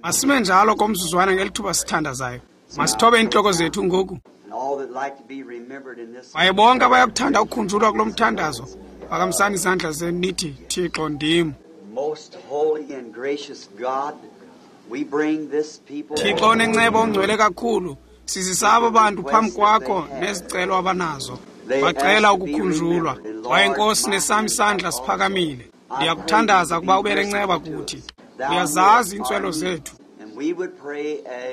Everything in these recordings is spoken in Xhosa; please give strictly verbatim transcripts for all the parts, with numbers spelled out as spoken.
Masime njalo komzuzwana ngeli thuba sithandazayo. Masithobe iintloko zethu ngoku. Kwaye bonke abayakuthanda ukukhunjulwa kulo mthandazo, phakamisani izandla zenu nithi, Thixo ndim. Thixo onenceba ongcwele kakhulu, sizisa aba bantu phambi kwakho nezicelo abanazo. Bacela ukukhunjulwa. Kwaye Nkosi, nesam isandla siphakamile. Ndiyakuthandaza ukuba ube nenceba kuthi. Uyazazi iintswelo zethu.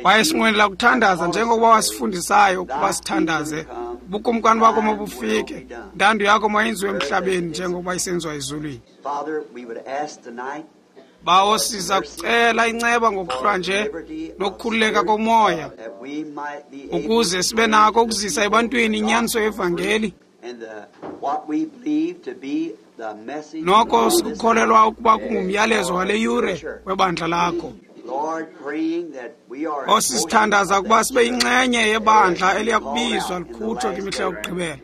Kwaye sinqwenela ukuthandaza njengokuba wasifundisayo ukuba sithandaze. Ubukumkani bakho mabufike, intando yakho mayenziwe emhlabeni njengokuba isenziwa ezulwini. Bawo, siza kucela inceba ngokuhlwa nje nokukhululeka komoya, ukuze sibe nako ukuzisa ebantwini inyaniso yevangeli, noko sikukholelwa ukuba kungumyalezo wale yure webandla lakho. Nkosi, sithandaza ukuba sibe yinxenye yebandla eliyakubizwa likhutshwe kwimihla yokugqibela.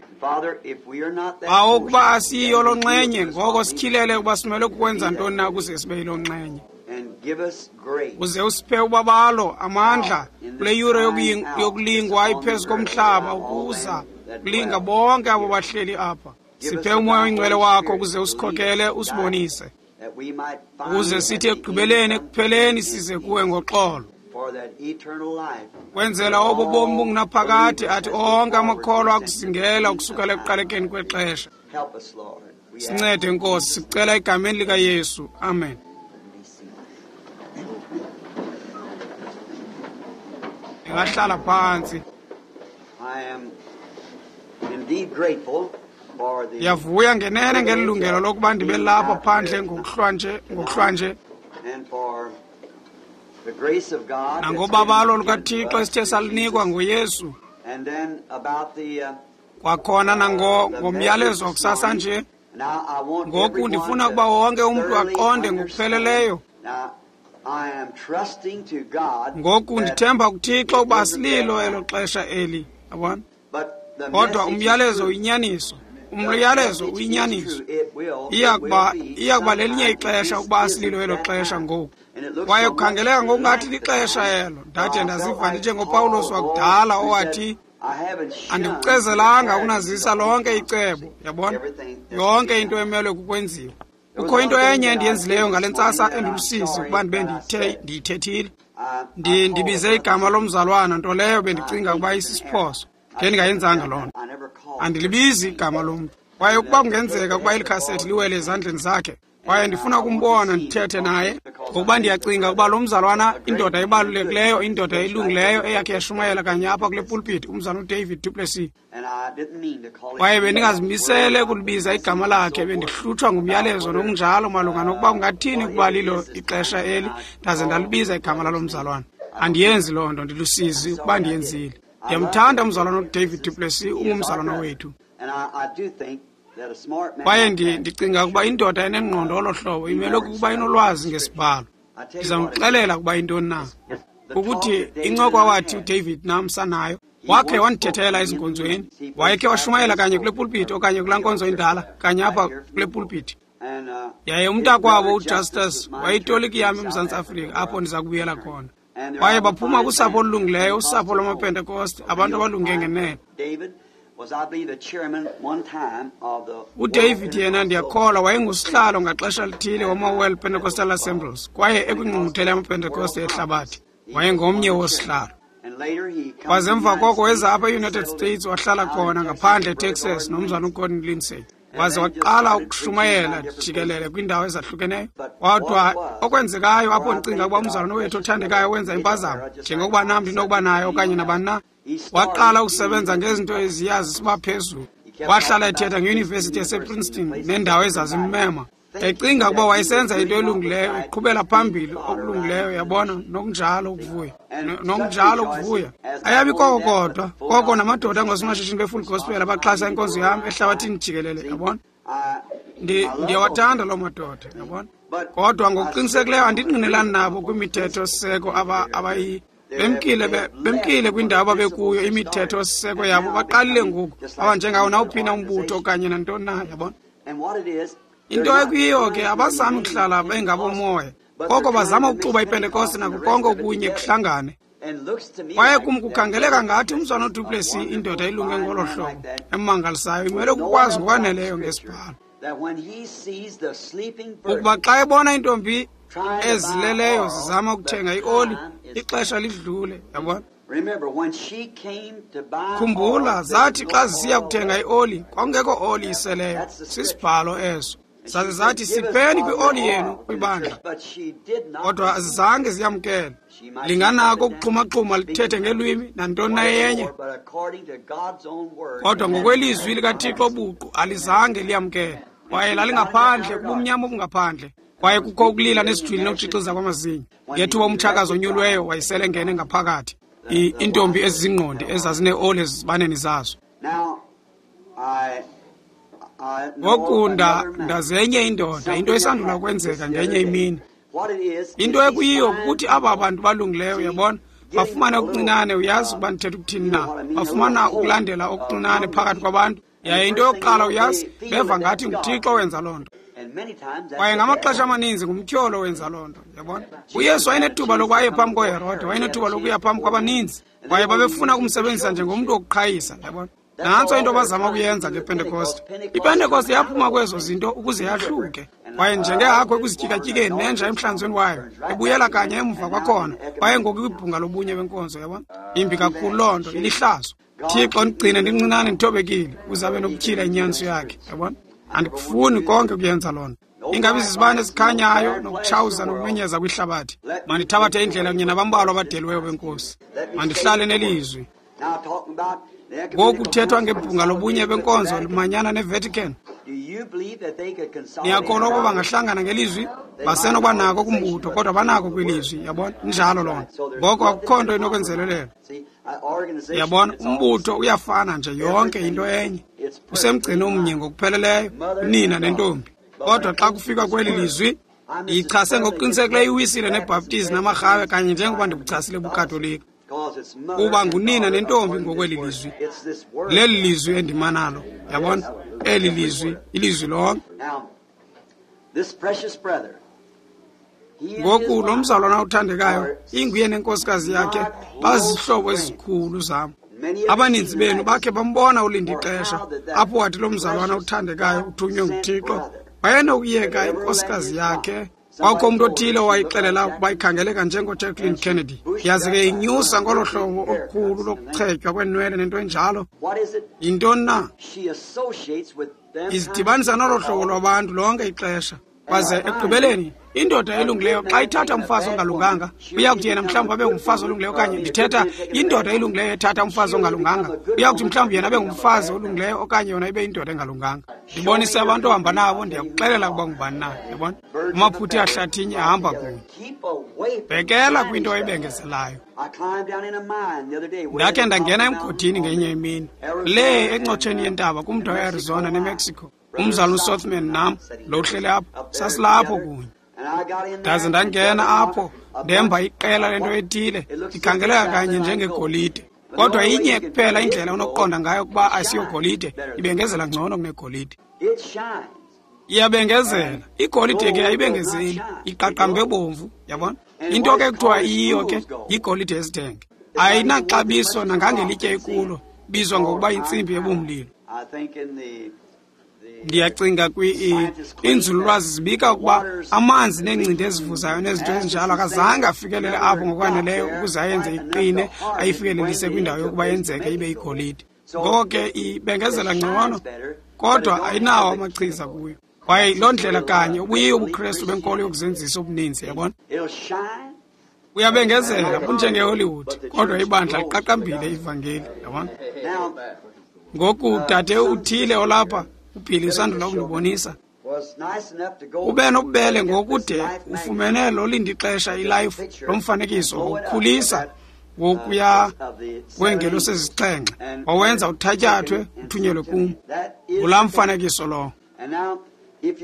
Bawo, ukuba asiyiyo loo nxenye, ngoko sityhilele ukuba simele kukwenza ntoni na ukuze sibe yiloo nxenye. Uze usiphe ubabalo, amandla kule yure yokulingwa iphezu komhlaba, ukuza kulinga bonke abo bahleli apha. Siphe uMoya oyiNgcwele wakho ukuze usikhokele, usibonise, ukuze sithi ekugqibeleni, ekupheleni size kuwe ngoxolo, kwenzela obo bomi bungunaphakade athi onke amakholwa akuzingela ukusukela ekuqalekeni kwexesha. Sincede Nkosi, sicela egameni likaYesu. Amen. Ndingahlala phantsi. Ndiyavuya ngenene ngeli lungelo lokuba ndibe lapha phandle ngokuhlwa nje, ngokuhlwa nje, nangobabalo lukaThixo esithe salunikwa ngoYesu, kwakhona nango ngomyalezo wakusasa nje. Ngoku ndifuna ukuba wonke umntu aqonde ngokupheleleyo. Ngoku ndithemba kuThixo ukuba asililo elo xesha eli, yabona. Kodwa umyalezo uyinyaniso. Umyalezo uyinyaniso. Iyakuba iyakuba lelinye ixesha ukuba asililo elo xesha ngoku. Kwaye kukhangeleka ngokungathi lixesha elo. Ndade ndaziva ndinjengoPawulos wakudala owathi, andikucezelanga ukunazisa lonke icebo, yabona, yonke into emelwe kukwenziwa. Kukho into enye endiyenzileyo ngale ntsasa endilusizi ukuba ndibe ndiyithe ndiyithethile. Ndi ndibize igama lomzalwana, nto leyo bendicinga ukuba isisiphoso. Ngendingayenzanga loo nto. Andilibizi igama lomntu. Kwaye ukuba kungenzeka ukuba eli khasethi liwele ezandleni zakhe, kwaye ndifuna ukumbona ndithethe naye, ngokuba ndiyacinga ukuba lo mzalwana, indoda ebalulekileyo, indoda elungileyo eyakhe yashumayela kanye apha kule pulpit, umzalwana uDavid Duplessis. Kwaye bendingazimisele ukulibiza igama lakhe, bendihlutshwa ngumyalezo nokunjalo malunga nokuba kungathini ukuba lilo ixesha eli, ndaze ndalibiza igama lalo mzalwana. Andiyenzi loo nto, ndilusizi ukuba ndiyenzile. Ndiyamthanda umzalwana uDavid Duplessis, ungumzalwana wethu. Kwaye ndicinga ukuba indoda enengqondo olo hlobo imele ukuba inolwazi ngesibhalo. Ndizamxelela ukuba intoni na. Ukuthi incoko awathi uDavid nam sanayo, wakhe wandithethela ezinkonzweni, wayekhe washumayela kanye kule pulpit okanye kulaa nkonzo indala, kanye apha kule pulpit. Yaye umntakwabo uJustus wayitoliki yam eMzantsi Afrika, apho ndiza kubuyela khona. Kwaye baphuma kusapho olulungileyo, usapho lwamaPentekoste, abantu abalunge ngenene. UDavid yena ndiyakholwa wayengusihlalo ngaxesha lithile wama-World Pentecostal Assemblies, kwaye ekwingqungquthela yamaPentekoste ehlabathi wayengomnye wosihlalo. Kwaze emva koko weza apha e-United States, wahlala khona ngaphandle eTexas nomzana uGordon Lindsay. Waze waqala ukushumayela jikelele kwiindawo ezahlukeneyo. Kodwa okwenzekayo apho ndicinga ukuba umzalwana wethu othandekayo wenza impazamo, njengokuba nam ndinokuba nayo okanye nabani na, waqala ukusebenza ngezinto eziya zisiba phezulu. Wahlala ethetha ngeyunivesithi yasePrinceton neendawo ezazimmema, ecinga ukuba wayesenza into elungileyo, eqhubela phambili okulungileyo, yabona, nokunjalo ukuvuya, nokunjalo ukuvuya. Ayabi koko kodwa, koko namadoda angosomashishini be-Full Gospel abaxhasa inkonzo yam ehlabathini jikelele, yabona. Ndiyawathanda loo madoda, yabona. Kodwa ngokuqinisekileyo andingqinelani nabo kwimithetho-siseko abayi bemkile bemkile kwindawo ababekuyo, imithetho-siseko yabo baqalile ngoku, abanjengawo nawuphi na umbutho okanye nantoni na, yabona. Into ekuyiyo ke, abazami ukuhlala bengabomoya. Koko bazama ukuxuba iPentekoste nako konke okunye kuhlangane. Kwaye kum kukhangeleka ngathi umzwana uDuplessis, indoda ilunge ngolo hlobo emangalisayo, imele ukukwazi ngokwaneleyo ngesibhalo ukuba xa ebona iintombi ezileleyo zizama ukuthenga ioli, ixesha lidlule. Yabona? Khumbula, zathi xa zisiya kuthenga ioli, kwakungekho oli iseleyo. Sisibhalo eso. Zaze zathi, sipheni kwioli yenu kwibandla. Kodwa azizange ziyamkele. Linganako ukuxhumaxhuma lithethe ngelwimi nantoni na yenye. Kodwa ngokwelizwi likaThixo buqu alizange liyamkele. Kwaye lalingaphandle, kubumnyama obungaphandle. Kwaye kukho ukulila nesijwili nokutshixiza kwamazinyo. Ngethuba umtshakazi onyulweyo wayesele ngene ngaphakathi. Iintombi ezizingqondi ezazineoli ezibaneni zazo. Ngoku ndazenye indoda, into esandula kwenzeka ngenye imini. Into ekuyiyo kukuthi aba bantu balungileyo, uyabona, bafumana okuncinane, uyazi ukuba ndithetha ukuthini na, bafumana ukulandela okuncinane phakathi kwabantu. Yaye into yokuqala, uyazi, beva ngathi nguThixo owenza loo nto. Kwaye ngamaxesha amaninzi ngumtyholo owenza loo nto, uyabona. UYesu wayenethuba lokuba aye phambi koHerode, wayenethuba lokuya phambi kwabaninzi, kwaye babefuna ukumsebenzisa njengomntu wokuqhayisa, uyabona. Nantso into bazama ukuyenza ngePentekoste. IPentekoste yaphuma kwezo zinto ukuze yahluke. Kwaye njengehagu ekuzityikatyikeni nenja emhlanzweni wayo, ebuyela kanye emva kwakhona, kwaye ngoku kwibhunga lobunye benkonzo, yabona. Imbi kakhulu loo nto, ilihlazo. Thixo ndigcine ndincinane ndithobekile, ukuze abe nokutyhila inyaniso yakhe, yabona. Andikufuni konke ukuyenza loo nto. Ingabi zizibane ezikhanyayo nokutshawuza nokumenyeza kwihlabathi. Mandithabathe indlela kunye nabambalwa abadelweyo benkosi. Mandihlale nelizwi. Ngoku kuthethwa ngebhunga lobunye benkonzo limanyana neVatican. Niyakholwa ukuba bangahlangana ngelizwi? Basenokuba nako kumbutho, kodwa banako kwilizwi, yabona? Injalo loo nto. Ngoko akukho nto inokwenzelelela. Yabona, umbutho uyafana nje, yonke into enye. Usemgcini omnye ngokupheleleyo, unina nentombi. Kodwa xa kufika kweli lizwi, ichase ngokuqinisekileyo iwisile neBhaptizi namarhawe kanye njengoba ndikuchasile buKatolika. Kuba ngunina nentombi ngokweli lizwi. Leli lizwi endimanalo, yabona? Eli lizwi, ilizwi lonke. Ngoku lo mzalwana uthandekayo, inguye nenkosikazi yakhe, bazihlobo ezikhulu zam. Abaninzi benu bakhe bambona ulinda ixesha apho wathi lo mzalwana uthandekayo uthunywe nguThixo wayenokuyeka inkosikazi yakhe. Kwakho umntu othile owayixelela ukuba ikhangeleka njengoJacqueline Kennedy. Yaze ke inyusa ngolo hlobo olukhulu lokuchetywa kweenwele nento enjalo. Yintoni na? Izidibanisa nolo hlobo lwabantu lonke ixesha. Kwaze ekugqibeleni, indoda elungileyo xa ithatha umfazi ongalunganga, uya kuthi yena mhlawumbi abe ngumfazi olungileyo, okanye ndithetha indoda elungileyo ethatha umfazi ongalunganga, uya kuthi mhlawumbi yena abe ngumfazi olungileyo okanye yona ibe yindoda engalunganga. Ndibonise abantu ohamba nabo, ndiyakuxelela ukuba ngubani na, yabona? Amaphuthi ahlathinye ahamba kunye. Bhekela kwinto ebengezelayo. Ndakhe ndangena emgodini ngenye imini, le encotsheni yentaba kumda weArizona neMexico. Umzalwana uSothman nam lo uhleli apho, sasilapho kunye. Ndaze ndangena apho, ndemba iqela lento ethile, ikhangeleka kanye njengegolide. Kodwa inye kuphela indlela onokuqonda ngayo ukuba asiyogolide, ibengezela ngcono kunegolide. Iyabengezela. Igolide ke ayibengezeli, iqaqambe bomvu, yabona? Into ke kuthiwa iyiyo ke yigolide esithenge. Ayinaxabiso nangangelitye ekulo, bizwa ngokuba yintsimbi ebumlilo. Ndiyacinga kwi-inzululwazi zibika ukuba amanzi neencindi ezivuzayo nezinto ezinjalo akazange afikelele apho ngokwaneleyo ukuze ayenze iqine, ayifikelelise kwindawo yokuba yenzeke ibe igolide. Ngoko ke ibengezela ngcono, kodwa ayinawo amachiza kuyo. Kwaye loo ndlela kanye ubuyiyo ubuKrestu benkolo yokuzenzisa obuninzi, yabona? Uyabengezela bunjengeHollywood, kodwa ibandla liqaqambile ivangeli, yabona? Ngoku dade uthile olapha, uBilly usandula ukundibonisa. Ube nobubele ngokude ufumene lo lindixesha iLife lomfanekiso wokukhulisa wokuya kweengelosi ezisixhenxe, wawenza uthatyathwe uthunyelwe kum. Ngulaa mfanekiso lowo.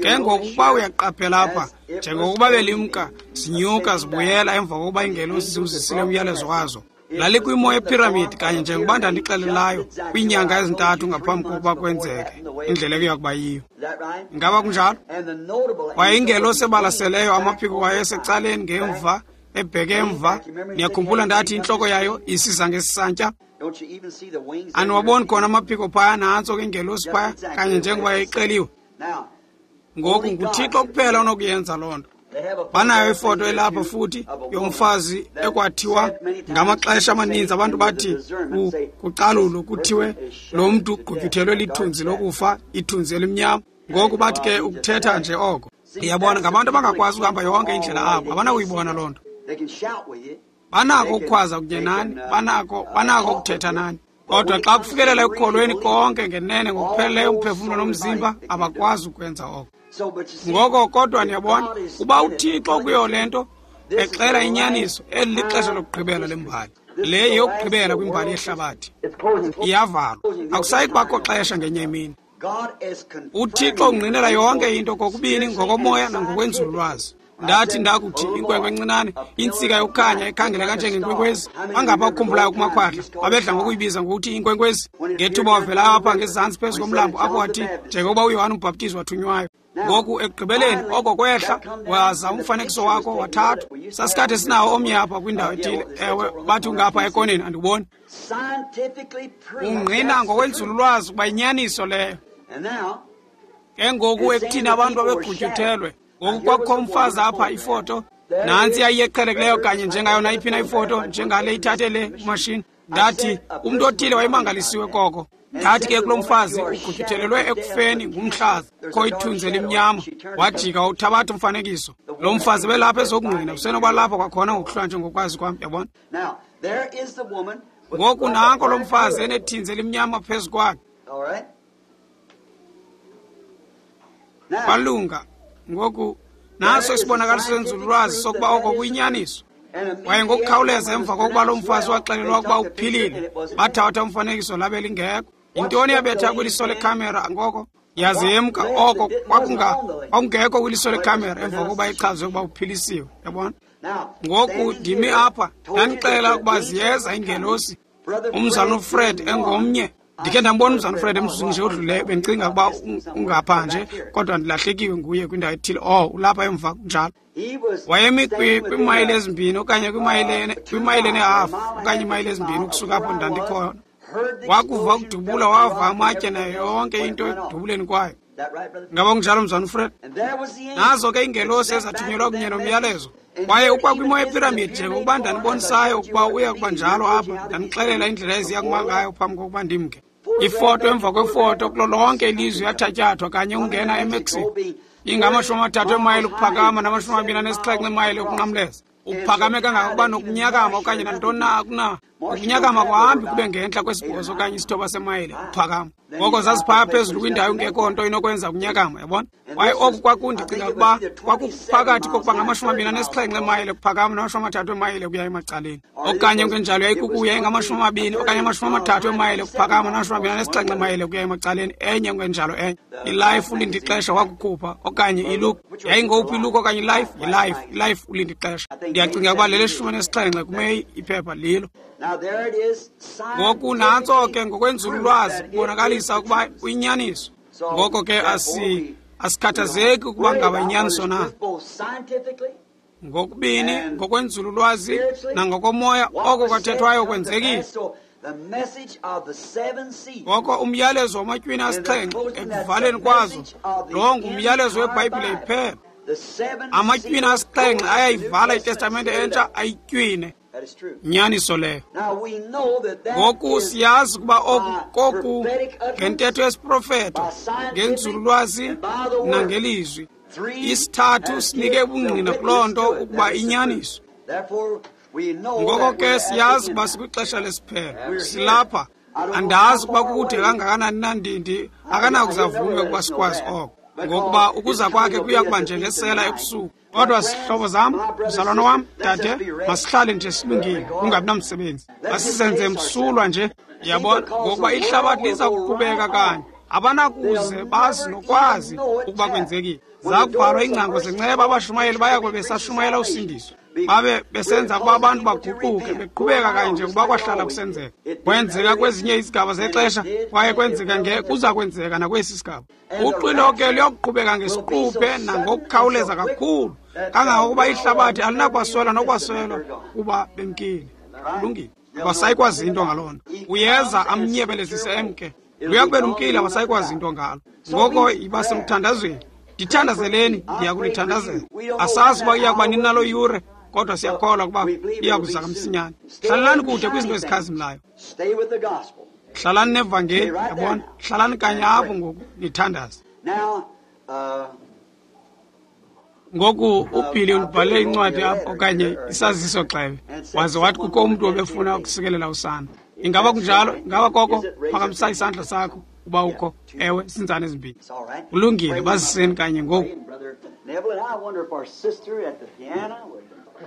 Ke ngoku ukuba uyaqaphela apha, njengokuba belimka zinyuka zibuyela emva kokuba iingelosi ziwuzisile umyalezo wazo. Lalikwimo yephiramidi kanye njengoba ndandixelelayo kwiinyanga ezintathu ngaphambi kokuba kwenzeke indlela ekuya kuba yiyo. Ingaba kunjalo? Kwaye ingelosi ebalaseleyo, amaphiko wayo esecaleni ngemva, ebheke emva. Niyakhumbula ndathi intloko yayo isiza ngesantya? Aniwaboni khona amaphiko phaya, nantso ke ingelosi phaya kanye njengoba yayixeliwe. Ngoku nguThixo kuphela onokuyenza loo nto. Banayo ifoto elapha futhi yomfazi ekwathiwa ngamaxesha amaninzi abantu bathi kucalulo kuthiwe lo mntu ugqutyuthelwe lithunzi lokufa, ithunzi elimnyama. Ngoku bathi ke ukuthetha nje oko. Ndiyabona ngabantu abangakwazi ukuhamba yonke indlela abo, abanakuyibona loo nto. Banako ukukhwaza kunye nani, banako banako ukuthetha nani. Kodwa xa kufikelela ekukholweni konke ngenene ngokupheleleyo umphefumlo nomzimba, abakwazi ukwenza oko. Ngoko kodwa niyabona, uba uThixo kuyo le nto exela inyaniso, eli lixesha lokugqibela lembali. Le yeyokugqibela kwimbali yehlabathi. Iyavalwa. Akusayi kubakho xesha ngenye imini. UThixo ungqinela yonke into kokubini ngokomoya nangokwenzululwazi. Ndathi ndakuthi inkwenkwe encinane, intsika yokukhanya ekhangeleka njengenkwenkwezi. Bangapha ukukhumbulayo kumakhwahla, babedla ngokuyibiza ngokuthi inkwenkwezi. Ngethuba wavela apha ngezantsi phezu komlambo apho wathi njengokuba uYohane uMbhaptizi wathunywayo. Ngoku ekugqibeleni oko kwehla waza umfanekiso wakho wathathwa. Sasikade sinawo omnye apha kwindawo ethile. Ewe, bathi ungapha ekoneni, andiwuboni. Ungqina ngokwenzululwazi ukuba inyaniso leyo. Ke ngoku ekuthini abantu babegqutyuthelwe. Ngoku kwakukho umfazi apha ifoto, nantsi yayiyeqhelekileyo kanye njengayo nayiphi na ifoto, njengale ithathe le umashini. Ndathi umntu othile wayemangalisiwe koko. Ndathi ke kulo mfazi ugqutyuthelelwe ekufeni ngumhlaza, kho ithunzi elimnyama. Wajika wawuthabatha umfanekiso. Lo mfazi belapha ezokungqina, usenoba lapha kwakhona ngokuhlwa njengokwazi kwam, yabona. Ngoku nanko lo mfazi enethinzi elimnyama phezu kwakhe. Kwalunga. Ngoku naso isibonakaliso senzululwazi sokuba oko kuyinyaniso. Kwaye ngokukhawuleza emva kokuba lo mfazi waxelelwa ukuba uphilile, bathatha umfanekiso labe lingekho. Yintoni yabetha kwiliso lekhamera ngoko? Yaze yemka. Oko kwakungekho kwiliso lekhamera emva kokuba ichazwe ukuba uphilisiwe, yabona. Ngoku ndimi apha, ndandixelela ukuba ziyeza iingelosi. Umzalwana uFred engomnye. Ndikhe ndambona umzalwana uFred emzuzwini nje odluleyo, bendicinga ukuba ungapha nje, kodwa ndilahlekiwe nguye kwindawo ethile. Oh, ulapha emva kunjalo. Wayemi kwiimayile ezimbini okanye kwimayile nehafu okanye iimayile ezimbini ukusuka apho ndandikhona. Wakuva ukudubula, wava amatye nayo yonke into ekudubuleni kwayo. Ngaba kunjalo, mzalwana uFred? Nazo ke iingelosi ezathunyelwa kunye nomyalezo. Kwaye ukwakwimo yephiramidi njengokuba ndandibonisayo ukuba uya kuba njalo apha, ndandixelela indlela eziya kuma ngayo phambi kokuba ndimke. Ifoto emva kwefoto kulo lonke ilizwe yathatyathwa kanye ungena eMexico. Ingamashumi amathathu emayile ukuphakama namashumi amabini anesixhenxe emayile ukunqamleza. Uphakame kangangokuba nokunyakama okanye nantoni na akuna. Ukunyakama kuhambi kube ngentla kwesibhozo okanye isithoba semayile ukuphakama. Ngoko zaziphaya phezulu kwindawo engekho nto inokwenza ukunyakama, yabona. Kwaye oku kwakundicinga ukuba kwakuphakathi kokuba ngamashumi amabini anesixhenxe emayile ukuphakama namashumi amathathu emayile ukuya emacaleni. Okanye kungenjalo yayikukuya ingamashumi amabini okanye amashumi amathathu emayile ukuphakama namashumi amabini anesixhenxe emayile ukuya emacaleni, enye kungenjalo enye. ILife ulinde ixesha wakukhupha okanye iLuke. Yayingowuphi iLuke okanye iLife? YiLife. ILife ulinde ixesha. Ndiyacinga ukuba leleshumi anesixhenxe kuMeyi iphepha lilo. Ngoku nantso ke ngokwenzululwazi kubonakalisa ukuba uyinyaniso. Ngoko ke asi asikhathazeki ukuba ngaba inyaniso na. Ngokubini ngokwenzululwazi nangokomoya oko kwathethwayo kwenzekile. Ngoko umyalezo wamatywina asixhenxe ekuvaleni kwazo, lo ngumyalezo weBhayibhile iphela. Amatywina asixhenxe ayayivala iTestamente entsha ayitywine. Nyaniso leyo. Ngoku siyazi ukuba oku koku ngentetho yesiprofeto, ngenzululwazi nangelizwi. Isithathu sinike ubungqina kuloo nto ukuba inyaniso. Ngoko ke siyazi ukuba sikwixesha lesiphelo. Silapha. Andazi ukuba kukude kangakanani na, ndindi akanakuzavume ukuba sikwazi oko, ngokuba ukuza kwakhe kuya kuba njengesela ebusuku. Kodwa sihlobo zam, mzalwana wam, dade, masihlale nje silungile, kungabi namsebenzi. Masizenze msulwa nje, yabona, ngokuba ihlabathi liza kuqhubeka kanye. Abanakuze bazi nokwazi ukuba kwenzekile. Zakuvalwa iingcango zenceba, abashumayeli baya kube besashumayela usindiso. Babe besenza ukuba abantu baguquke, beqhubeka kanye njengokuba kwahlala kusenzeka. Kwenzeka kwezinye izigaba zexesha, kwaye kwenzeka nge kuza kwenzeka nakwesi sigaba. Uxwilo ke luyokuqhubeka ngesiquphe nangokukhawuleza kakhulu, kangangokuba ihlabathi alinakwaswela nokwaswelwa kuba bemkile. Kulungile. Abasayikwazi into ngaloo nto. Uyeza amnyebelezise emke. Luyakube lumkile, abasayikwazi into ngalo. Ngoko yiba semthandazweni. Ndithandazeleni, ndiya kunithandazela. Asazi uba iya kuba nini naloo yure, kodwa siyakholwa ukuba iya kuza kamsinyane. Hlalelani kude kwizinto ezikhazimlayo. Hlalani nevangeli, yabona? Hlalani kanye apho ngoku nithandaze. Ngoku uBilly undibhalele incwadi apho okanye isaziso gxebe, waze wathi kukho umntu obefuna ukusikelela usana. Ingaba kunjalo? Ingaba koko? Phakamisa isandla sakho uba ukho. Ewe, zinzane ezimbini. Kulungile, baziseni kanye ngoku.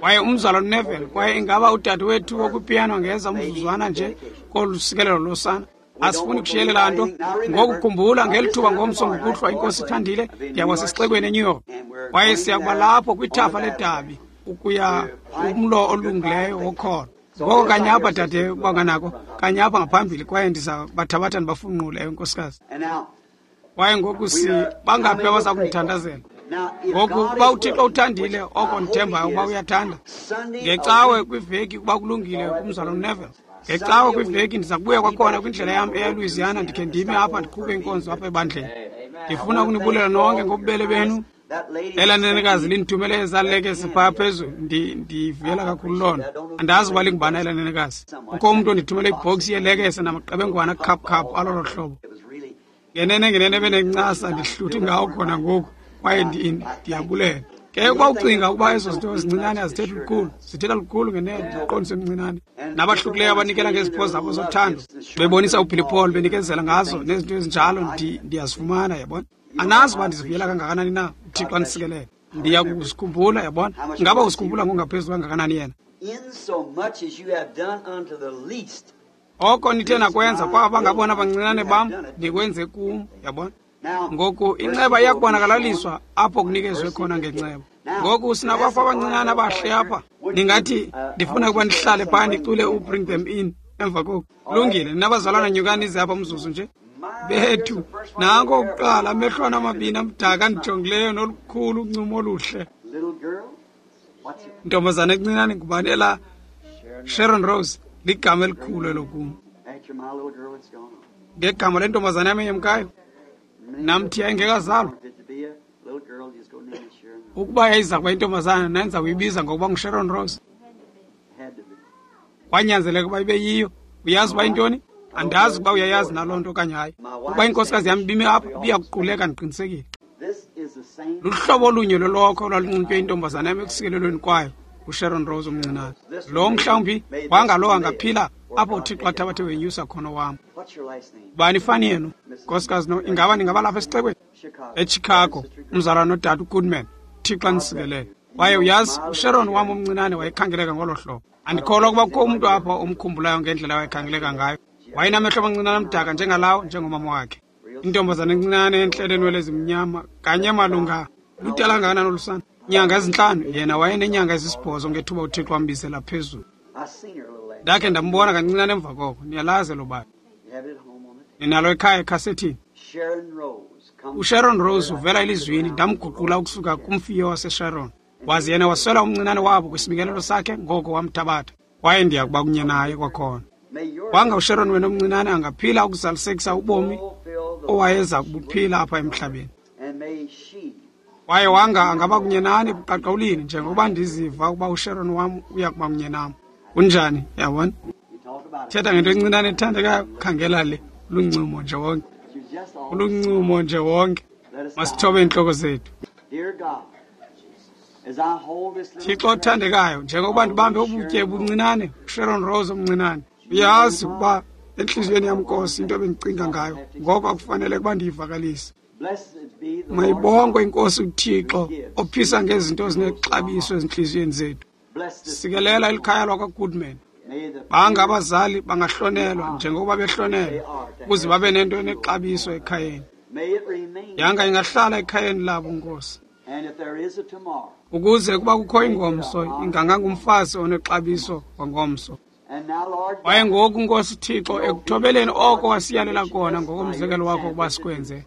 Kwaye umzalwane Neville, kwaye ingaba udadewethu wokwipiyano angeza umzuzwana nje kolu sikelelo losana. Asifuni kushiyelela nto. Ngoku khumbula, ngeli thuba ngomso ngokuhlwa, iNkosi ithandile, ndiya sesixekweni eNew York. Kwaye siya kuba lapho kwithafa ledabi ukuya kumlo olungileyo wokholo. Ngoko kanye apha, dade, banganako, kanye apha ngaphambili, kwaye ndiza bathabatha ndibafunqule, ewe, nkosikazi. Kwaye ngoku si bangaphi abaza kundithandazela? Ngoku uba uThixo uthandile, oko ndithembayo uba uyathanda. Ngecawe kwiveki ukuba kulungile kumzalwane Neville. Ngecawe kwiveki ndiza kubuya kwakhona kwindlela yam eya eLouisiana, ndikhe ndime apha ndiqhube inkonzo apha ebandleni. Ndifuna ukunibulela nonke ngobubele benu. Elaa nenekazi lindithumele ezaa lekese phaa phezulu, ndivuyela kakhulu loo nto. Andazi uba lingubani elaa nenekazi. Kukho umntu ondithumele ibhoksi yeelekese namaqebengwana khaphukhaphu alolo hlobo. Ngenene ngenene benencasa, ndihluthi ngawo khona ngoku, kwaye ndiyabulela. Ke ukuba ucinga ukuba ezo zinto zincinane azithethi lukhulu, zithetha lukhulu ngenene, ndiqondise emncinane. Nabahlukileyo abanikela ngezipho zabo zothando, bebonisa uBilly Paul, benikezela ngazo nezinto ezinjalo, ndiyazifumana, yabona. Anazi uba ndizivuyela kangakanani na, uThixo andisikelele. Ndiya kuzikhumbula, yabona. Ingaba uzikhumbula ngokungaphezulu kangakanani yena? Oko nithe nakwenza kwaba ngabona abancinane bam, ndikwenze kum, yabona. Ngoku inceba iyakubonakalaliswa apho kunikezwe khona ngenceba. Ngoku sinabafo abancinane abahle apha. Ningathi ndifuna ukuba ndihlale phaa ndicule uBring Them In emva koku. Kulungile, ninabazalwana nyukani ize apha umzuzu nje. Bethu, nanko okuqala amehlwana amabini amdaka andijongileyo nolukhulu uncumo oluhle. Ntombazana encinane ngubani elaa? Sharon Rose, ligama elikhulu elo kum. Ngegama lentombazana yam eyemkayo, namthi yayingekazalwa. Ukuba yayiza kuba intombazana, ndandiza kuyibiza ngokuba nguSharon Rose. Kwanyanzeleka ukuba ibe yiyo. Uyazi uba yintoni? Andazi ukuba uyayazi naloo nto okanye hayi. Ukuba inkosikazi yam ibime apha, ibiyakuquleka, ndiqinisekile. Luhlobo olunye lolokho olwalunxitywe intombazana yam ekusikelelweni kwayo, uSharon Rose omncinane. Lo mhlawumbi wangalo angaphila apho uThixo athabathe wenyusa khona wam. Bani ifani yenu, nkosikazi no, ingaba ningaba lapha esixekweni? EChicago, umzalwane nodade uGoodman. Thixo andisikelele. Kwaye uyazi, uSharon wam omncinane wayekhangeleka ngolo hlobo. Andikholwa ukuba kukho umntu apha omkhumbulayo ngendlela wayekhangeleka ngayo. Wayenamehlo amancinane amdaka njengalawo, njengomama wakhe. Intombazana encinane entle enwele ezimnyama, kanye malunga ludala kangakanani olu sana? Inyanga ezintlanu, yena wayenenyanga ezisibhozo ngethuba uThixo wambizela phezulu. Ndakhe ndambona kancinane emva koko. Niyalazi elo bali. Ninalo ekhaya ekhasethini. USharon Rose uvela elizwini, ndamguqula ukusuka kumfiyo waseSharon. Waze yena waswela umncinane wabo kwisibingelelo sakhe, ngoko wamthabatha. Kwaye ndiya kuba kunye naye kwakhona. Wanga uSharon wena omncinane angaphila ukuzalisekisa ubomi owayeza kubuphila apha emhlabeni. Kwaye wanga angaba kunye nani ebuqaqawulini, njengokuba ndiziva ukuba uSharon wam uya kuba kunye nam. Kunjani, yabona? Thetha ngento encinane ethandekayo, khangela le, luncumo nje wonke. Uluncumo nje wonke. Masithobe iintloko zethu. Thixo othandekayo, njengokuba ndibambe ubutye obuncinane, uSharon Rose omncinane, uyazi ukuba entliziyweni yam, Nkosi, into ebendicinga ngayo, ngoko akufanele ukuba ndiyivakalise. Mayibongwe iNkosi uThixo ophisa ngezinto ezinexabiso ezintliziyweni zethu. Sikelela elikhaya lwakwaGoodman. Banga abazali bangahlonelwa njengokuba behlonelwa, ukuze babe nento enexabiso ekhayeni. Yanga ingahlala ekhayeni labo, Nkosi. Ukuze kuba kukho ingomso, ingangangumfazi onexabiso wangomso. Kwaye ngoku, Nkosi Thixo, ekuthobeleni oko wasiyalela kona ngokomzekelo wakho ukuba sikwenze,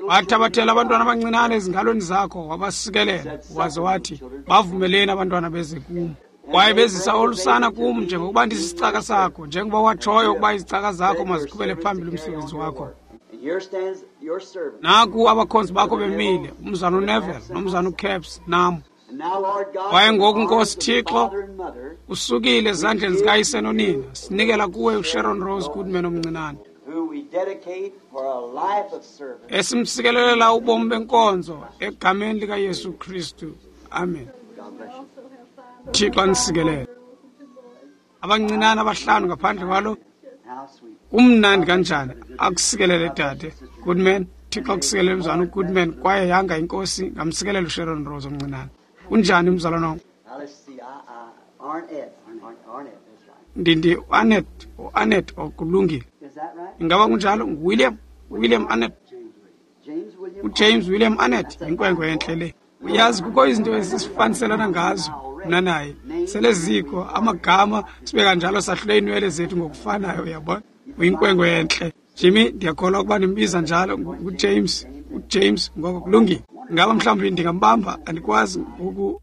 wathabathela abantwana abancinane ezingalweni zakho, wabasikelela, waze wathi, bavumeleni abantwana beze kum. Kwaye bezisa olusana kum njengokuba ndisisicaka sakho, njengoba watshoyo ukuba izicaka zakho maziqhubele phambili umsebenzi wakho. Naku abakhonzi bakho bemile, umzana uNeville nomzana uCaps nam. Kwaye ngoku, Nkosi Thixo, usukile ezandleni zikayise nonina, sinikela kuwe uSharon Rose Goodman omncinane, esimsikelelela ubomi benkonzo egameni likaYesu Kristu. Amen. Thixo anisikelele. Abancinane abahlanu ngaphandle kwalo, kumnandi kanjani. Akusikelele dade Goodman. Thixo akusikelele mzalwana uGoodman, kwaye yanga inkosi ngamsikelela uSharon Rose omncinane. Kunjani mzalwana wam? Ndindi uAnnet, uAnnet okulungile. Ingaba kunjalo? NguWilliam, William Annett. UJames William Annett yinkwenkwe entle le. Uyazi kukho izinto esifaniselana ngazo mna naye. Sele zikho amagama sibe kanjalo, sahlule iinwele zethu ngokufanayo, uyabona. Uyinkwenkwe entle. Jimmy, ndiyakholwa ukuba ndimbiza njalo, nguJames, uJames, ngoko kulungile. Ingaba mhlawumbi ndingambamba? Andikwazi ngoku.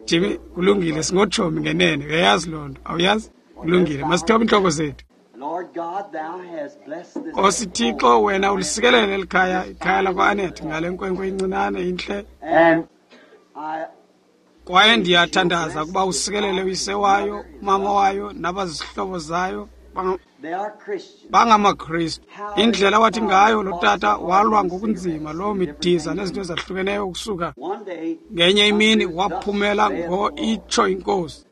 Jimmy, kulungile, singotshomi ngenene, uyayazi loo nto, awuyazi? Kulungile, masithobe iintloko zethu. Nkosi Thixo, wena ulisikelele elikhaya, ikhaya lakwa-Annett, ngale nkwenkwe incinane intle. Kwaye ndiyathandaza ukuba usikelele uyise wayo, umama wayo, nabazihlobo zayo. BangamaKristu. Indlela wathi ngayo lo tata walwa ngokunzima loo midiza nezinto ezahlukeneyo ukusuka ngenye imini waphumela ngo itsho inkosi.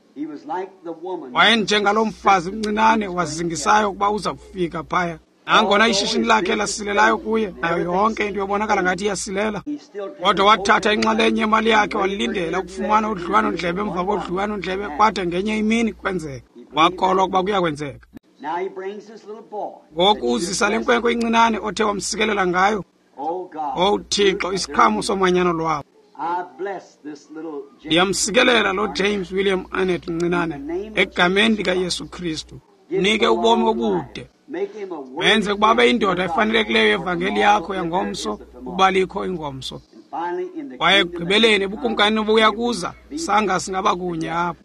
Wayenjengalo mfazi mncinane wazingisayo ukuba uza kufika phaya. Nangona ishishini lakhe lasilelayo kuye, nayo yonke into yobonakala ngathi iyasilela, kodwa wathatha inxalenye yemali yakhe walindela ukufumana udliwano-ndlebe emva kodliwano-ndlebe, kwade ngenye imini kwenzeka. Wakholwa ukuba kuyakwenzeka. Ngoku uzisa le nkwenkwe incinane othe wamsikelela ngayo. Owu Thixo, isiqhamo somanyano lwabo. Ndiyamsikelela lo James William Annett mncinane egameni likaYesu Kristu. Mnike ubomi obude, menze ukuba abe yindoda efanelekileyo yevangeli yakho yangomso, ukuba likho ingomso. Kwaye ekugqibeleni ebukumkanini obuya kuza, sanga singaba kunye apho.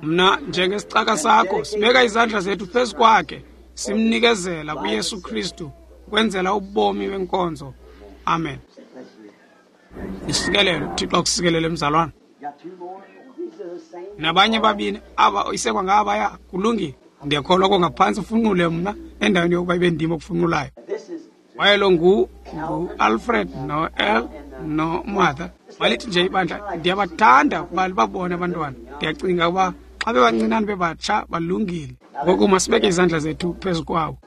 Mna njengesicaka sakho sibeka izandla zethu phezu kwakhe, simnikezela kuYesu Kristu kwenzela ubomi benkonzo. Amen. Isikelelo, Thixo akusikelele mzalwana. Nabanye babini aba isekwa ngabaya, kulungile. Ndiyakholwa kongaphantsi ufunqule mna endaweni yokuba ibe ndim okufunqulayo. Kwaye lo ngu ngu-Alfred no-El noMartha. Malithi nje ibandla, ndiyabathanda ukuba libabone abantwana. Ndiyacinga ukuba xa bebancinane bebatsha balungile. Ngoku masibeke izandla zethu phezu kwabo.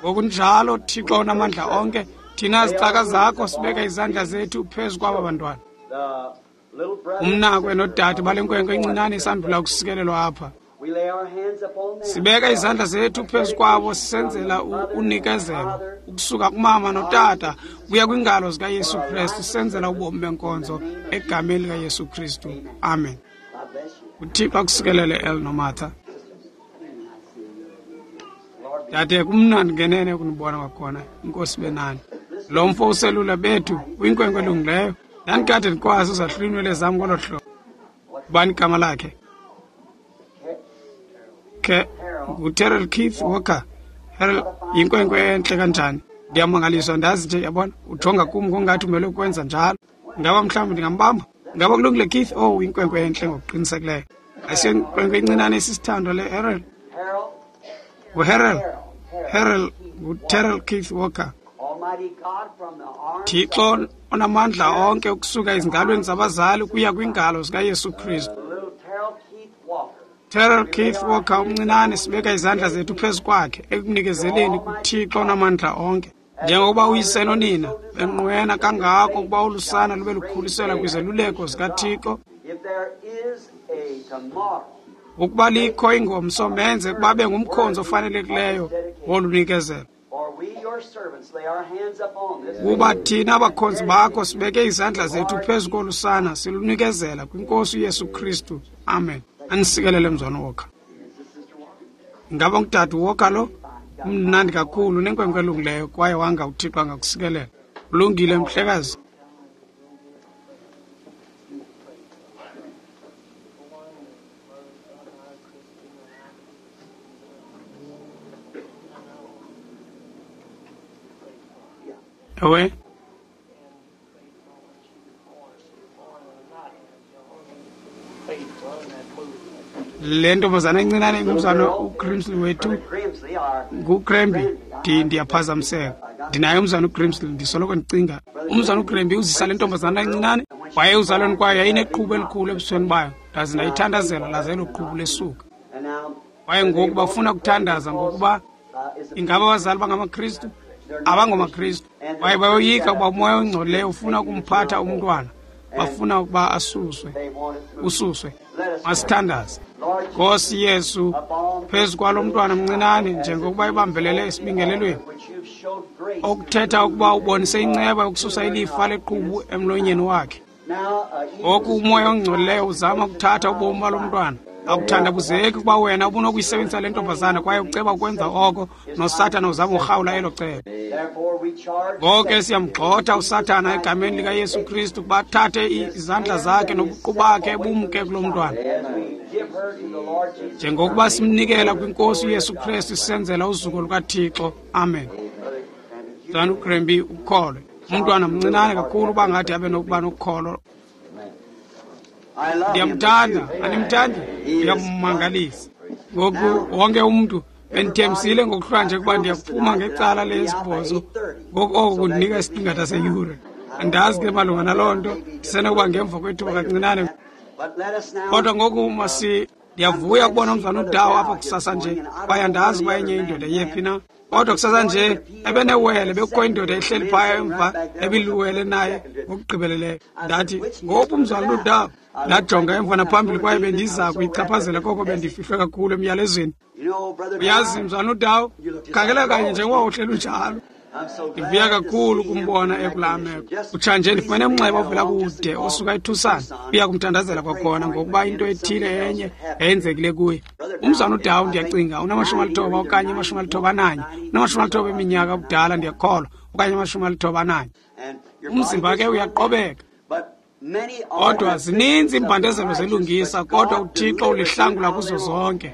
Ngokunjalo, Thixo onamandla onke, thina zicaka zakho sibeka izandla zethu phezu kwaba bantwana. Umnakwe nodade bale nkwenkwe incinane isandula ukusikelelwa apha. Sibeka izandla zethu phezu kwabo sisenzela unikezelo ukusuka kumama notata kuya kwingalo zikaYesu Kristu, sisenzela ubomi benkonzo egameni likaYesu Kristu. Amen. UThixo akusikelele El noMartha. Dade, kumnandi ngenene ukunibona kwakhona. Inkosi benani. Lo mfo uselula bethu uyinkwenkwe elungileyo. Ndandikade ndikwazi uzahlula iinwele zam ngolo hlobo. Ubani igama lakhe? Ke nguTerrell Keith Walker. Harold, yinkwenkwe entle kanjani. Ndiyamangaliswa, ndazi nje, yabona, ujonga kum ngongathi umele ukwenza njalo. Ingaba mhlawumbi ndingambamba? Ingaba kulungile, Keith? Oh, inkwenkwe entle ngokuqinisekileyo. Asiyonkwenkwe incinane isisithandwa le, Harold. NguHarold, Harold, nguTerrell Keith Walker. Thixo onamandla onke ukusuka ezingalweni zabazali ukuya kwingalo zikaYesu Kristu. Terrell Keith Walker umncinane, sibeka izandla zethu phezu kwakhe ekunikezeleni kuThixo onamandla onke. Njengokuba uyise nonina benqwena kangako ukuba ulusana lube lukhuliselwa kwizeluleko zikaThixo, ukuba likho ingomso, menze ukuba abe ngumkhonzi ofanelekileyo wolunikezelo. Kuba thina abakhonzi bakho sibeke izandla zethu phezu kolu sana, silunikezela kwiNkosi uYesu Kristu. Amen. Anisikelele mzwana Walker. Ingaba ngudade Walker lo? Mnandi kakhulu, nenkwenkwe elungileyo, kwaye wanga uThixo angakusikelela. Ulungile mhlekazi. Ewe. Le ntombazana encinane ngumzana uGrimsley wethu, nguGramby. Ndiyaphazamiseka. Ndinaye umzana uGrimsley, ndisoloko ndicinga. Umzana uGramby uzisa le ntombazana encinane, waye uzalweni kwayo yayineqhubu elikhulu ebusweni bayo. Ndaze ndayithandazela laze elo qhubu lesuka. Kwaye ngoku bafuna ukuthandaza ngokuba ingaba abazali bangamaKristu? AbangomaKristu. Kwaye bayoyika ukuba umoya ongcolileyo ufuna ukumphatha umntwana. Bafuna ukuba asuswe, ususwe. Masithandaze. Nkosi Yesu, phezu kwalo mntwana mncinane, njengokuba ibambelele esibingelelweni, okuthetha ukuba ubonise inceba yokususa ilifa leqhubu emlonyeni wakhe. Ngoku umoya ongcolileyo uzama ukuthatha ubomi balo mntwana. Akuthandabuzeki ukuba wena ubunokuyisebenzisa le ntombazana, kwaye uceba ukwenza oko, noSathana uzama urhawula elo cebo. Ngoko ke siyamgxotha uSathana egameni likaYesu Kristu ukuba athathe izandla zakhe nobuqu bakhe bumke kulo mntwana. Njengokuba simnikela kwiNkosi uYesu Kristu, sisenzela uzuko lukaThixo. Amen. Mzalwana uGramby, ukholwe. Umntwana mncinane kakhulu uba ngathi abe nokuba nokholo. Ndiyamthanda, animthandi? Ndiyammangalisa. Ngoku wonke umntu bendithembisile ngokuhlwa nje ukuba ndiyakuphuma ngecala lesibhozo. Ngoku oko kundinika isiqingatha seyure. Andazi ke malunga naloo nto, ndisenokuba ngemva kwethuba kancinane. Kodwa ngoku masi ndiyavuya ukubona umzwana uDawo apha kusasa nje, kwaye andazi uba enye indoda yephi na. Kodwa kusasa nje ebenewele, bekukho indoda ehleli phaya emva ebiluwele naye ngokugqibeleleyo. Ndathi, ngophi umzwana uDawo? Ndajonga emva naphambili, kwaye bendiza kuyichaphazela koko bendifihlwe kakhulu emyalezweni. Uyazi mzwana uDawo, khangela kanye njengoba uhleli unjalo. Ndivuya kakhulu ukumbona ekulaa meko. Kutshanje ndifumene umnxeba ovela kude osuka eTucson, uya kumthandazela kwakhona ngokuba into ethile enye yayenzekile kuye. Umzwana uDawo, ndiyacinga unamashumi alithoba okanye amashumi alithoba ananye, unamashumi alithoba eminyaka ubudala, ndiyakholwa, okanye amashumi alithoba ananye. Umzimba ke uyaqobeka. Kodwa zininzi iimbandezelo zelungisa, kodwa uThixo ulihlangula kuzo zonke.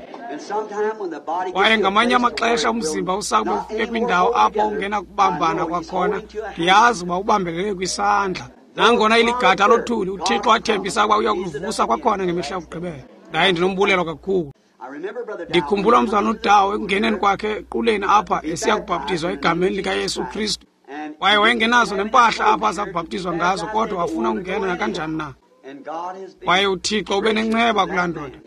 Kwaye ngamanye amaxesha umzimba usakube ufike kwindawo apho ungenakubambana kwakhona. Ndiyazi uba ubambelele kwisandla. Nangona iligada lothuli, uThixo athembisa ukuba uya kulivusa kwakhona ngemihla yokugqibela. Ndaye ndinombulelo kakhulu. Ndikhumbula umzwana uDawo ekungeneni kwakhe equleni apha esiya kubhaptizwa egameni likaYesu Kristu. Kwaye wayengenazo nempahla apha aza kubhaptizwa ngazo, kodwa wafuna ukungena nakanjani na. Kwaye uThixo ube nenceba kulaa ndoda.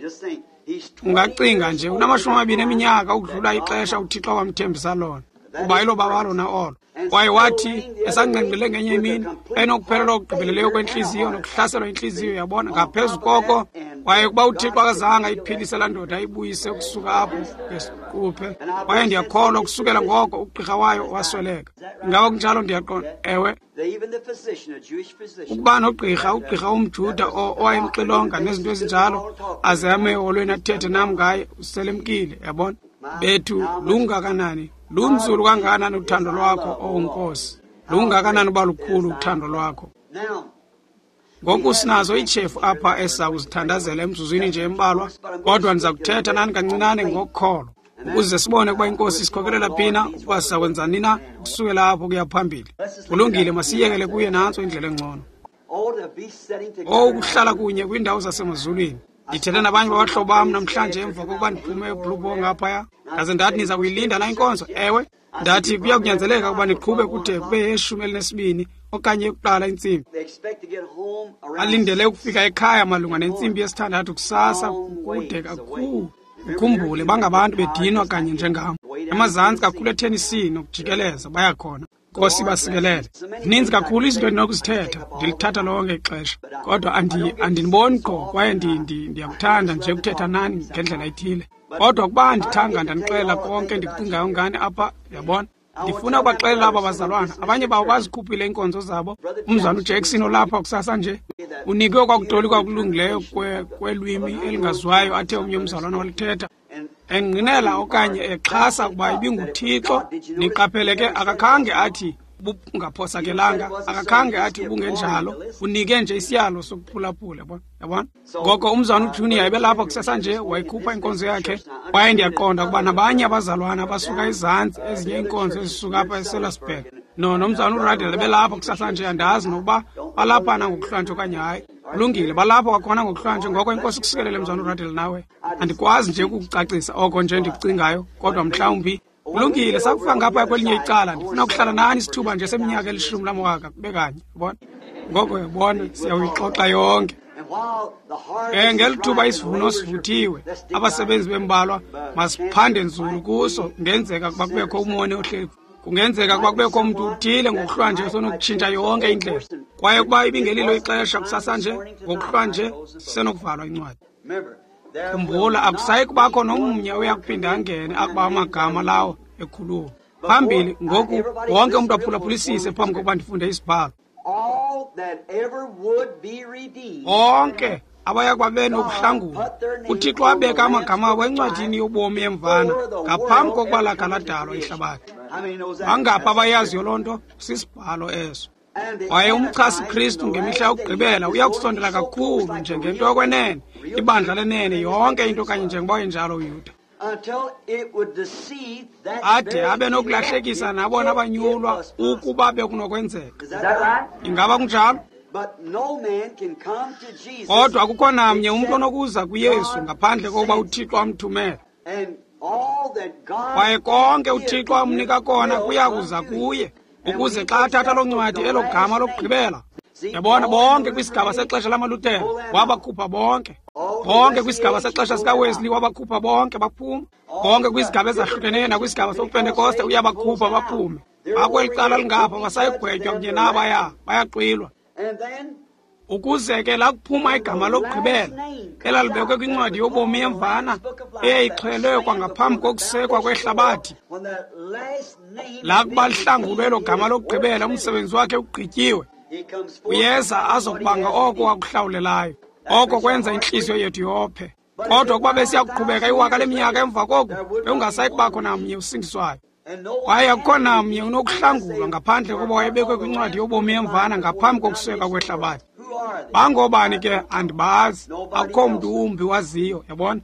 Ungacinga nje, unamashumi amabini eminyaka ukudlula ixesha uThixo wamthembisa lona, kuba ilo baba lona olo. Kwaye wathi esangqengqile ngenye imini, enokuphelelwa okugqibeleleyo kwentliziyo nokuhlaselwa intliziyo, yabona, ngaphezu koko. Kwaye ukuba uThixo akazange ayiphilise laa ndoda ayibuyise ukusuka apho ngesiquphe. Kwaye ndiyakholwa ukusukela ngoko ugqirha wayo wasweleka. Ingaba kunjalo? Ndiyaqonda. Ewe. Ukuba nogqirha, ugqirha umJuda owayemxilonga nezinto ezinjalo, aze ame eholweni athethe nam ngaye, uselemkile, yabona. Bethu, lungakanani, lunzulu kangakanani uthando lwakho, owu Nkosi. Lungakanani uba lukhulu uthando lwakho. Ngoku sinazo iitshefu apha esiza kuzithandazela emzuzwini nje embalwa, kodwa ndiza kuthetha nani kancinane ngokholo, ukuze sibone ukuba iNkosi isikhokelela phi na, ukuba siza kwenza nini na ukusukela apho kuya phambili. Kulungile, masiyekele kuye, nantso indlela engcono. Owu, ukuhlala kunye kwiindawo zasemazulwini. Ndithethe nabanye babahlobo bam namhlanje emva kokuba ndiphume eBlue Boar ngaphaya. Ndaze ndathi, niza kuyilinda na inkonzo? Ewe. Ndathi, kuya kunyanzeleka ukuba niqhube kude kube yeshumi elinesibini okanye yokuqala intsimbi. Alindele ukufika ekhaya malunga nentsimbi yesithandathu kusasa, kude kakhulu. Ukhumbule, bangabantu bedinwa kanye njengam. Emazantsi kakhulu eTennessee nokujikeleza bayakhona. Nkosi basikelele. Zininzi kakhulu izinto endinokuzithetha, ndilithatha lonke ixesha. Kodwa andiniboni qho, kwaye ndiyakuthanda nje ukuthetha nani ngendlela ethile. Kodwa ukuba andithanga ndanixelela konke endikucingayo ngani apha, yabona. Ndifuna ukubaxelela aba bazalwana, abanye babo bazikhuphile iinkonzo zabo. Umzalwana uJackson olapha kusasa nje unikwe kwakutolikwa kulungileyo kwelwimi elingaziwayo athe omnye umzalwana walithetha, engqinela okanye exhasa ukuba ibinguThixo. Niqaphele ke, akakhange athi bungaphosakelanga, akakhange athi ubungenjalo, unike nje isiyalo sokuphulaphula, yabona. Ngoko umzalwana uJunior ebelapha kusasa nje, wayikhupha inkonzo yakhe. Kwaye ndiyaqonda ukuba nabanye abazalwana abasuka ezantsi, ezinye iinkonzo ezisuka apha eSellersburg, no nomzalwana uRadel ebelapha kusasa nje. Andazi nokuba balapha nangokuhlwanje okanye hayi. Kulungile, balapha kwakhona ngokuhlwanje. Ngoko inkosi kusikelele, mzalwana uRadel, nawe. Andikwazi nje ukukucacisa oko nje ndikucingayo, kodwa mhlawumbi kulungile. Sakufika ngapha kwelinye icala, ndifuna ukuhlala nani isithuba nje seminyaka elishumi lamawaka kube kanye, yabona. Ngoko yabona, siyawuyixoxa yonke. Um ngeli thuba isivuno sivuthiwe, abasebenzi bembalwa, masiphande nzulu kuso. Kungenzeka ukuba kubekho umoni ohleli, kungenzeka ukuba kubekho umntu uthile ngokuhlwanje osenokutshintsha yonke indlela. Kwaye ukuba ibingelilo ixesha kusasa nje, ngokuhlwanje sisenokuvalwa incwadi. Khumbula, akusayi kubakho nomnye oya kuphinda angene akuba amagama lawo ekhuluma phambili. Ngoku wonke umntu aphulaphulisise phambi kokuba ndifunde isibhalo. Bonke abaya kuba benokuhlangulwa, uThixo wabeka amagama abo encwadini yobomi yemvana ngaphambi kokuba lakha ladalwa ihlabathi. Bangaphi abayaziyo loo nto? Sisibhalo eso. Kwaye umchasi Kristu ngemihla yokugqibela uya kusondela kakhulu njengento yokwenene, ibandla lenene, yonke into kanye njengoba injalo uYuda, ade abe nokulahlekisa nabona abanyulwa ukuba bekunokwenzeka. Ingaba kunjalo? Kodwa akukho namnye umntu onokuza kuYesu ngaphandle kokuba uThixo amthumele. Kwaye konke uThixo amnika kona kuya kuza kuye, ukuze xa athatha loo ncwadi elo gama lokugqibela. Yabona, bonke kwisigaba sexesha lamaLuthere wabakhupha bonke, bonke kwisigaba sexesha sikaWesley wabakhupha bonke baphuma, bonke kwisigaba ezahlukeneyo nakwisigaba soPentekoste uyabakhupha baphume. Bakweli cala lingapha basayigwetywa kunye nabaya, bayaxwilwa. Ukuze ke lakuphuma igama lokugqibela elalibekwe kwincwadi yobomi yemvana eyayixhelwe kwangaphambi kokusekwa kwehlabathi, lakuba lihlangulwe elo gama lokugqibela, umsebenzi wakhe ugqityiwe, uyeza azokubanga oko wakuhlawulelayo. Oko kwenza intliziyo yethu yophe. Kodwa ukuba besiya kuqhubeka iwaka leminyaka emva koku, bekungasayi kubakho namnye usindiswayo. Kwaye akukho namnye unokuhlangulwa ngaphandle kokuba wayebekwe kwincwadi yobomi yemvana ngaphambi kokusekwa kwehlabathi. Bangobani ke? Andibazi. Akukho mntu wumbi waziyo, yabona,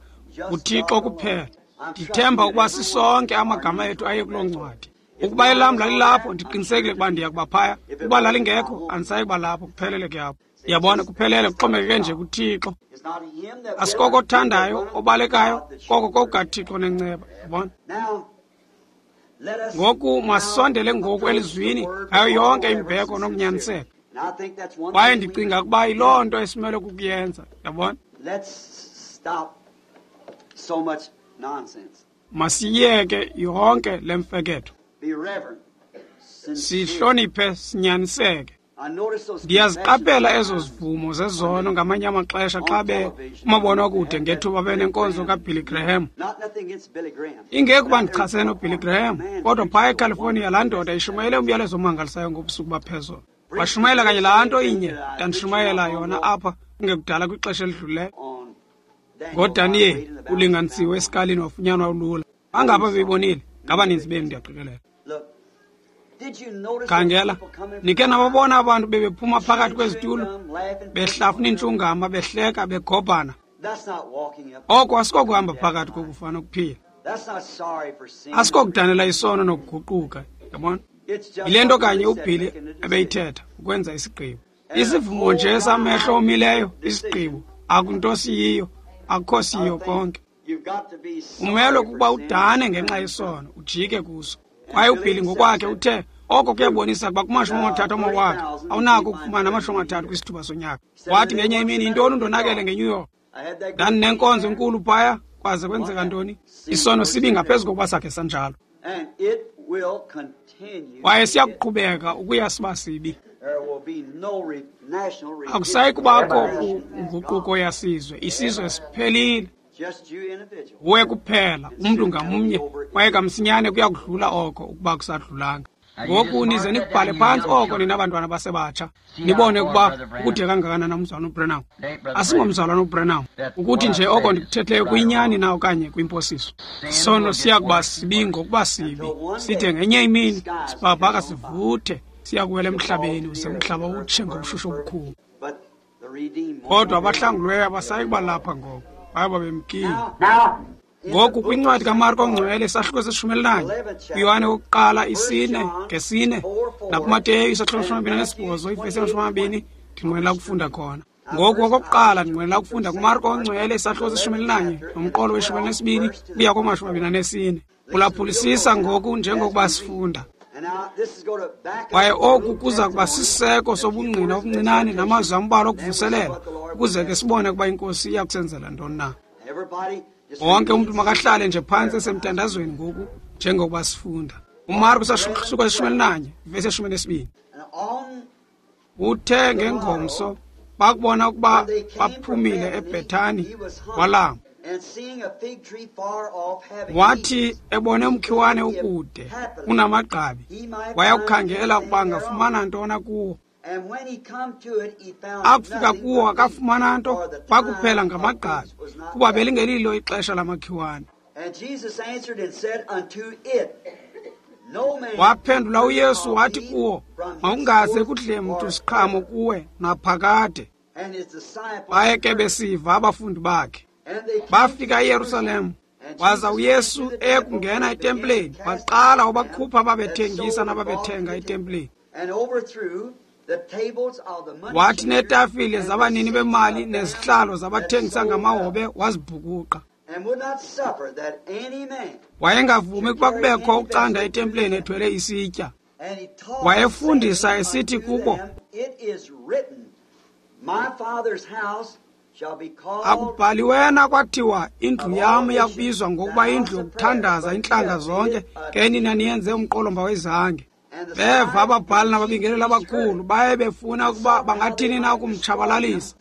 nguThixo kuphela. Ndithemba ukuba sisonke amagama ethu aye kuloo ncwadi. Ukuba elam lalilapho, ndiqinisekile ukuba ndiya kuba phaya. Ukuba lalingekho, andisayi kuba lapho. Kuphelele ke apho, yabona, kuphelele, kuxhomekeke nje kuThixo. Asikoko othandayo, obalekayo, koko kokukaThixo nenceba, yabona. Ngoku masondele ngoku elizwini ngayo yonke imbeko nokunyaniseka. Kwaye ndicinga ukuba yiloo nto esimele kukuyenza, yabona. Masiyeke yonke le mfeketho, sihloniphe, sinyaniseke. Ndiyaziqaphela ezo zivumo zezono ngamanye amaxesha xa be kumabonwakude ngethuba benenkonzo kaBilly Graham. Ingekuba ndichasene noBilly Graham, kodwa phaya eCalifornia laa ndoda ishumayele umyalezo omangalisayo ngobusuku baphezolo. Washumayela kanye laa nto inye ndandishumayela yona apha kungekudala kwixesha elidlulileyo. NgoDaniyeli ulinganisiwe esikalini wafunyanwa ulula. Bangapha beyibonile, ngabaninzi benu ndiyaqikelela. Khangela, nikhe nababona abantu bebephuma phakathi kwezitulo, behlafuna iintshungama, behleka, begobhana. Oko asikokuhamba phakathi kokufa nokuphila. Asikokudanela isono nokuguquka, yabona. Yile nto kanye uBilly ebeyithetha, ukwenza isigqibo. Isivumo nje samehlo omileyo, isigqibo, akunto siyiyo, akukho siyiyo konke. Umelwe kukuba udane ngenxa yesono, ujike kuso. Kwaye uBilly ngokwakhe uthe oko kuyabonisa ukuba kumashumi amathathu amawaka awunako ukufumana amashumi amathathu kwisithuba sonyaka. Wathi ngenye imini, yintoni undonakele ngeNew York? Ndandinenkonzo enkulu phaya, kwaze kwenzeka ntoni? Isono sibi ngaphezu kokuba sakhe sanjalo. Kwaye siyakuqhubeka ukuya siba sibi. Akusayi kubakho nguquko yasizwe, isizwe siphelile. Nguwe kuphela, umntu ngamnye, kwaye kamsinyane kuya kudlula oko ukuba kusadlulanga. Ngoku nize nikubhale phantsi oko nina bantwana basebatsha, nibone ukuba kude kangakanani umzalwana uBranham. Asingomzalwana uBranham, ukuthi nje oko ndikuthethileyo kuyinyani na okanye kwimposiso. Isono siya kuba sibi ngokuba sibi, side ngenye imini sibhabhaka sivuthe, siya kuwela emhlabeni uze umhlaba utshe ngobushushu obukhulu. Kodwa abahlanguliweyo abasayi kuba lapha ngoko, baye bemkile. Ngoku kwincwadi kaMarko ongcwele isahluko seshumi elinanye, kuYohane wokuqala isine ngesine, nakuMateyu isahluko seshumi amabini anesibhozo ivesi yamashumi amabini, ndinqwenela ukufunda khona. Ngoku okokuqala ndinqwenela ukufunda kuMarko ongcwele isahluko seshumi elinanye nomqolo weshumi elinesibini kuya kumashumi amabini anesine. Ulaphulisisa ngoku njengokuba sifunda. Kwaye oku kuza kuba sisiseko sobungqina obuncinane namazwi ambalwa okuvuselela, ukuze ke sibone ukuba iNkosi iya kusenzela ntoni na. Wonke umntu makahlale nje phantsi esemthandazweni ngoku njengokuba sifunda. UMarko isahluko seshumi elinanye ivesi yeshumi elinesibini. Uthe ngengomso bakubona ukuba baphumile eBhethani, walamba. Wathi ebone umkhiwane ukude unamagqabi, wayakukhangela ukuba angafumana ntona kuwo. Akufika kuwo akafumana nto, kwakuphela ngamagqabi, kuba belingelilo ixesha lamakhiwane. Waphendula uYesu wathi kuwo, makungaze kudle mntu siqhamo kuwe naphakade. Baye ke besiva abafundi bakhe. Bafika eYerusalem, waza uYesu eyekungena etempileni, waqala wabakhupha ababethengisa nababethenga etempileni. Wathi neetafile zabanini bemali nezihlalo zabathengisa ngamahobe wazibhukuqa. Wayengavumi ukuba kubekho ucanda etempileni ethwele isitya. Wayefundisa esithi kubo, akubhaliwena kwathiwa indlu yam iyakubizwa ngokuba indlu yokuthandaza intlanga zonke, ke nina niyenze umqolomba wezange. Beva ababhali nababingeleli abakhulu, baye befuna ukuba bangathini na ukumtshabalalisa,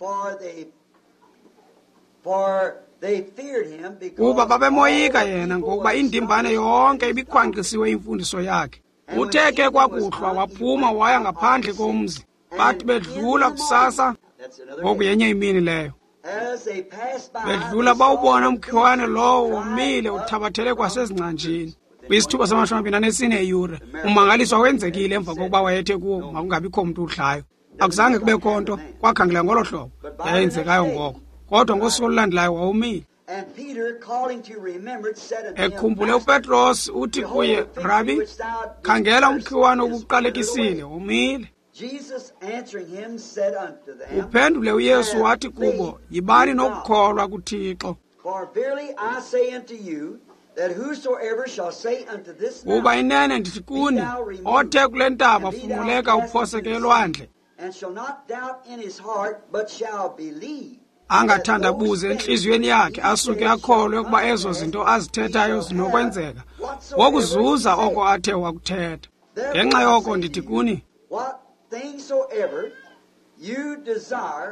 kuba babemoyika yena, ngokuba indimbane yonke ibikhwankqisiwe imfundiso yakhe. Uthe ke kwakuhlwa waphuma waya ngaphandle komzi. Bathi bedlula kusasa, ngoku yenye imini leyo, bedlula bawubona umkhiwane lowo womile uthabathele kwasezingcanjini. Kwisithuba samashumi amabini anesine eyure, umangaliso wenzekile emva kokuba wayethe kuwo makungabikho mntu udlayo. Akuzange kubekho nto, kwakhangela ngolo hlobo yayenzekayo ngoko. Kodwa ngosuku olulandelayo wawumile. Ekhumbule uPetros uthi kuye, Rabi, khangela umkhiwane obuqalekisile womile. Uphendule uYesu wathi kubo, yibani nokukholwa kuThixo. Kuba inene ndithi kuni, othe kule ntaba funquleka uphoseke elwandle, angathandabuzi entliziyweni yakhe, asuke akholwe ukuba ezo zinto azithethayo zinokwenzeka, wokuzuza oko athe wakuthetha. Ngenxa yoko ndithi kuni,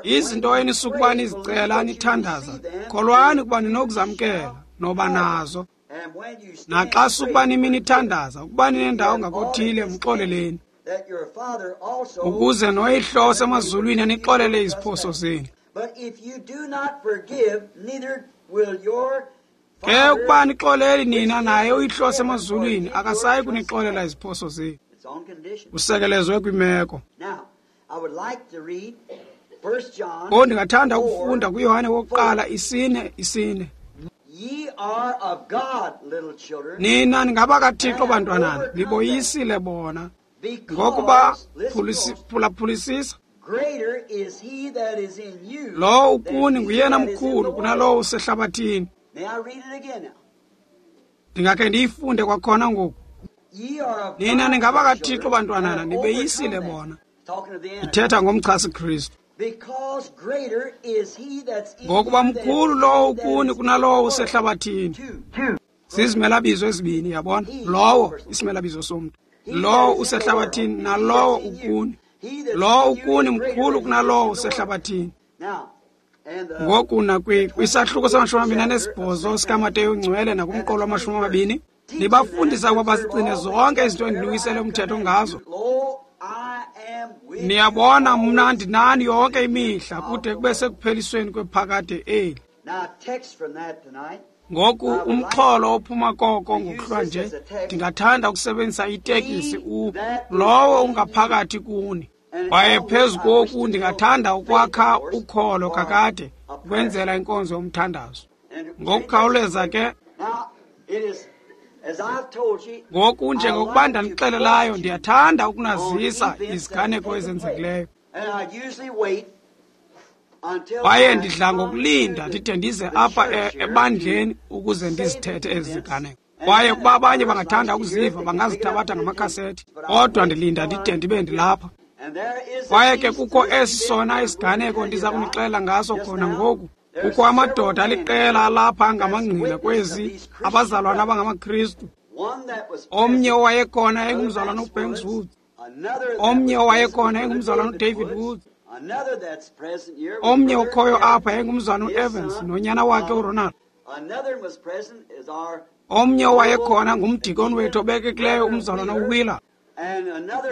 izinto enisukuba nizicela nithandaza, kholwani ukuba ninokuzamkela, noba nazo. Naxa sukuba nimi nithandaza, ukuba ninendawo ngakothile, mxoleleni, ukuze noYihlo osemazulwini anixolele iziphoso zenu. Ke ukuba nixoleli nina, naye uYihlo osemazulwini akasayi kunixolela iziphoso zenu. Usekelezwe kwimeko. Ngoku ndingathanda ukufunda kuYohane wokuqala isine isine. Nina ningabakaThixo bantwanana, niboyisile bona, ngokuba phulaphulisisa, lowo ukuni nguyena mkhulu kunalowo usehlabathini. Ndingakhe ndiyifunde kwakhona ngoku. Nina ningabakaThixo bantwanana, nibeyisile bona. Ithetha ngomchasi Kristu. Ngokuba mkhulu lowo ukuni kunalowo usehlabathini. Zizimelabizo ezibini, yabona? Lowo isimelabizo somntu, lowo usehlabathini nalowo ukuni. Lowo ukuni mkhulu kunalowo usehlabathini. Ngoku nakwisahluko samashumi amabini anesibhozo sikaMateyu Ngcwele nakumqolo wamashumi amabini, nibafundisa ukuba bazigcine zonke izinto endiniwisele umthetho ngazo. Niyabona, mna ndinani yonke imihla kude kube sekuphelisweni kwephakade eli. Ngoku umxholo ophuma koko ngokuhlwa nje, ndingathanda ukusebenzisa itekisi u lowo ungaphakathi kuni. Kwaye phezu koku ndingathanda ukwakha ukholo kakade ukwenzela inkonzo yomthandazo. Ngokukhawuleza ke, ngoku njengokuba ndandixelelayo, ndiyathanda ukunazisa iziganeko ezenzekileyo. Kwaye ndidla ngokulinda ndide ndize apha ebandleni ukuze ndizithethe ezi ziganeko. Kwaye ukuba abanye bangathanda ukuziva bangazithabatha ngamakhasethi, kodwa ndilinda ndide ndibe ndilapha. Kwaye ke kukho esi sona isiganeko ndiza kunixelela ngaso khona ngoku. Kukho amadoda aliqela alapha angamangqina kwezi abazalwana abangamaKristu. Omnye owayekhona engumzalwana uBanks Woods, omnye owayekhona engumzalwana uDavid Woods, omnye okhoyo apha engumzalwana uEvans nonyana wakhe uRonald. Omnye owayekhona ngumdikoni wethu obekekileyo umzalwana uWheeler.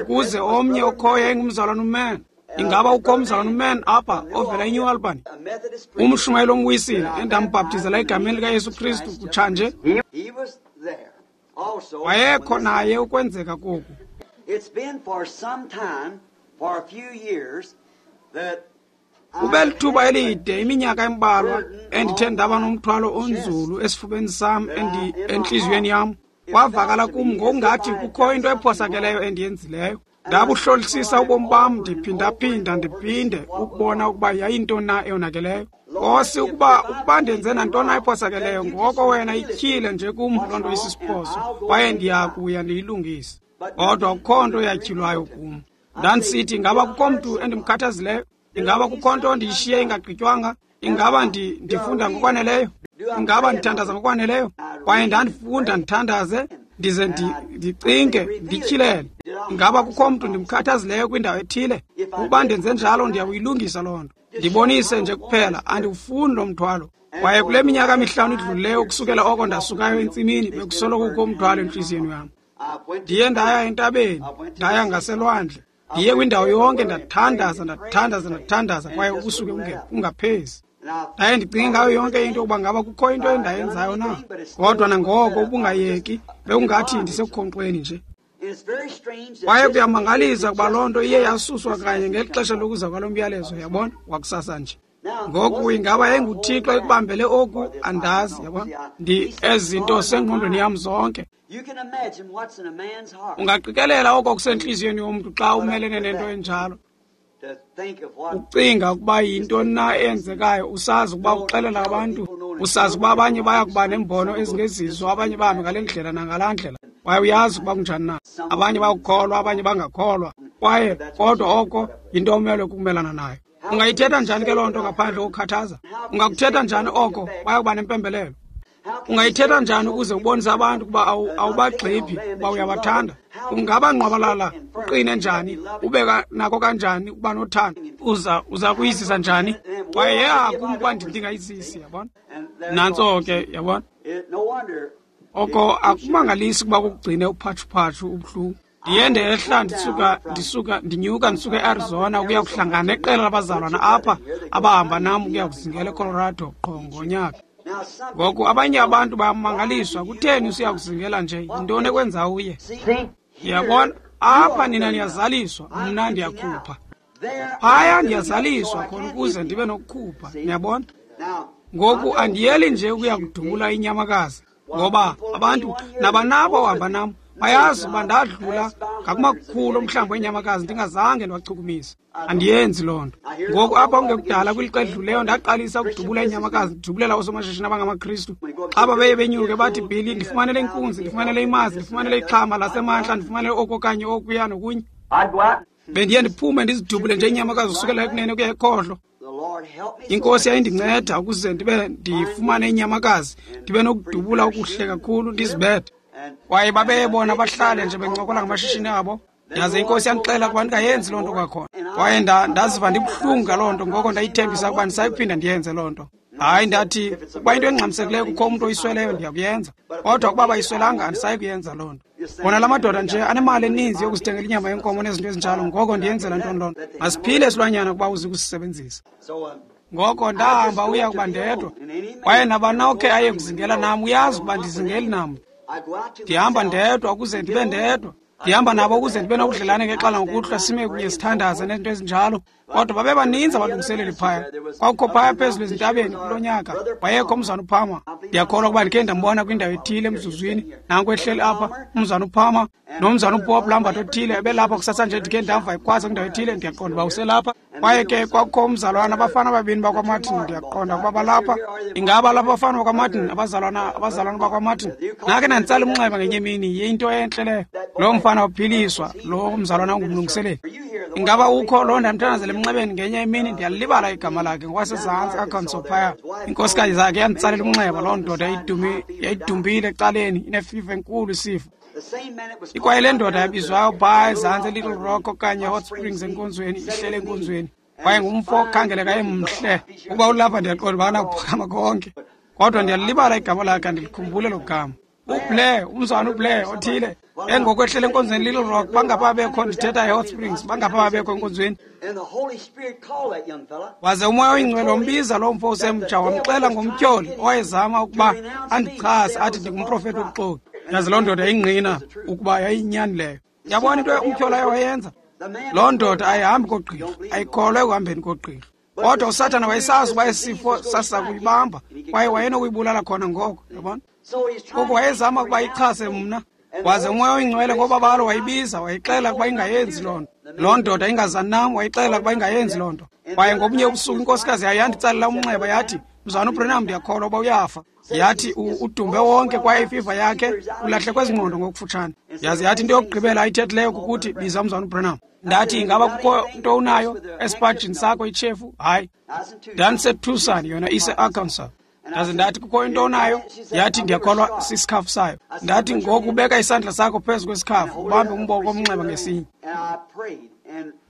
Ukuze omnye okhoyo engumzalwana uMann. Ingaba ukho umzalwana uMann apha ovela eNew Albany? Umshumayeli omwisile endambhaptizela egameni likaYesu Kristu kutshanje. Wayekho naye ukwenzeka koku. Kube lithuba elide, iminyaka embalwa, endithe ndaba nomthwalo onzulu esifubeni sam entliziyweni yam. Kwavakala kum ngokungathi kukho into ephosakeleyo endiyenzileyo. Ndabuhlolisisa ubomi bam ndiphindaphinda ndiphinde ukubona ukuba yayintoni na eyonakeleyo. Nkosi, ukuba ukuba ndenze nantoni na ephosakeleyo, ngoko wena ityhile nje kum loo nto isisiphoso, kwaye ndiya kuya ndiyilungise. Kodwa akukho nto yatyhilwayo kum. Ndandisithi, ingaba kukho mntu endimkhathazileyo? Ingaba kukho nto ndiyishiye ingagqitywanga? Ingaba ndifunda ngokwaneleyo? Ingaba ndithandaza ngokwaneleyo? Kwaye ndandifunda ndithandaze, ndize ndicinge, ndityhilele. Ingaba kukho mntu ndimkhathazileyo kwindawo ethile? Ukuba ndenze njalo, ndiyakuyilungisa loo nto. Ndibonise nje kuphela, andiwufuni lo mthwalo. Kwaye kule minyaka mihlanu idlulileyo ukusukela oko ndasukayo entsimini, bekusoloko kukho umthwalo entliziyweni yam. Ndiye ndaya entabeni, ndaya ngaselwandle, ndiye kwindawo yonke, ndathandaza, ndathandaza, ndathandaza, kwaye ubusuku ungaphezi. Ndaye ndicinge ngayo yonke into ukuba ngaba kukho into endayenzayo na. Kodwa nangoko ubungayeki, bekungathi ndisekukhonkxweni nje. Kwaye kuyamangalisa ukuba loo nto iye yasuswa kanye ngeli xesha lokuza kwalo myalezo, yabona, wakusasa nje. Ngoku ingaba yayinguThixo ekubambele oku, andazi, yabona. Ndi ezi zinto sengqondweni yam zonke. Ungaqikelela oko kusentliziyweni yomntu xa umelene nento enjalo. Ucinga ukuba yintoni na eyenzekayo, usazi ukuba uxelela abantu, usazi ukuba abanye baya kuba nembono ezingezizo, abanye bahambe ngale ndlela nangalaa ndlela. Kwaye uyazi ukuba kunjani na. Abanye bayakukholwa, abanye bangakholwa. Kwaye kodwa oko yinto omelwe kukumelana nayo. Ungayithetha njani ke loo nto ngaphandle kokukhathaza? Ungakuthetha njani oko baya kuba nempembelelo? Ungayithetha njani ukuze ubonise abantu ukuba awubagxiphi, ukuba uyabathanda? Ungaba ngqwabalala uqine njani, ube nako kanjani ukuba nothando? Uza uza kuyizisa njani? Kwaye yeha kum ukuba ndingayizisi, yabona? Nantso ke, yabona? Oko akumangalisi ukuba kukugcine uphatshuphatshu ubuhlungu. Ndiye ndehla ndisuka ndisuka ndinyuka ndisuka eArizona ukuya kuhlangana neqela labazalwana apha abahamba nam ukuya kuzingela eColorado qho ngonyaka. Ngoku abanye abantu bayamangaliswa, kutheni usiya kuzingela nje? Yintoni ekwenza uye? Yabona, apha nina niyazaliswa, mna ndiyakhupha. Phaya ndiyazaliswa khona ukuze ndibe nokukhupha, niyabona? Ngoku andiyeli nje ukuya kudubula inyamakazi, ngoba abantu nabanabo ohamba nam bayazi uba ndadlula ngakumakhulu omhlambi weenyamakazi ndingazange ndiwachukumise. Andiyenzi loo nto. Ngoku apha kungekudala kwilixa edluleyo ndaqalisa ukudubula iinyamakazi, ndidubulela oosomashishini abangamaKristu. Xa babeye benyuke bathi, Billy, ndifumanele inkunzi, ndifumanele imazi, ndifumanele ixhama lasemantla, ndifumanele oku okanye okuya nokunye. Bendiye ndiphume ndizidubule nje iinyamakazi usukela ekunene ukuya ekhohlo. Inkosi yayindinceda ukuze ndibe ndifumane inyamakazi, ndibe nokudubula okuhle kakhulu ndizibethe. Kwaye babeyebona bahlale nje bencokola ngamashishini abo. Yaze inkosi yandixela ukuba ndingayenzi loo nto kwakhona. Kwaye ndaziva ndibuhlungu ngaloo nto, ngoko ndayithembisa ukuba ndisayiphinda ndiyenze loo nto. Hayi, ndathi ukuba into engxamisekileyo kukho umntu oyisweleyo ndiyakuyenza, kodwa ukuba bayiswelanga andisayi kuyenza loo nto. Bona la madoda nje anemali eninzi yokuzithengela inyama yenkomo nezinto ezinjalo, ngoko ndiyenzela ntoni loo nto? Masiphile isilwanyana ukuba uze kusisebenzisa. Ngoko ndahamba uya kuba ndedwa, kwaye nabani okhe aye kuzingela nam uyazi ukuba ndizingeli namntu. Ndihamba ndedwa ukuze ndibe ndedwa. Ndihamba nabo ukuze ndibe nobudlelane ngexala ngokuhlwa, sime kunye sithandaze nezinto ezinjalo. Kodwa babebaninzi abalungiseleli phaya. Kwakukho phaya phezulu ezintabeni kulo nyaka wayekho umzana uPalmer. Ndiyakholwa ukuba ndikhe ndambona kwindawo ethile emzuzwini, nanku ehleli apha umzana uPalmer nomzana uBob Lambert othile ebelapha kusasa nje, ndikhe ndamva ekhwaza kwindawo ethile, ndiyaqonda uba uselapha. Kwaye ke kwakukho umzalwana, abafana ababini bakwaMartin, ndiyaqonda ukuba balapha. Ingaba lapha abafana bakwaMartin, abazalwana abazalwana bakwaMartin? Nake ndanditsala umnxeba ngenye imini, yinto entle leyo. Lo mfana waphiliswa, lo mzalwana ungumlungiseleli. Ingaba ukho lo ndamthandazela emnxebeni ngenye imini? Ndiyalibala igama lakhe, ngokwasezantsi Arkansas phaya. Inkosikazi zakhe yanditsalela umnxeba, loo ndoda yayidumbile ecaleni, inefiva enkulu isifo. Ikwaye le ndoda yabizwayo phaya ezantsi eLittle Rock okanye Hot Springs enkonzweni, ihlele enkonzweni. Kwaye ngumfo okhangeleka emhle. Ukuba ulapha ndiyaqonda uba anakuphakama konke, kodwa ndiyalibala igama lakhe, andilikhumbule lo gama. uBlair, umzwana uBlair othile, engoko ehlele enkonzweni Little Rock, bangapha bekho, ndithetha eHot Springs, bangapha bekho enkonzweni. Waze umoya oyingcwele wambiza loo mfo usemtsha, wamxela ngomtyholi owayezama ukuba andichase athi ndingumprofethi wobuxoki. Yaze loo ndoda yayingqina ukuba yayiyinyani leyo. Yabona into umtyholi aye wayenza? Loo ndoda ayihambi kogqirha, ayikholwa ekuhambeni kogqirha. Kodwa uSathana wayesazi ukuba isifo sasiza kuyibamba, kwaye wayenokuyibulala khona ngoko, yabona. Ngoku wayezama ukuba ichase mna. Waze umoya oyingcwele ngobabalo wayibiza, wayixela ukuba ingayenzi loo nto. Loo ndoda ingazani nam, wayixela ukuba ingayenzi loo nto. Kwaye ngobunye ubusuku inkosikazi yayo yanditsalela umnxeba, yathi, Mzwana uBrenham, ndiyakholwa uba uyafa. Yathi udumbe wonke kwaye ifiva yakhe ulahlekwe zingqondo ngokufutshane. Yaze yathi into yokugqibela ayithethileyo kukuthi biza umzwana uBrenham. Ndathi ingaba kukho nto unayo esipajini sakho itshefu? Hayi. NdandiseTucson, yona ise-Arkansas. Ndaze ndathi kukho into onayo? Yathi ndiyakholwa sisikhafu sayo. Ndathi ngoku ubeka isandla sakho phezu kwesikhafu, ubambe umboko omnxeba ngesinye.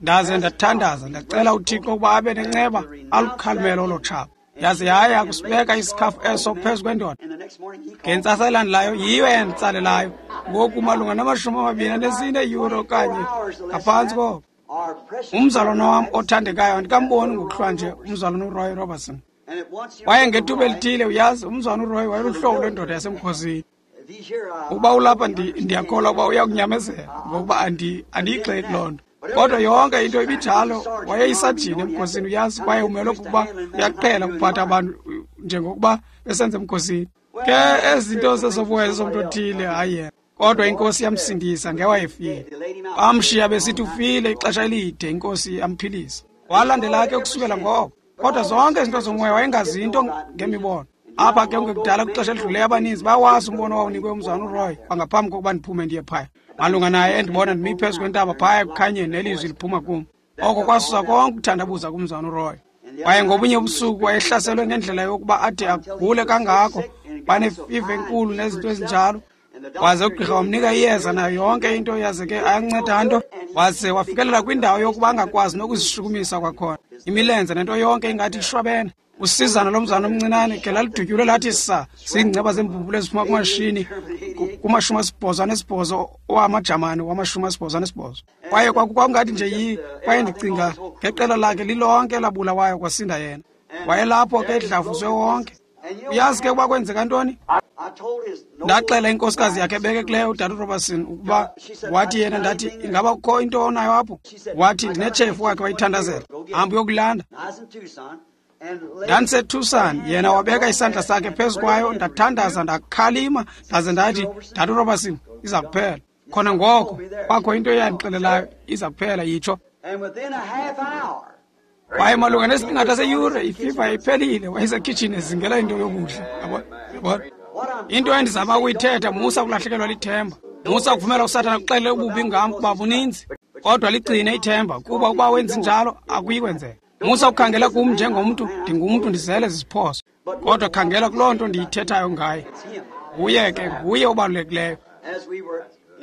Ndaze ndathandaza, ndacela uThixo ukuba abe nenceba alukhalimele olo tshaba. Yaze yaya kusibeka isikhafu eso phezu kwendoda. Ngentsasa elandelayo yiyo eyanditsalelayo, ngoku malunga namashumi amabini anesine eeyure okanye ngaphantsi koko. Umzalwana wam othandekayo andikamboni ngokuhlwa nje, umzalwana uRoy Robertson. Kwaye ngethuba elithile, uyazi, umzwana uRoy wayeluhlobo lwendoda yasemkhosini. Ukuba ulapha ndiyakholwa ukuba uyakunyamezela, ngokuba andiyigxeki loo nto. Kodwa yonke into ibinjalo, wayeyisajini emkhosini, uyazi, kwaye umelwe kukuba uyaqhela ukuphatha abantu njengokuba besenza emkhosini. Ke ezi zinto zezobuya zezomntu othile, hayi yena. Kodwa inkosi yamsindisa ngewayefile. Bamshiya besithi ufile ixesha elide, inkosi yamphilisa. Walandela ke ukusukela ngoko. Kodwa zonke izinto zomoya wayengazi into ngemibono. Apha ke kungekudala kwixesha elidluleyo abaninzi bawazi umbono owawunikwe umzwana uRoy kwangaphambi kokuba ndiphume ndiye phaya. Malunga naye endibona ndimi phezu kwentaba phaya ekukhanyeni nelizwi liphuma kum. Oko kwasusa konke ukuthandabuza kumzwana uRoy. Kwaye ngobunye ubusuku wayehlaselwe ngendlela yokuba ade agule kangako, banefiva enkulu nezinto ezinjalo. Waze ugqirha wamnika iyeza nayo yonke into, yaze ke ayanceda nto. Waze wafikelela kwindawo yokuba angakwazi nokuzishukumisa kwakhona, imilenze nento yonke ingathi ishwabene. Usizana lomzana omncinane ke lalidutyulwe lathi sa ziingceba zeembumbulu eziphuma kumashini kumashumi asibhozo anesibhozo owamajamani wamashumi asibhozo anesibhozo. Kwaye kwakungathi nje yi kwaye ndicinga ngeqela lakhe lilonke labulawayo kwasinda yena. Wayelapho ke edlavuzwe wonke. Uyazi ke ukuba kwenzeka ntoni? Ndaxela inkosikazi yakhe ebekekileyo uDade Robertson ukuba wathi yena, ndathi ingaba kukho into onayo apho? Wathi ndinetshefu wakhe wayithandazela, hamba uyokulanda. NdandiseTucson, yena wabeka isandla sakhe phezu kwayo, ndathandaza, ndakhalima, ndaze ndathi, Dade Robertson, iza kuphela. Khona ngoko kwakho into eyandixelelayo, iza kuphela, yitsho. Kwaye malunga nesiqingatha seyure ififa iphelile, wayesekhitshini ezingela into yokudla. Yabona? Yabona? Into endizama ukuyithetha, musa ukulahlekelwa lithemba. Musa ukuvumela uSathana akuxelele ububi ngam kuba buninzi, kodwa ligcine ithemba, kuba ukuba wenzi njalo akuyi kwenzeka. Musa ukukhangela kum njengomntu, ndingumntu ndizele ziziphoso, kodwa khangela kuloo nto ndiyithethayo ngaye. Nguye ke, nguye obalulekileyo.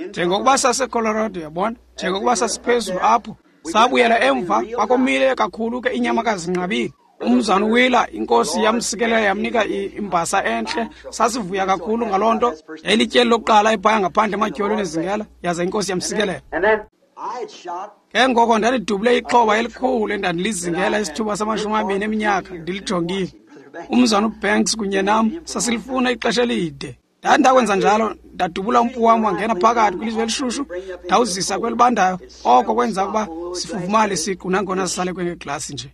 Njengokuba saseColorado, yabona, njengokuba sasiphezulu apho, sabuyela emva, kwakomile kakhulu ke inyamakazi zinqabile. Umzana uWheeler, inkosi yamsikelela yamnika imbasa entle. Sasivuya kakhulu ngaloo nto. Yayilityeli lokuqala ephaya ngaphandle ematyholweni ezingela, yaze inkosi yamsikelela. Ke ngoko ndandidubule ixhoba elikhulu endandilizingela isithuba samashumi amabini eminyaka ndilijongile. Umzana uBanks kunye nam sasilifuna ixesha elide. Ndandakwenza njalo, ndadubula umpu wam wangena phakathi kwilizwe elishushu, ndawuzisa kwelibandayo. Oko kwenza ukuba sifuvumale siqu nangona sisale kwengeglasi nje.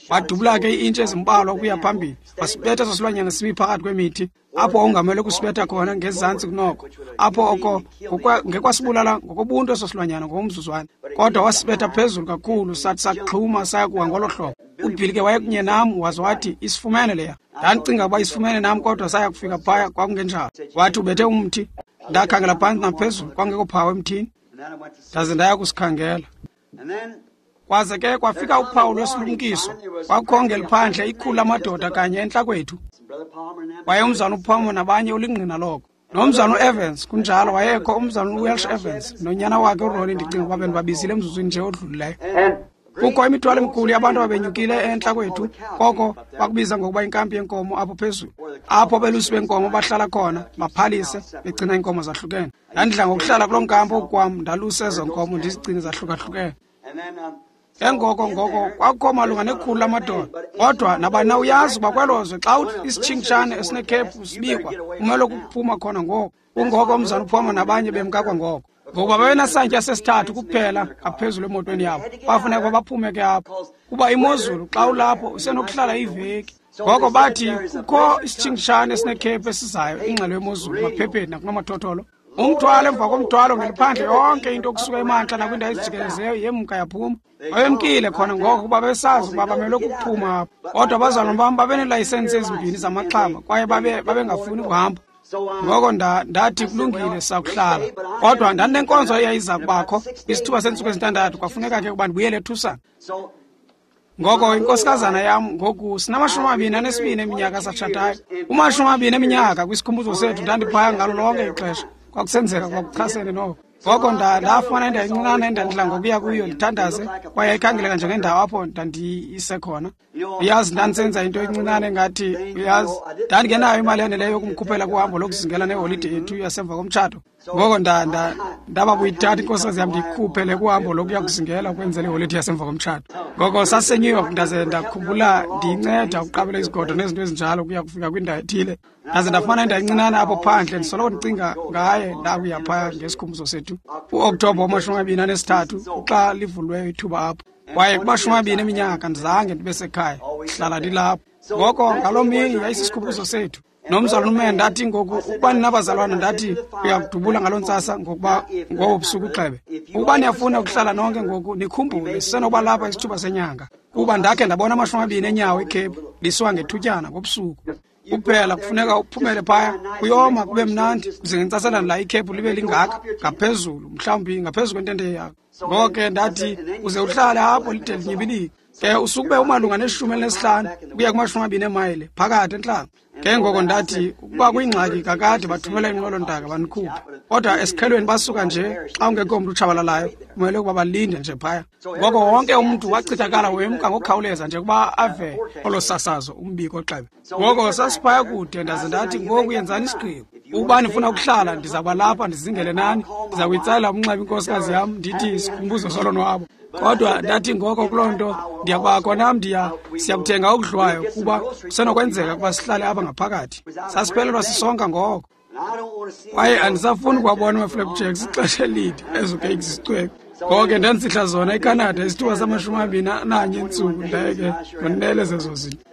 Wadubula ke ii-intshi ezimbalwa ukuya phambili, wasibetha eso silwanyana simi phakathi kwemithi, apho wawungamele kusibetha khona ngezantsi kunoko, apho oko ngekwasibulala ngokobuntu eso silwanyana ngokomzuzwana. Kodwa wasibetha phezulu kakhulu, sathi saxhuma saya kuwa ngolo hlobo. UBilly ke wayekunye nam, waze wathi isifumene leya. Ndandicinga ukuba isifumene nam, kodwa saya kufika phaya kwakungenjalo. Wathi ubethe umthi. Ndakhangela phantsi naphezulu, kwangekho phawu emthini. Ndaze ndaya kusikhangela. Kwaze ke kwafika uphawu lwesilumkiso. Kwakukho ngeliphandle ikhulu lamadoda kanye entla kwethu. Waye umzana uPalmer nabanye ulingqina loko. Nomzana uEvans kunjalo, wayekho umzana uWelsh Evans nonyana wakhe uRonnie, ndicinga ukuba bendibabizile emzuzwini nje odlulileyo. Kukho imithwalo emikhulu yabantu ababenyukile entla kwethu, koko bakubiza ngokuba inkampi yenkomo apho phezulu, apho abelusi benkomo bahlala khona baphalise begcina iinkomo zahlukene. Ndandidla ngokuhlala kuloo nkampi okwam, ndaluse ezo nkomo ndizigcine zahlukahlukene. Ke ngoko ngoko kwakukho malunga nekhulu lamadoda, kodwa nabani na uyazi uba kwelo zwe xa isitshingitshane esinekhephu sibikwa kumele ukuphuma khona ngoko. Kungoko umzana uPalmer nabanye bemka kwangoko, ngokuba babenasantya sesithathu kuphela ngaphezulu emotweni yabo. Bafuneka baphume ke apho, kuba imozulu xa ulapho usenokuhlala iveki. Ngoko bathi kukho isitshingitshane esinekhephu esizayo, ingxelo yemozulu emaphepheni nakunomathotholo. Umthwalo emva komthwalo ngeliphandle yonke into okusuka emantla nakwindawo ezijikelezeyo yemka yaphuma. Babemkile khona ngoko kuba besazi ukuba bamelwe kukuphuma apho. Kodwa abazalwana bam babeneelayisensi ezimbini zamaxhama kwaye babe babengafuni kuhamba. Ngoko ndathi kulungile sakuhlala. Kodwa ndandinenkonzo eyayiza kubakho kwisithuba seentsuku ezintandathu, kwafuneka ke ukuba ndibuyele eTucson. Ngoko inkosikazana yam ngoku sinamashumi amabini anesibini eminyaka satshatayo. Kumashumi amabini eminyaka kwisikhumbuzo sethu ndandiphaya ngalo lonke ixesha. Kwakusenzeka kwakuchasene noko. Ngoko ndafumana indawo encinane endandidla ngokuya kuyo ndithandaze, kwaye yayikhangeleka njengendawo apho ndandiyise khona. Uyazi, ndandisenza into encinane engathi, uyazi, ndandingenayo imali yaneleyo yokumkhuphela kuhambo lokuzingela neholide yethu yasemva komtshato. Ngoko ndaba kuyithatha inkosikazi yam ndiyikhuphele kuhambo lokuya kuzingela ukwenzela iholide yasemva komtshato. Ngoko saseNew York, ndaze ndakhumbula ndiyinceda ukuqabela izigodo nezinto ezinjalo ukuya kufika kwindawo ethile. Ndaze ndafumana indawo encinane apho phandle, ndisoloko ndicinga ngaye ndakuya phaya ngesikhumbuzo sethu. UOkthobha wamashumi amabini anesithathu xa livulweyo ithuba apho. Kwaye kumashumi amabini eminyaka ndizange ndibe sekhaya, ndihlala ndilapho. Ngoko ngaloo mini yayisisikhumbuzo sethu. Nomzalwana uMen ndathi ngoku ukuba ninabazalwana ndathi uyakudubula ngaloo ntsasa ngokuba ngobo busuku uxebe. Ukuba niyafuna ukuhlala nonke ngoku nikhumbule sisenokuba lapha isithuba senyanga, kuba ndakhe ndabona amashumi amabini enyawo ekhephu lisiwa ngethutyana ngobusuku. Kuphela kufuneka uphumele phaya, kuyoma kube mnandi, kuze ngentsaselana la ikhephu libe lingaka ngaphezulu, mhlawumbi ngaphezu kwentente yakho. Ngoko ke ndathi uze uhlale apho lide linyibilike. Ke usukube umalunga neshumi elinesihlanu ukuya kumashumi amabini emayile phakathi entlango. Ke ngoko ndathi ukuba kuyingxaki kakade bathumela inqwelo-ntaka banikhuphe. Kodwa esiqhelweni basuka nje xa ungekho mntu utshabalalayo, kumele ukuba balinde nje phaya. Ngoko wonke umntu wachithakala wemka ngokukhawuleza nje ukuba ave olo sasazo umbiko xebe. Ngoko sasiphaya kude, ndaze ndathi ngoku yenzani isigqibo. Ukuba nifuna ukuhlala ndiza kuba lapha ndizingele nani, ndiza kuyitsalela umnxeba inkosikazi yam ndithi isikhumbuzo solonwabo. Kodwa ndathi ngoko kuloo nto ndiyakubakho nam ndiya siyakuthenga okudliwayo kuba kusenokwenzeka ukuba sihlale apha ngaphakathi. Sasiphelelwa sisonka ngoko. Kwaye andisafuni ukuwabona ama-flapjacks ixesha elide, ezo cakes zicwebe. Ngoko ke ndandisihla zona eCanada isithuba samashumi amabini ananye entsuku, ndaye ke ndonele zezo zinto.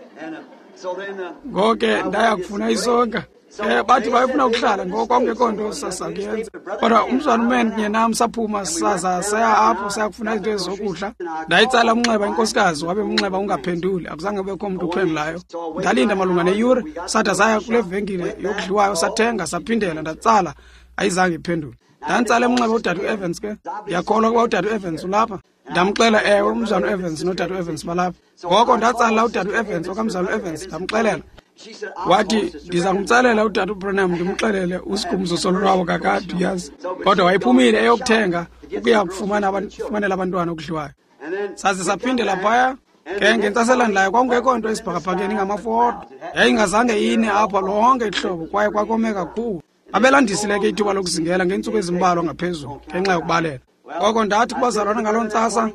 Ngoko ke ndaya kufuna isonka. Eh bathi bayefuna ukuhlala ngoko kwakungekho nto sasakuyenza. Kodwa umzwana uMen kunye nam saphuma saza saya apho saya kufuna izinto ezokudla. Ndayitsala umnxeba inkosikazi, wabe umnxeba ungaphenduli, akuzange kubekho mntu uphendulayo. Ndalinda malunga neyure, sada saya kule venkile yokudliwayo sathenga saphindela, ndatsala ayizange iphendule. Ndantsala umnxeba udade uEvans ke. Ndiyakholwa ukuba udade uEvans ulapha. Ndamxela ewe umzwana uEvans nodade uEvans balapha. Ngoko ndatsala udade uEvans okamzwana uEvans ndamxelela. Wathi, ndiza kumtsalela uTata uBranham ndimxelele usikhumbuzo solonwabo kakade, uyazi. Kodwa wayephumile eyokuthenga ukuya kufumanela abantwana okudliwayo. Saze saphindela phaya. Ke ngentsasa elandelayo kwakungekho nto esibhakabhakeni ingamafu odwa. Yayingazange ine apha lonke ihlobo kwaye kwakome kakhulu. Babelandisile ke ithuba lokuzingela ngeentsuku ezimbalwa ngaphezulu ngenxa yokubalela. Ngoko ndathi kubazalwana ngaloo ntsasa,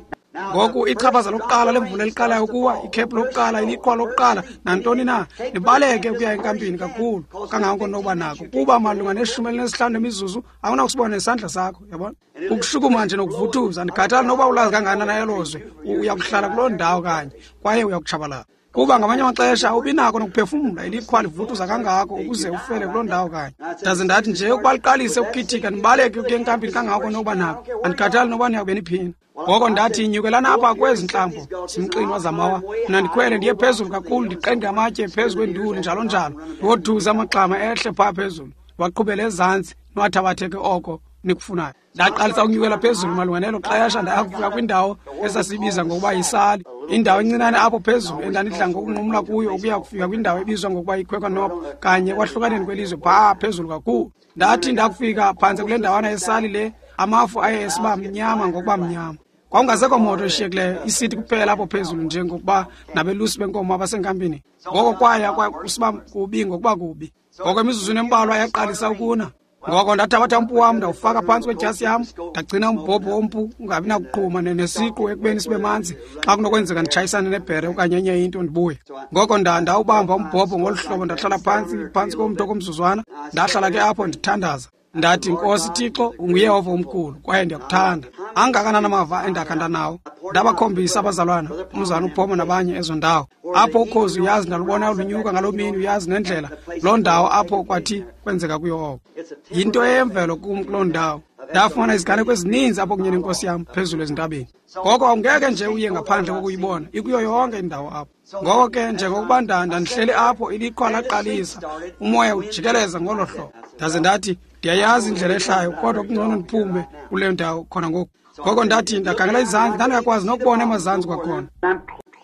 ngoku ichaphaza lokuqala lemvula eliqalayo ukuwa, ikhephu lokuqala, iliqhwa lokuqala, nantoni na, nibaleke ukuya enkampini kakhulu kangako nokuba nako, kuba malunga neshumi elinesihlanu lemizuzu awunakusibona nesandla sakho, yabona? Ukushukuma nje nokuvuthuza, andikhathali nokuba ulazi kangakanani elo zwe, uya kuhlala kuloo ndawo kanye kwaye uya kutshabalala. Kuba ngamanye amaxesha awubi nako nokuphefumla, iliqhwa livuthuza kangako ukuze ufele kuloo ndawo kanye. Ndaze ndathi nje ukuba liqalise ukukhithika, nibaleke ukuya enkampini kangako nokuba nako, andikhathali nokuba niyakube niphina. Ngoko ndathi, nyukelana apha kwezi ntlambo zimxinwa zamawa, mna ndikhwele ndiye phezulu kakhulu, ndiqenge amatye phezu kwenduli njalo njalo, ndiwothuze amaxhama ehle phaa phezulu, ndiwaqhubele ezantsi, niwathabatheke oko nikufunayo. Ndaqalisa ukunyukela phezulu malunga nelo xesha, ndaya kufika kwindawo esasiyibiza ngokuba yisali, indawo encinane apho phezulu endandidla ngokunqumla kuyo ukuya kufika kwindawo ebizwa ngokuba yiKwekwanop, kanye kwahlukaneni kwelizwe phaa phezulu kakhulu. Ndathi ndakufika phantse kule ndawana yesali le, amafu aye esiba mnyama ngokuba mnyama. Kwakungasekho moto eshiyekileyo, isithi kuphela apho phezulu njengokuba nabelusi benkomo abasenkampini. Ngoko kwaya kusiba kubi ngokuba kubi. Ngoko emizuzwini embalwa yaqalisa ukuna. Ngoko ndathabatha umpu wam ndawufaka phantsi kwedyasi yam, ndagcina umbhobho wompu ungabi nakuqhuma nesiqu ekubeni sibe manzi xa kunokwenzeka nditshayisane nebhere okanye enye into ndibuye. Ngoko ndawubamba umbhobho ngolu hlobo, ndahlala phantsi phantsi komntu okomzuzwana, ndahlala ke apho ndithandaza. Ndathi, Nkosi Thixo, unguYehova omkhulu kwaye ndiyakuthanda. Angakanani amava endakha ndanawo. Ndabakhombisa abazalwana, umzalwana uPhoma nabanye ezo ndawo. Apho ukhozi uyazi ndalubona lunyuka ngaloo mini, uyazi nendlela loo ndawo apho kwathi kwenzeka kuyo oko. Yinto eyemvelo kum kuloo ndawo. Ndafumana iziganeko ezininzi apho kunye nenkosi yam phezulu ezintabeni. Ngoko awungeke nje uye ngaphandle kokuyibona, ikuyo yonke indawo apho. Ngoko ke njengokuba ndandihleli apho, iliqhwa laqalisa, umoya ujikeleza ngolo hlobo. Ndaze ndathi, ndiyayazi indlela ehlayo, kodwa kungcono ndiphume kule ndawo khona ngoku. Ngoko ndathi ndakhangela izantsi, ndandingakwazi nokubona emazantsi kwakhona.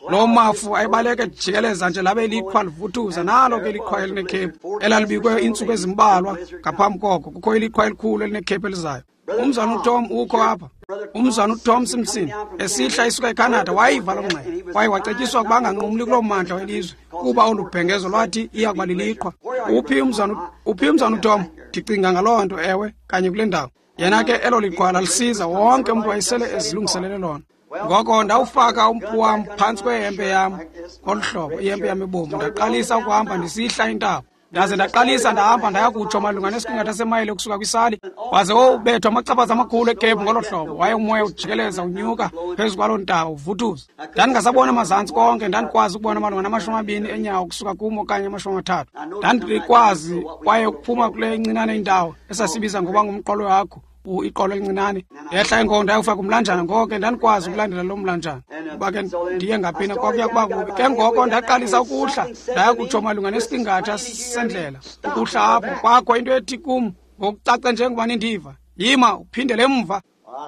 Loo mafu ayibaleka ejikeleza nje labe iliqhwa livuthuza, nalo ke iliqhwa elinekhephu elalibikwe iintsuku ezimbalwa ngaphambi koko. Kukho iliqhwa elikhulu elinekhephu elizayo. Umzalwana uTom ukho apha. Umzalwana uTom Simpson esihla isuka eCanada wayiva loo ngxelo kwaye wacetyiswa ukuba anganqumli kuloo mmandla welizwe kuba olu bhengezo lwathi iya kuba liliqhwa. Uphi umzalwana uphi umzalwana uTom? Ndicinga ngaloo nto, ewe, kanye kule ndawo. Yena ke elo liqhwa lalisiza, wonke umntu wayesele ezilungiselele lona. Ngoko ndawufaka umpu wam phantsi kwehempe yam ngolu hlobo, ihempe yam ebomvu, ndaqalisa ukuhamba ndisihla intaba. Ndaze ndaqalisa ndahamba ndaya kutsho malunga nesiqingatha semayile ukusuka kwisali, waze wowubethwa amachaphaza amakhulu ekhephu ngolo hlobo. Waye umoya ujikeleza unyuka phezu kwaloo ntaba uvuthuza. Ndandingasabona amazantsi konke, ndandikwazi ukubona malunga namashumi amabini enyawo ukusuka kum okanye amashumi amathathu. Ndandikwazi kwaye ukuphuma kule incinane indawo esasibiza ngokuba ngumqolo wakho, iqolo elincinane. Ndehla ingoko ndayofaka umlanjana, ngoko ke ndandikwazi ukulandela loo mlanjana kuba ke ndiye ngaphina kwakuya kuba kubi. Ke ngoko ndaqalisa ukuhla ndaya kutsho malunga nesiqingatha sendlela ukuhla apho. Kwakho into ethi kum ngokucace njengoba nindiva, yima uphindele emva.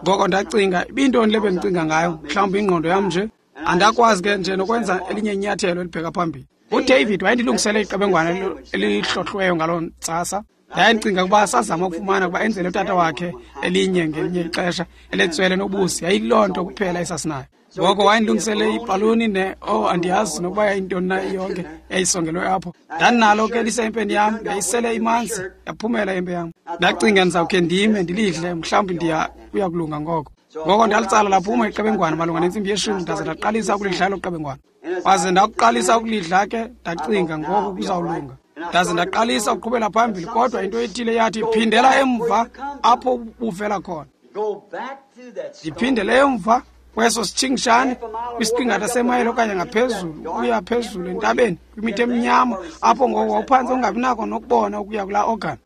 Ngoko ndacinga, ibintoni le bendicinga ngayo? Mhlawumbi ingqondo yam nje. Andakwazi ke nje nokwenza elinye inyathelo elibheka phambili. UDavid wayendilungisele iqebengwana elihlohlweyo ngaloo ntsasa. Ndaye ndicinga ukuba sazama ukufumana ukuba enzele utata wakhe elinye ngelinye ixesha eletswele nobusi. Yayiloo nto kuphela esasinayo. Ngoko wayendilungisele ibhaluni ne oh andiyazi nokuba yayintoni na yonke yayisongelwe apho. Ndandinalo ke lisempeni yam, yayisele imanzi yaphumela ihempe yam. Ndacinga ndizawukhe ndime ndilidle, mhlawumbi ndiya kuya kulunga ngoko. Ngoko ndalitsala laphuma iqebengwana malunga nentsimbi yeshumi, ndaze ndaqalisa ukulidla elo qebengwana. Waze ndakuqalisa ukulidla ke, ndacinga ngoku kuzawulunga. Ndaze ndaqalisa ukuqhubela phambili, kodwa into ethile yathi phindela emva apho ubuvela khona. Ndiphindele emva kweso sitshingishane kwisiqingatha semayile okanye ngaphezulu ukuya phezulu entabeni kwimithi emnyama apho ngoko wawuphantse ungabi nako nokubona ukuya kulaa organ.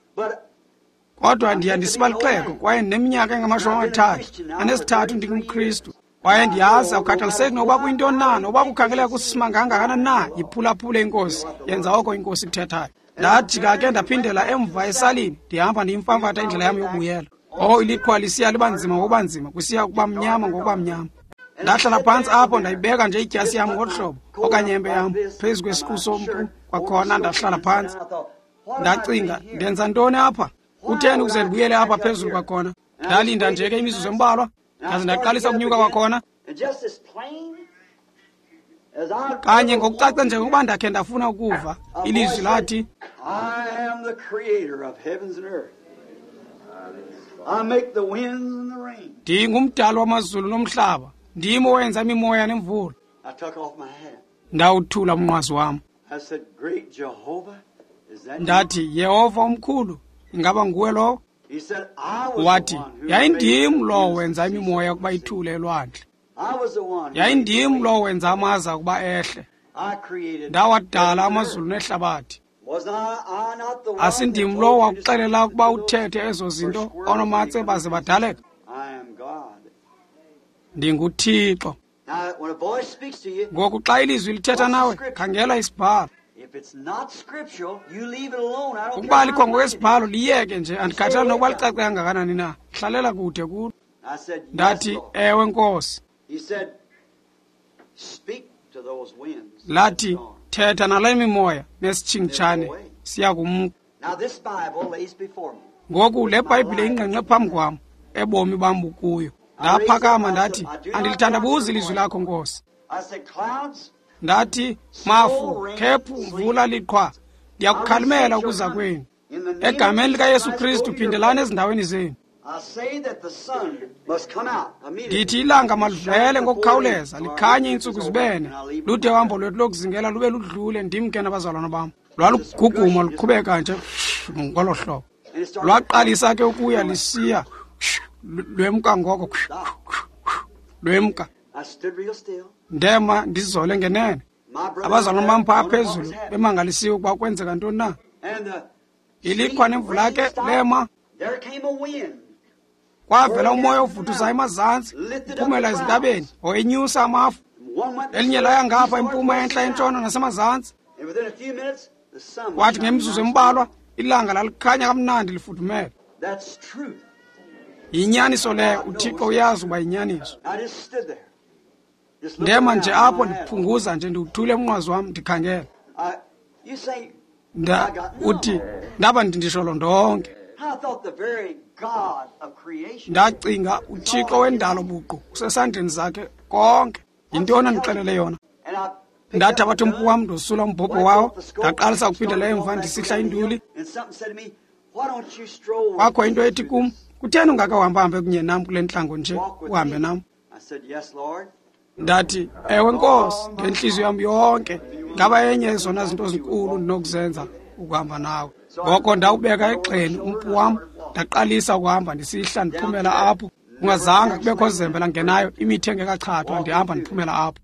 Kodwa ndiya ndisiba lixhego kwaye ndineminyaka engamashumi amathathu anesithathu ndingumKristu. Kwaye ndiyazi akukhathaliseki nokuba kuyintoni na, nokuba kukhangeleka kusimanga kangakanani na, yiphulaphule inkosi, yenza oko inkosi ikuthethayo. Ndajika ke ndaphindela emva esalini, ndihamba ndiyimfamfatha indlela yam yokubuyela. Oh, iliqhwa lisiya liba nzima ngokuba nzima, kusiya kuba mnyama ngokuba mnyama. Ndahlala phantsi apho, ndayibeka nje idyasi yam ngolu hlobo okanye hempe yam phezu kwesiqu sompu kwakhona, ndahlala phantsi. Ndacinga, ndenza ntoni apha? Kutheni ukuze ndibuyele apha phezulu kwakhona? Ndalinda nje ke imizuzu embalwa, ndaze ndaqalisa ukunyuka kwakhona. Kanye ngokucaca njengokuba ndakhe ndafuna ukuva, ilizwi lathi, ndingumdali wamazulu nomhlaba, ndim owenza imimoya nemvula. Ndawuthula umnqwazi wam. Ndathi, Yehova omkhulu, ingaba nguwe lowo? Wathi, yayindim lowo wenza imimoya ukuba ithule elwandle. Yayindim lowo wenza amaza ukuba ehle. Ndawadala amazulu nehlabathi. Asindim lowo wakuxelela ukuba uthethe ezo zinto onomatse baze badaleka? NdinguThixo. Ngoku xa ilizwi lithetha nawe, khangela isibhalo. Ukuba alikho ngokwesibhalo, liyeke nje, andikhathali nokuba licace kangakanani na, hlalela kude kulo. Ndathi, ewe Nkosi. Lathi, thetha nale mimoya nesitshingitshane siyakumka. Ngoku le Bhayibhile ingqengqe phambi kwam, ebomi bam bukuyo. Ndaphakama ndathi, andilithandabuzi ilizwi lakho Nkosi. Ndathi, mafu, khephu, mvula, liqhwa, ndiyakukhalimela ukuza kwenu. Egameni likaYesu Kristu, phindelani ezindaweni zenu. Ndithi ilanga malivele ngokukhawuleza, likhanye iintsuku zibene, lude uhambo lwethu lokuzingela lube ludlule, ndimke nabazalwana bam. Lwaluguguma luqhubeka nje ngolo hlobo. Lwaqalisa ke ukuya lisiya, lwemka ngoko, lwemka. Ndema ndizole ngenene. Abazalwana bam phaa phezulu bemangalisiwe ukuba kwenzeka ntoni na. Iliqhwa nemvula ke lema. Kwavela umoya ovuthuzayo emazantsi, uphumela ezintabeni, owenyusa amafu. Elinye laya ngapha empuma, entla, entshona nasemazantsi. Kwathi ngemizuzu embalwa ilanga lalikhanya kamnandi lifudumele. Yinyaniso leyo, uThixo uyazi uba yinyaniso. Ndema nje apho ndiphunguza nje, ndiwuthule umnqwazi wam ndikhangela. Nda uthi ndaba ndindisholo ndonke. Ndacinga, uThixo wendalo buqu usesandleni zakhe konke. Yintoni andixelele yona? Ndathabatha umpu wam, ndosula umbhobho wawo, ndaqalisa ukuphindela emva ndisihla induli. Kwakho into ethi kum, kutheni ungakawuhambahambe kunye nam kule ntlango nje, uhambe nam? Ndathi, ewe Nkosi, ngentliziyo yam yonke, ngaba enye yezona zinto zinkulu ndinokuzenza ukuhamba nawe. Ngoko ndawubeka egxeni umpu wam, ndaqalisa ukuhamba ndisihla ndiphumela apho. Kungazanga kubekho zembe langenayo, imithi engekachathwa, ndihamba ndiphumela apho.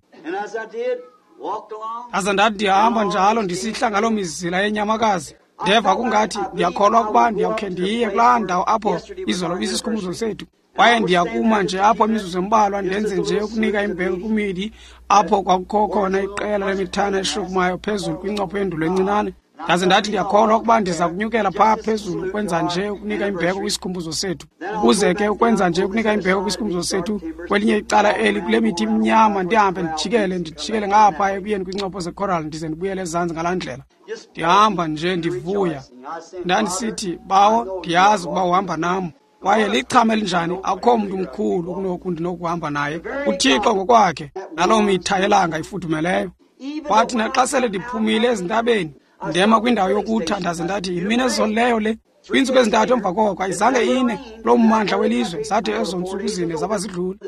Ndaze ndathi ndihamba njalo ndisihla ngaloo mizila yenyamakazi. Ndeva kungathi ndiyakholwa ukuba ndiyawukhe ndiye kulaa ndawo apho izolo ibisisikhumbuzo sethu. Kwaye ndiyakuma nje apho imizuzu embalwa, ndenze nje ukunika imbeko kwimidi apho kwakukho khona iqela lemithana eshukumayo phezulu kwincopho yendulo encinane. Ndaze ndathi ndiyakholwa ukuba ndiza kunyukela phaa phezulu ukwenza nje ukunika imbeko kwisikhumbuzo sethu. Ukuze ke ukwenza nje ukunika imbeko kwisikhumbuzo sethu kwelinye icala eli kule mithi imnyama, ndihambe ndijikele ndijikele ngapha ekuyeni kwincopho zecoral, ndize ndibuyele ezantsi ngalaa ndlela. Ndihamba nje ndivuya. Ndandisithi, Bawo, ndiyazi ukuba uhamba nam. Kwaye lichama elinjani, akukho mntu mkhulu kunoku ndinokuhamba naye, uThixo ngokwakhe, naloo mitha yelanga ifudumeleyo. Kwathi naxa sele ndiphumile ezintabeni, ndema kwindawo yokutha, ndaze ndathi, yimini ezolileyo le. Kwiintsuku ezintathu emva koko ayizange ine kuloo mmandla welizwe, zathi ezo ntsuku zine zaba zidlule.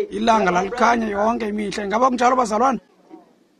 Ilanga lalikhanya yonke imihla. Ingaba kunjalo bazalwana?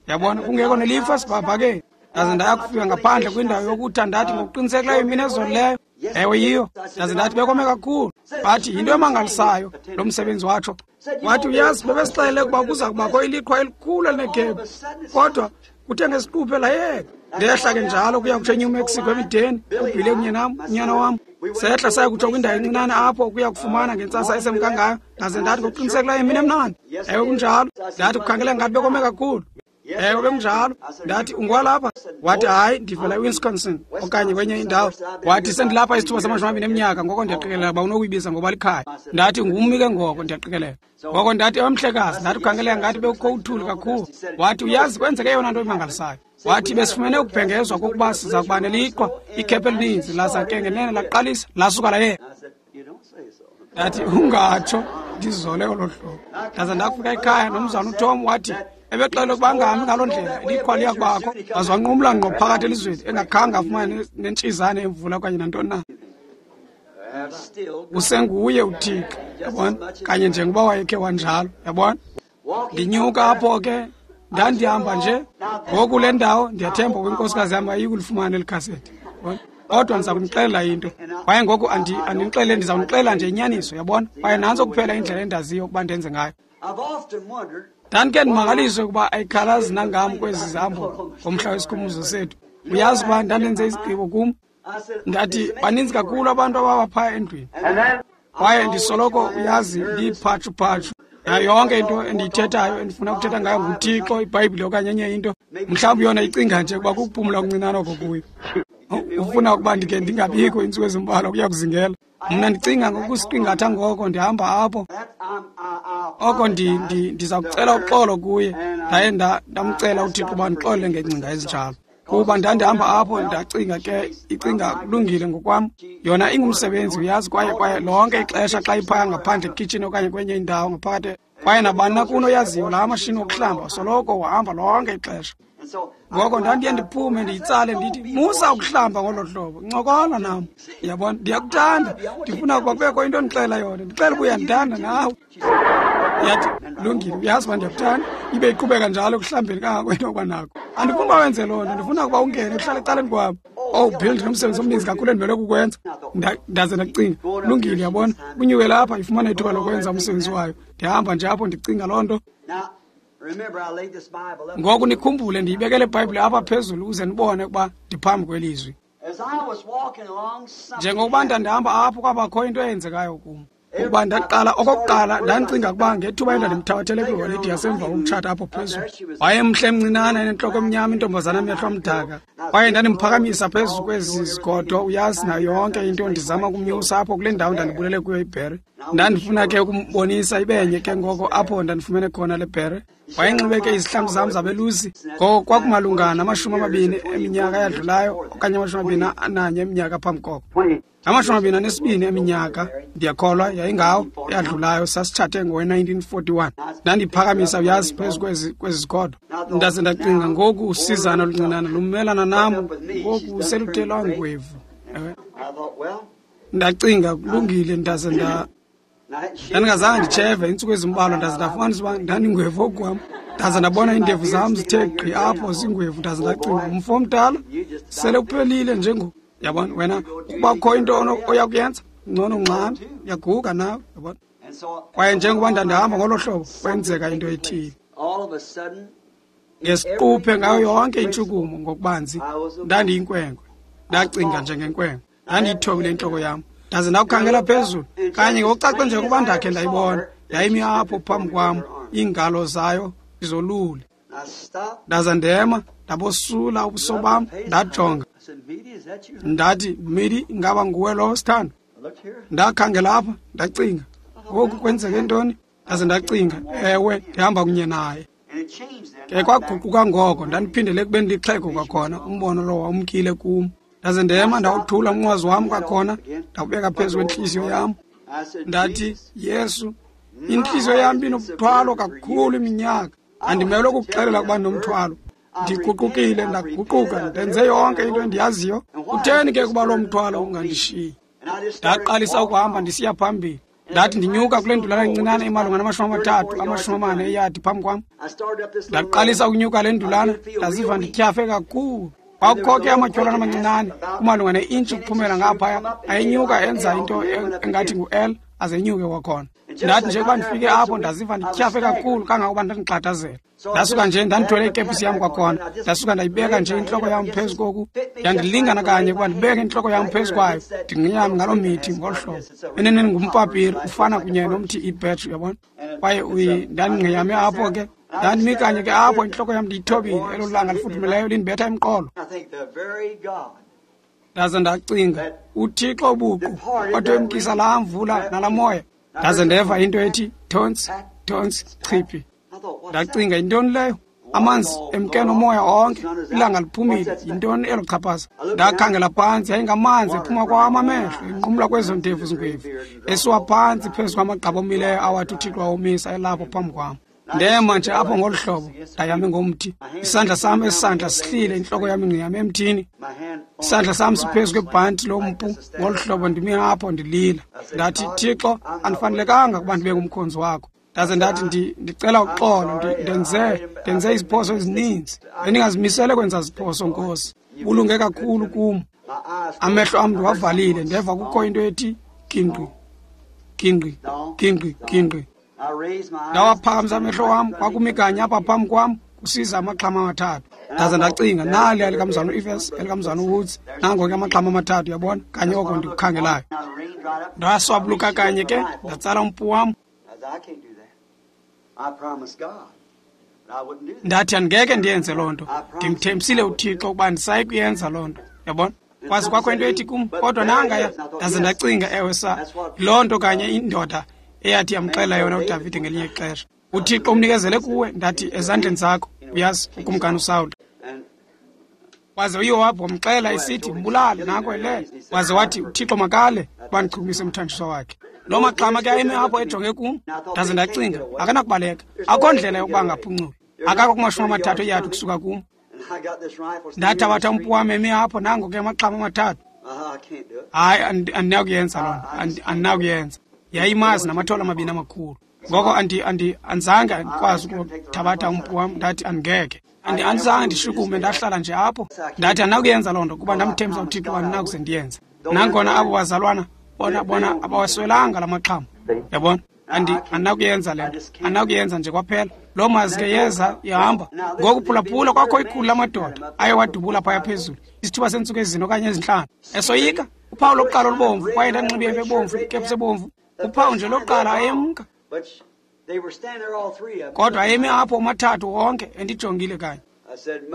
Yabona, kungekho nelifu esibhakabhakeni. Ndaze ndaya kufika ngaphandle kwindawo yokutha, ndathi ngokuqinisekileyo yimini ezolileyo. Ewe yiyo. Ndaze ndathi bekome kakhulu. Bathi yinto emangalisayo lo msebenzi watsho. Wathi uyazi, bebesixelele ukuba kuza kubakho iliqhwa elikhulu elinekhephu, kodwa kuthe ngesiquphe layeka. Ndehla ke njalo kuya kutsho eNew Mexico emideni, uBhile kunye nam, unyana wam. Sehla saya kutsho kwindawo encinane apho ukuya kufumana ngentsasa esemka ngayo. Ndaze ndathi ngokuqinisekileyo yimini emnandi. Ewe kunjalo. Ndathi kukhangele ngathi bekome kakhulu. Ewe, bekunjalo. Ndathi, ungwalapha? Wathi, hayi, ndivela eWisconsin okanye kwenye indawo. Wathi, sendilapha isithuba samashumi amabini eminyaka, ngoko ndiyaqikelela uba unokuyibiza ngoba likhaya. Ndathi, ngummi ke ngoko, ndiyaqikelela. Ngoko ndathi, ewe mhlekazi, ndathi ukhangeleka ngathi bekukho uthuli kakhulu. Wathi, uyazi, kwenzeke eyona nto imangalisayo. Wathi, besifumene ukubhengezwa kokuba siza kuba neliqhwa, ikhephu elininzi, laza ke ngenene laqalisa, lasuka layeka. Ndathi, ungatsho, ndizole olo hlobo. Ndaza ndakufika ekhaya nomzana uTom wathi, ebexele ukuba angahambi ngaloo ndlela, iliqhwa liya kubakho. Waze wanqumla ngqo phakathi elizweni, engakhange afumane nentshizane emvula okanye nantoni na. Usenguye uThixo, yabona, kanye njengoba wayekhe wanjalo, yabona. Ndinyuka apho ke, ndandihamba nje. Ngoku le ndawo ndiyathemba ukuba inkosikazi yam ayikulifumana eli khaseti, yabona. Kodwa ndiza kunixelela into. Kwaye ngoku andinixelele, ndiza kunixelela nje inyaniso, yabona. Kwaye nantso kuphela indlela endaziyo ukuba ndenze ngayo. Ndandike ndimangaliswe ukuba ayikhalazi nangam kwezi zihambo ngomhla wesikhumbuzo sethu. Uyazi ukuba ndandenze isigqibo kum. Ndathi, baninzi kakhulu abantu ababa phaya endlwini. Kwaye ndisoloko, uyazi, ndiyiphatshu-phatshu. Nayo yonke into endiyithethayo, endifuna ukuthetha ngayo nguThixo, iBhayibhile okanye enye into. Mhlawumbi yona icinga nje ukuba kukuphumla okuncinane oko kuyo. Ufuna ukuba ndike ndingabikho iintsuku ezimbalwa kuya kuzingela. Mna ndicinga ngokusiqingatha ngoko ndihamba apho. Oko ndiza kucela uxolo kuye. Ndaye ndamcela uThixo uba ndixolele ngeengcinga ezinjalo. Kuba ndandihamba apho ndacinga ke, icinga kulungile ngokwam. Yona ingumsebenzi, uyazi, kwaye kwaye lonke ixesha xa iphaya ngaphandle ekitshini okanye kwenye indawo ngaphakathi, kwaye nabani na kuno oyaziyo laa mashini wokuhlamba soloko uhamba lonke ixesha. Ngoko ndandiye ndiphume ndiyitsale ndithi, musa ukuhlamba ngolo hlobo, ncokola nam. Uyabona, ndiyakuthanda, ndifuna ukuba kubekho into ondixelela yona, ndixele uba uyandithanda nawe. Yathi, lungile, uyazi uba ndiyakuthanda. Ibe iqhubeka njalo ekuhlambeni kangako into yokuba nako. Andifuni uba wenze loo nto, ndifuna ukuba ungene uhlale ecaleni kwam. Oh, Bill, ndinomsebenzi omninzi kakhulu endimele kukwenza. Ndaze ndacinga, lungile, uyabona, unyuke lapha ifumane ithuba lokwenza umsebenzi wayo. Ndihamba nje apho ndicinga loo nto. Ngoku nikhumbule, ndiyibekele iBhayibhile apha phezulu ukuze nibone ukuba ndiphambi kwelizwi. Njengokuba ndandihamba apho kwabakho into eyenzekayo kum. Ukuba ndaqala okokuqala ndandicinga ukuba ngethuba endandimthabathele kwiholide yasemva kokutshata apho phezulu. Wayemhle emncinane enentloko emnyama, intombazana amehlo amdaka. Kwaye ndandimphakamisa phezu kwezi zigodo, uyazi, nayo yonke into, ndizama ukumnyusa apho kule ndawo ndandibulele kuyo ibhere. Ndandifuna ke ukumbonisa ibenye ke ngoko apho ndandifumene khona le bhere. Wayenxibe ke izihlangu zam zabelusi. Ngoko kwakumalunga namashumi amabini eminyaka eyadlulayo okanye amashumi amabini ananye eminyaka phambi koko. Amashumi amabini anesibini eminyaka, ndiyakholwa, yayingawo eyadlulayo, sasitshathe ngowe nineteen forty-one. Ndandiphakamisa, uyazi, phezu kwezi kwezi zigodo. Ndaze ndacinga, ngoku usizana oluncinane lumelana nam, ngoku seluthe lwangwevu. Ndacinga, kulungile, ndaze nda ndandingazange nditsheve iintsuku ezimbalwa, ndaze ndafumanisa uba ndandingwevu okwam. Ndaze ndabona iindevu zam zithe gqi apho zingwevu, ndaze ndacinga, umfo omdala sele kuphelile njengoku. Yabona, wena ukuba kukho into oya kuyenza, ngcono ungxame, uyaguga nawe, yabona. Kwaye njengoba ndandihamba ngolo hlobo, kwenzeka into ethile. Ngesiquphe ngayo yonke intshukumo ngokubanzi, ndandiyinkwenkwe. Ndacinga njengenkwenkwe. Ndandiyithobile intloko yam. Ndaze ndakukhangela phezulu, kanye ngokucace njengokuba ndakhe ndayibona. Yayimi apho phambi kwam, iingalo zayo izolule. Ndaza ndema, ndabosula ubuso bam, ndajonga. Ndathi, Midi, ingaba nguwe lowo, sithando? Ndakhangela apha, ndacinga, ngoku kwenzeke ntoni? Ndaze ndacinga, ewe, ndihamba kunye naye. Ke kwaguquka ngoko, ndandiphindele ekubeni lixhego kwakhona, umbono lowo wawumkile kum. Ndaze ndema, ndawuthula umnqwazi wam kwakhona, ndawubeka phezu kwentliziyo yam. Ndathi, Yesu, intliziyo yam inomthwalo kakhulu iminyaka. Andimelwe ukukuxelela ukuba ndinomthwalo. Ndiguqukile, ndaguquka, ndenze yonke into endiyaziyo. Kutheni ke kuba loo mthwalo ungandishiyi? Ndaqalisa ukuhamba ndisiya phambili. Ndathi ndinyuka kule ndulana incinane imalunga namashumi amathathu, amashumi amane eyadi phambi kwam. Ndaqalisa ukunyuka le ndulana, ndaziva ndityhafe kakhulu. Kwakukho ke amatyholwana amancinane kumalunga ne-intshi ukuphumela ngaphaya, ayenyuka enza into engathi ngu-L, aze enyuke kwakhona. Ndathi nje kuba ndifike apho ndaziva ndityhafe kakhulu kangangokuba ndandixhathazela. Ndasuka nje ndandithwele ikepisi yam kwakhona, ndasuka ndayibeka nje intloko yam phezu koku, yandilingana kanye ukuba ndibeke intloko yam phezu kwayo, ndingqiyame ngaloo mithi ngolu hlobo. Eneneni ngumpapiri, ufana kunye nomthi ibhetri, uyabona. Kwaye ndandingqiyame apho ke, Ndandimi kanye ke apho intloko yam ndiyithobile, elo langa lifudumeleyo lindibetha emqolo. Ndaze ndacinga, uThixo buqu wathi wemkisa laa mvula nalaa moya. Ndaze ndeva into ethi thontsi, thontsi, chiphi. Ndacinga, yintoni leyo? Amanzi emke nomoya onke, ilanga liphumile, yintoni elo chaphaza? Ndakhangela phantsi, yayingamanzi ephuma kwam amehlo, enqumla kwezo ndevu zingwevu, esiwa phantsi phezu kwamagqabi omileyo awathi uThixo wawomisa elapho phambi kwam. Ndema nje apho ngolu hlobo, ndayame ngomthi. Isandla sam esisandla sihlile, intloko yam ingqiyame emthini. Isandla sam siphezu kwebhanti lompu ngolu hlobo, ndimi apho ndilila. Ndathi, Thixo, andifanelekanga ukuba ndibe ngumkhonzi wakho. Ndaze ndathi, ndicela uxolo, ndenze ndenze iziphoso ezininzi. Bendingazimisele kwenza ziphoso, Nkosi. Bulunge kakhulu kum. Amehlo am ndiwavalile, ndeva kukho into ethi gingqi, gingqi, gingqi, gingqi. Ndawaphakamisa amehlo wam, kwakumi kanye apha phambi kwam kusiza amaxhama amathathu. Ndaze ndacinga, nali elikamzana uEfes, elikamzana uWoods, nango ke amaxhama amathathu, uyabona, kanye oko ndikukhangelayo. Ndaswabuluka kanye ke, ndatsala umpu wam. Ndathi, andingeke ndiyenze loo nto. Ndimthembisile uThixo ukuba andisayi kuyenza loo nto, uyabona. Kwaze kwakho into ethi kum, kodwa nangaya. Ndaze ndacinga, ewe sa, loo nto kanye indoda eyathi yamxela yona uDavide ngelinye ixesha. uThixo umnikezele kuwe, ndathi, ezandleni zakho, uyazi, ukumkani uSawule. Waze uYowabhi wamxela esithi, mbulale, nanko elele. Waze wathi, uThixo makale ukuba ndichukumise umthanjiswa wakhe. Loo maxhama ke ayemi apho ejonge kum. Ndaze ndacinga, akanakubaleka, akho ndlela yokuba angaphunculi. Akakho kumashumi amathathu eyadi ukusuka kum. Ndathabatha umpu wam emi apho, nango ke amaxhama amathathu. Hayi, andinakuyenza loo nto, andinakuyenza. Yayimazi namathole amabini amakhulu. Ngoko andi andi andizange ndikwazi ukuthabatha umpu wam, ndathi andingeke. Andi andizange ndishukume, ndahlala nje apho. Ndathi andinakuyenza loo nto kuba ndamthembisa uThixo andinakuze ndiyenze. Nangona abo bazalwana bona bona abawaswelanga la maxhama. Yabona? Andi andinakuyenza le nto. Andinakuyenza nje kwaphela. Loo mazi ke yeza ihamba. Ngoku phulaphula, kwakho ikhulu lamadoda aye wadubula phaya phezulu isithuba seentsuku ezine okanye ezintlanu. Esoyika uphawu lokuqala olubomvu, kwaye ndanxibe ebomvu, ikepsi ebomvu. Uphawu nje lokuqala ayemka. Kodwa ayemi apho omathathu wonke endijongile kanye.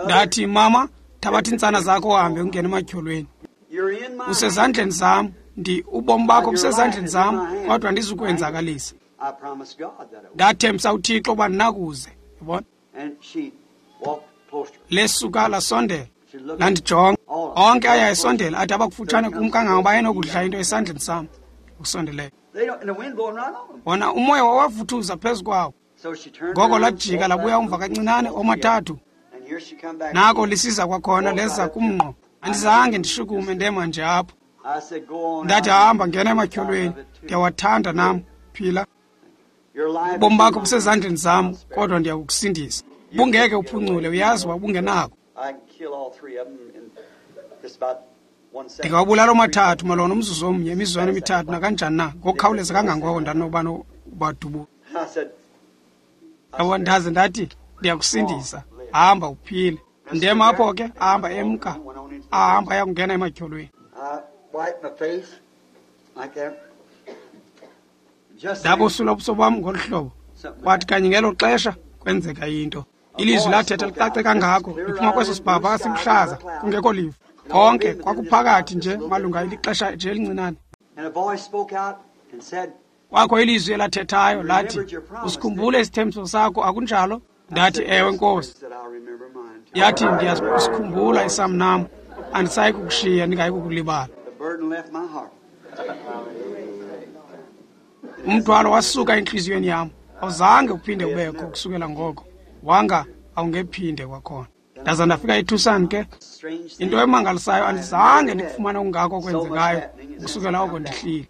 Ndathi, mama, thabatha iintsana zakho uhambe ungene ematyholweni. Usezandleni zam, ndi ubomi bakho busezandleni zam, kodwa andizukwenzakalisa. Ndathembisa uThixo uba ndinakuze, yabona. Lesuka lasondela, landijonga. Onke aya esondela, athi abakufutshane kum kangangoba ayenokudla into esandleni sam ukusondeleyo. Wona umoya wawavuthuza phezu kwawo. Ngoko lajika labuya umva kancinane omathathu. Nako lisiza kwakhona leza kumngqo. Andizange ndishukume, ndema nje apho. Ndathi, hamba ngena ematyholweni, ndiyawathanda nam, phila. Ubomi bakho busezandleni zam, kodwa ndiyakukusindisa. Bungeke uphuncule, uyazi wabungenako. Ndingawabulala omathathu malona umzuzu omnye, imizuzwana emithathu nakanjani na, ngokukhawuleza kangangoko ndanoba ubadubula. Yabo, ndaze ndathi, ndiyakusindisa, hamba uphile. Ndema apho ke, ahamba emka, ahamba ayakungena ematyholweni. Ndabosula ubuso bam ngolu hlobo. Kwathi kanye ngelo xesha kwenzeka into. Ilizwi lathetha licace kangako, liphuma kweso sibhaba siluhlaza, kungekho lifu. Konke kwakuphakathi nje malunga ilixesha nje elincinane. Kwakho ilizwi elathethayo lathi, usikhumbule isithembiso sakho, akunjalo? Ndathi, ewe Nkosi. Yathi, ndiyasikhumbula isam nam, andisayi kukushiya, ndingayi kukulibala. Umthwalo wasuka entliziyweni yam, awuzange uphinde ubekho kusukela ngoko, wanga awungephinde kwakhona. Ndaza ndafika eTucson ke. Into emangalisayo, andizange ndikufumane okungako okwenzekayo ukusukela oko ndihlile.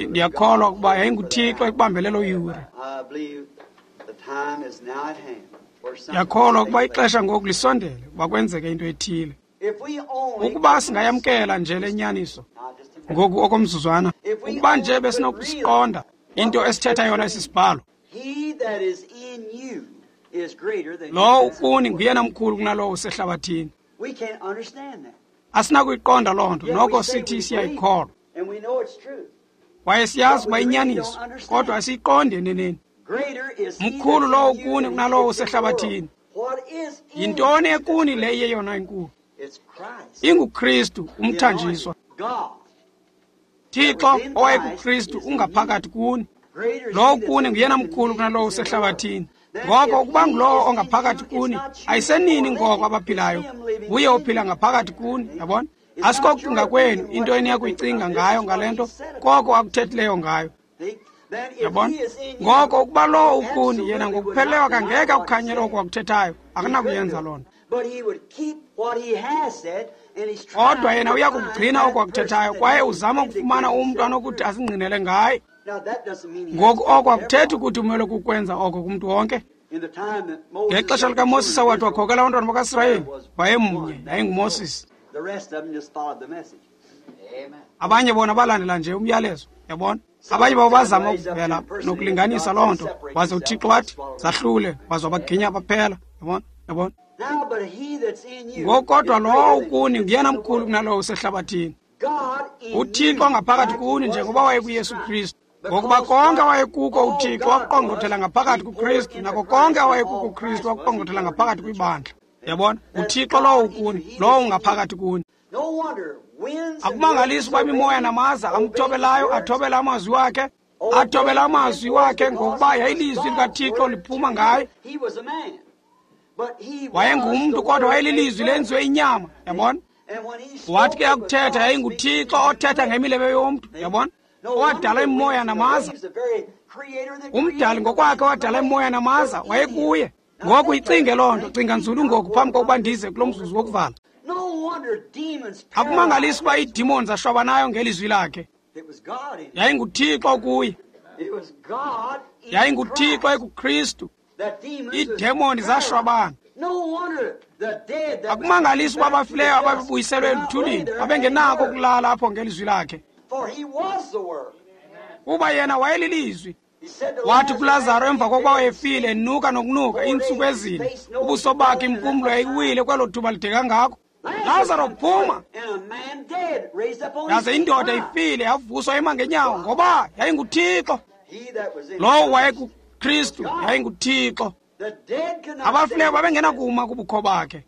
Ndiyakholwa ukuba yayinguThixo ekubambele loo yure. Ndiyakholwa ukuba ixesha ngoku lisondele ukuba kwenzeke into ethile. Ukuba singayamkela nje le nyaniso ngoku okomzuzwana, ukuba nje besinokusiqonda into esithetha yona esi sibhalo. Lowo ukuni nguyena mkhulu kunalowo usehlabathini. Asinakuyiqonda loo nto, noko sithi siyayikholwa. Kwaye siyazi uba inyaniso, kodwa asiyiqondi eneneni. Mkhulu lowo ukuni kunalowo usehlabathini. Yintoni ekuni le iyeyona inkulu? InguKristu, umthanjiswa. Thixo owayekuKristu ungaphakathi kuni. Lowo kuni nguyena mkhulu kunalowo usehlabathini. Ngoko ukuba ngulowo ongaphakathi kuni, ayisenini ngoko abaphilayo, nguye ophila ngaphakathi kuni, yabona? Asikokucinga kwenu into eniya kuyicinga ngayo ngale nto, koko akuthethileyo ngayo. Yabona? Ngoko ukuba lowo ukuni, yena ngokupheleleyo akangeke akukhanyele oko akuthethayo, akanakuyenza loo nto. Kodwa yena uya kukugcina oko akuthethayo, kwaye uzama ukufumana umntu anokuthi asingqinele ngaye. Ngoku oko akuthethi ukuthi umele kukwenza oko kumntu wonke. Ngexesha likaMoses awathi wakhokela abantwana bakaSirayeli, wayemnye, yayinguMoses. Abanye bona balandela nje umyalezo, yabona? Abanye babo bazama ukuvela nokulinganisa loo nto, waze uThixo wathi zahlule, waze wabaginya baphela, yabona? Yabona? Ngoku kodwa lowo ukuni nguyena mkhulu kunalowo usehlabathini. UThixo ngaphakathi kuni njengoba wayekuYesu Kristu. Ngokuba konke awayekuko uThixo wakuqongqothela ngaphakathi kuKristu, nako konke awayekuko uKristu wakuqongqothela ngaphakathi kwibandla. Yabona? UThixo lowo ukuni, lowo ungaphakathi kuni. Akumangalisi ukuba imimoya namaza amthobelayo athobela amazwi wakhe, athobela amazwi wakhe ngokuba yayilizwi likaThixo liphuma ngaye. Wayengumntu kodwa wayelilizwi lenziwe inyama, yabona? Wathi ke akuthetha yayinguThixo othetha ngemilebe yomntu, yabona? Owadala imoya namaza. Umdali ngokwakhe owadala imoya namaza wayekuye. Ngoku icinge loo nto, cinga nzulu ngoku phambi kokuba ndize kulo mzuzu wokuvala. Akumangalisi ukuba iidimoni zashwabanayo ngelizwi lakhe. YayinguThixo kuye. YayinguThixo ekuKristu. Iidemoni zashwabana. Akumangalisi ukuba abafileyo ababebuyiselwe eluthulini babengenako ukulala apho ngelizwi lakhe. Kuba yena wayelilizwi. Wathi kuLazaro emva kokuba wayefile enuka nokunuka iintsuku ezine, ubuso bakhe impumlo yayiwile kwelo thuba lide kangako. Lazaro, phuma! Yaze indoda ifile yavuswa ema ngenyawo, ngoba yayinguThixo. Lowo wayekuKristu yayinguThixo. Abafileyo babengenakuma kubukho bakhe.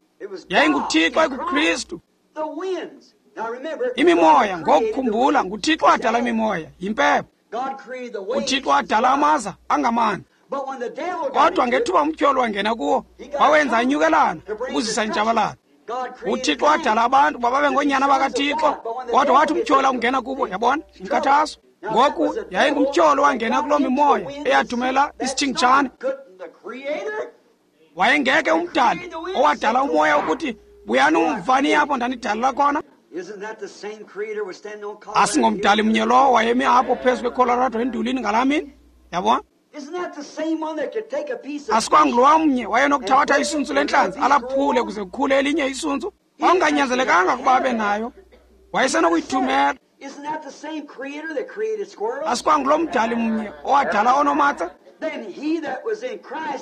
YayinguThixo ekuKristu. Imimoya, ngokukhumbula, nguThixo wadala imimoya, yimpepho. UThixo wadala amaza angamanzi. Kodwa ngethuba umtyholi wangena kuwo, wawenza anyukelana ukuzisa intshabalalo. UThixo wadala abantu bababe ngoonyana bakaThixo, kodwa wathi umtyholi akungena kubo, yabona, inkathazo. Ngoku yayingumtyholi owangena kuloo mimoya eyathumela isitshingitshane. Wayengeke umdali owadala umoya ukuthi buyani umvani apho ndanidalela khona. Asingomdali mnye lowo wayemi apho phezu kweColorado endulini ngalaa mini, yabona? Asikwangulowa mnye wayenokuthabatha isuntsu lentlanzi alaphule kuze kukhule elinye isuntsu. Kwakunganyanzelekanga ukuba abe nayo, wayesenokuyithumela. Asikwangulo mdali mnye owadala onomatse.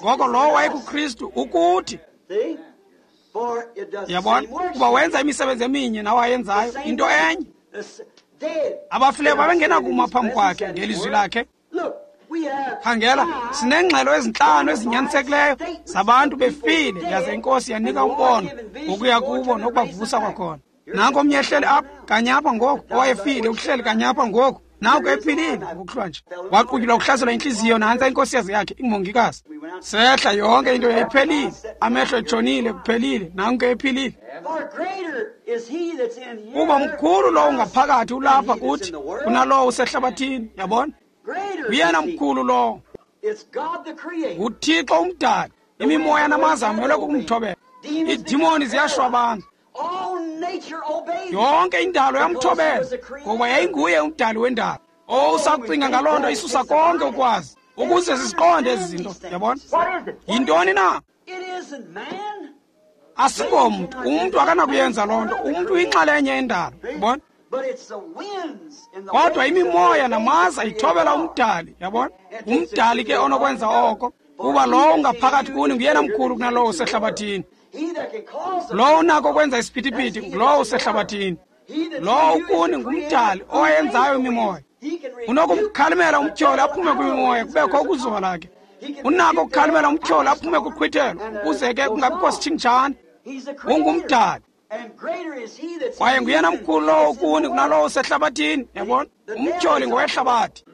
Ngoko lowo wayekuKristu ukuthi, yabona, kuba wenza imisebenzi eminye nawayenzayo, into enye. Abafileyo babengenakuma phambi kwakhe ngelizwi lakhe. Khangela, sineengxelo ezintlanu ezinyanisekileyo zabantu befile, yaze iNkosi yanika umbono ngokuya kubo nokubavusa kwakhona. Nanko omnye ehleli apha kanye apha ngoku, owayefile uhleli kanye apha ngoku, nanko ephilile ngokuhlwa nje. Waqutyulwa kuhlaselwa intliziyo, nantsa inkosikazi yakhe ingumongikazi. Sehla yonke into yayiphelile, amehlo etshonile, kuphelile, nanko ephilile. Kuba mkhulu lowo ungaphakathi ulapha kuthi kunalowo usehlabathini, yabona? Uyena mkhulu lowo. NguThixo umdali. Imimoya namaza amelwe kukumthobela. Iidimoni ziyashwabana. Yonke indalo yamthobela, ngoba yayinguye umdali wendalo. Oh, usakucinga ngaloo nto isusa konke ukwazi, ukuze siziqonde ezi zinto, yabona? Yintoni na? Asingomntu, umntu akanakuyenza loo nto. Umntu uyinxalenye yendalo, yabona? Kodwa imimoya namaza ithobela umdali, yabona? Umdali ke onokwenza oko, kuba lowo ungaphakathi kuni nguyena mkhulu kunalowo usehlabathini. Lowo unako ukwenza isiphithiphithi ngulowo usehlabathini. Lowo ukuni ngumdali owayenzayo imimoya. Unokumkhalimela umtyholi aphume kwimimoya kubekho ukuzola ke. Unako ukukhalimela umtyholi aphume kuqhwithelo ukuze ke kungabikho sitshingitshane. Ungumdali. Kwaye nguyena mkhulu lowo kuni kunalowo usehlabathini, yabona? Umtyholi ngowehlabathi.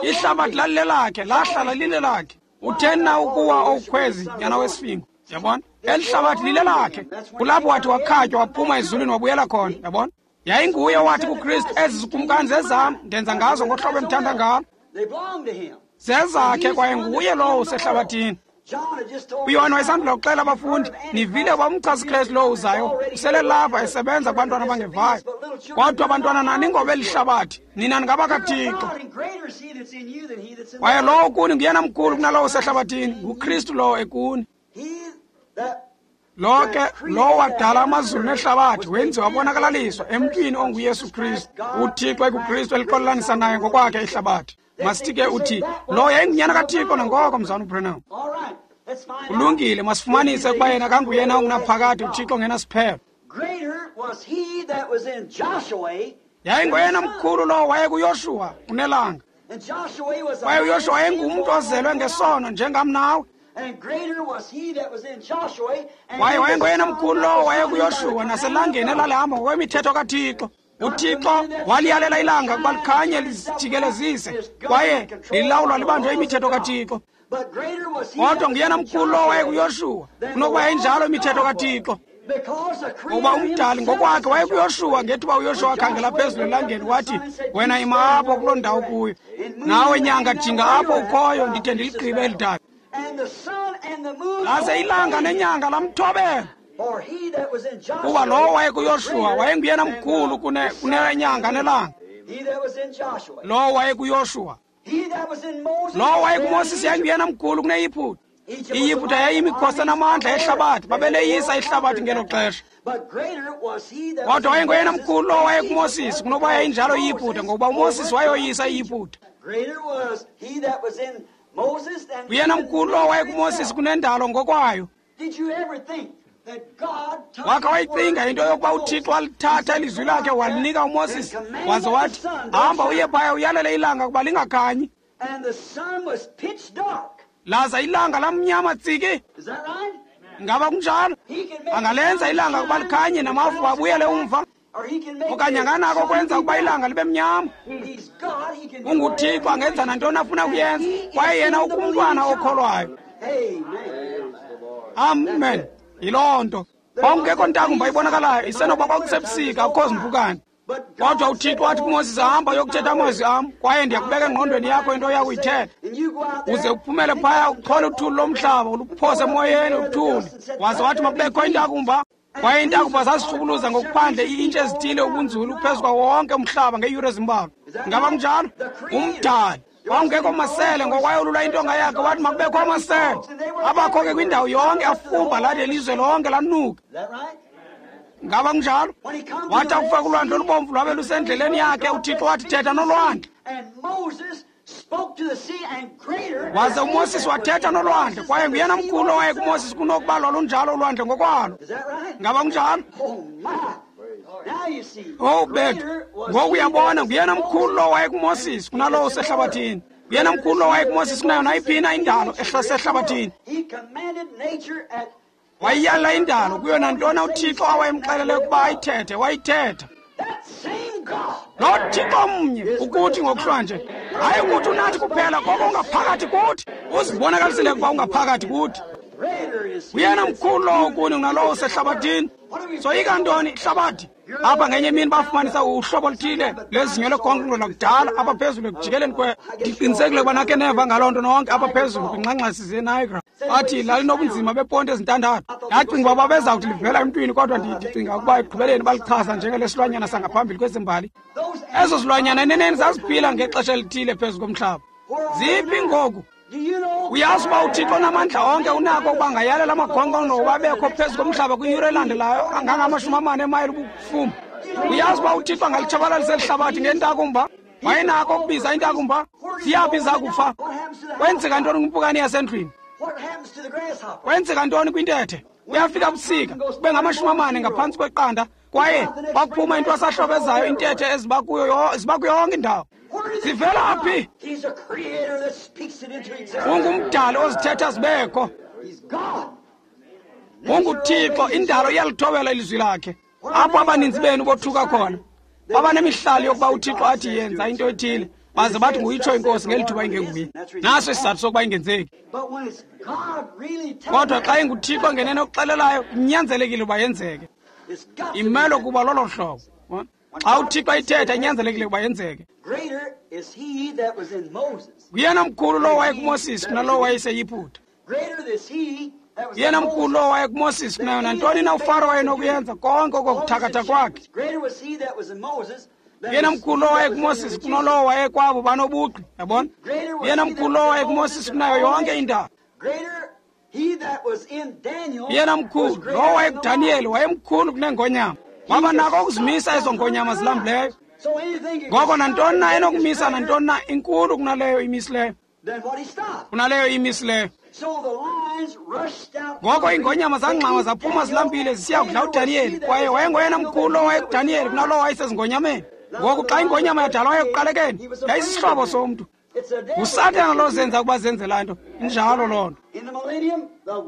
Ihlabathi lalilelakhe, lahlala lilelakhe. Utheni na ukuwa owukhwezi, nyana wesifingo? Yabona? Eli hlabathi lilelakhe. Kulapho wathi wakhatywa waphuma ezulwini wabuyela khona, yabona? Yayinguye owathi kuKristu, ezi zikumkani zezam, ndenza ngazo ngohlobo endithanda ngalo. Zezakhe kwaye nguye lowo usehlabathini. UYohane wayesandula kuxela abafundi, nivile uba umchasi Kristu lowo uzayo usele lapha esebenza kubantwana abangevayo. Kodwa abantwana nani ngobeli hlabathi, nina ningabakaThixo. Kwaye lowo kuni nguyena mkhulu kunalowo usehlabathini, nguKristu lowo ekuni. Lo ke lowo wadala amazulu nehlabathi wenziwa wabonakalaliswa emntwini onguYesu Kristu, uThixo ekuKristu elixolelanisa naye ngokwakhe ihlabathi. Masithi ke uthi lo yayingunyana kaThixo nangoko, mzalwana uBranham. Kulungile, masifumanise ukuba yena kanguyena ongunaphakade, uThixo ongenasiphelo. Yayingoyena mkhulu lowo wayekuYoshuwa kunelanga. Kwaye uYoshuwa wayengumntu ozelwe ngesono njengam nawe. Kwaye wayengoyena mkhulu lowo wayekuYoshuwa naselangeni elalihamba ngokwemithetho kaThixo. UThixo waliyalela ilanga ukuba likhanye lizijikelezise, kwaye lilawulwa libanjwe imithetho kaThixo. Kodwa nguyena mkhulu lowo wayekuYoshuwa kunokuba yayinjalo imithetho kaThixo. Ngokuba umdali ngokwakhe wayekuYoshuwa ngethuba uYoshuwa wakhangela phezulu elangeni wathi, wena ima apho kuloo ndawo kuyo, nawe nyanga jinga apho ukhoyo ndide ndiligqibe eli dabi. Laze ilanga nenyanga lamthobela. Kuba lowo wayekuYoshuwa wayenguyena mkhulu kunenyanga nelanga. Lowo wayekuYoshuwa. Lowo wayekuMoses yayinguyena mkhulu kuneYiputa. IYiputa yayiyimikhosi enamandla ehlabathi, babeleyisa ihlabathi ngelo xesha. Kodwa wayengoyena mkhulu lowo wayekuMoses kunokuba yayinjalo iYiputa, ngokuba uMoses wayoyisa iYiputa. Uyena mkhulu lowo wayekuMoses kunendalo ngokwayo. Wakha wayicinga into yokuba uThixo walithatha ilizwi lakhe walinika uMoses, waze wathi, hamba uye phaya uyalele ilanga kuba lingakhanyi. Laza ilanga lamnyama tsiki. Ngaba kunjalo? Angalenza ilanga kuba likhanye namafu abuyele umva, okanye anganako kwenza ukuba ilanga libe mnyama. UnguThixo, angenza nantoni afuna kuyenza, kwaye yena ukumntwana okholwayo. Amen. Yiloo nto. Kwakungekho ntakumba ibonakalayo, isenokuba kwakusebusika, akukho zimpukane. Kodwa uThixo wathi kuMoses, hamba uyokuthetha amazwi am, kwaye ndiyakubeka engqondweni yakho into oya kuyithetha. Uze uphumele phaya uchole uthuli lomhlaba, uluphose emoyeni uthuli. Waze wathi makubekho intakumba. Kwaye intakumba zazixhukuluza ngokuphandle ii-intshi ezithile ubunzulu phezu kwawo wonke umhlaba ngeeyure ezimbalwa. Ngaba kunjalo? Umdali. Kwakungekho masele, ngokwayolula intonga yakhe wathi makubekho amasele. Abakho ke kwindawo yonke, afumba lade ilizwe lonke lanuka. Ngaba kunjalo? Wathi akufika kulwandle olubomvu lwabe lusendleleni yakhe, uThixo wathi thetha nolwandle. Waze uMoses wathetha nolwandle, kwaye nguyena mkhulu owayekuMoses kunokuba lwalunjalo ulwandle ngokwalo. Ngaba kunjalo? Oh bethu, ngoku uyabona nguyena mkhulu lowo wayekuMoses kunalowo usehlabathini. Nguyena mkhulu lowo wayekuMoses kunayo nayiphi na indalo ehlasehlabathini. Wayiyala indalo kuyo nantoni uThixo awayemxelele ukuba ayithethe, wayithetha. Lo Thixo mnye ukuthi ngokuhlwanje, hayi ukuthi unathi kuphela, koko ungaphakathi kuthi. Uzibonakalisile ukuba ungaphakathi kuthi. Uyena mkhulu lowo kuni kunalowo usehlabathini. Soyika ntoni ihlabathi? Apha ngenye imini bafumanisa uhlobo oluthile lezinyo legonqo lakudala apha phezulu ekujikeleni kwe. Ndiqinisekile ukuba nakhe neva ngaloo nto nonke apha phezulu kwingxangxasi zeNiagara. Bathi lalinobunzima beponti ezintandathu. Ndacinga uba babezawuthi livela emntwini, kodwa ndicinga ukuba ekugqibeleni balichaza njengelesilwanyana sangaphambili kwezimbali. Ezo zilwanyana eneneni zaziphila ngexesha elithile phezu komhlaba. Ziphi ngoku? Uyazi uba uThixo onamandla onke unako ukuba angayalela amagongqongqo ukuba abekho phezu komhlaba kwiyure elandelayo angangamashumi amane emayile ubufuma. Uyazi uba uThixo angalitshabalalisa eli hlabathi ngentakumba? Wayenako ukubiza intakumba? Ziyaphi zakufa? Kwenzeka ntoni kwimpukane yasendlwini? Kwenzeka ntoni kwintethe? Kuyafika busika, kube ngamashumi amane ngaphantsi kweqanda, Kwaye kwakuphuma intwasahlobo ezayo intethe eziba kuyo ziba kuyo yonke indawo. Zivela phi? Ungumdali ozithetha zibekho. UnguThixo, indalo iyalithobela ilizwi lakhe. Apho abaninzi benu bothuka khona, babanemihlali yokuba uThixo athi yenza into ethile, baze bathi nguyitsho inkosi ngeli thuba ingenguye. Naso isizathu sokuba ingenzeki. Kodwa xa inguThixo ngenene okuxelelayo, kunyanzelekile uba yenzeke. Imele kuba lolo hlobo. Xa uThixo ethetha, inyanzelekile uba yenzeke. Nguyena mkhulu lowo wayekuMoses kunalowo wayeseYiputa. Yena mkhulu lowo wayekuMoses kunayo nantoni na uFaro wayenokuyenza konke okokuthakatha kwakhe. Yena mkhulu lowo wayekuMoses kunalowo wayekwabo banobugqi, yabona? Yena mkhulu lowo wayekuMoses kunayo yonke indawo. Yena mkhulu lowo wayekuDaniyeli wayemkhulu kunengonyama. Waba nako ukuzimisa ezo ngonyama zilambileyo. Ngoko nantoni na enokumisa nantoni na inkulu kunaleyo imisileyo. Kunaleyo imisileyo. Ngoko iingonyama zangxama zaphuma zilambile zisiya kudla uDaniyeli, kwaye wayengoyena mkhulu lowo wayekuDaniyeli kunalowo wayesezingonyameni. Ngoku xa ingonyama yadalwayo ekuqalekeni, yayisisihlobo somntu. NguSathana lo zenza ukuba zenze laa nto. Injalo loo nto.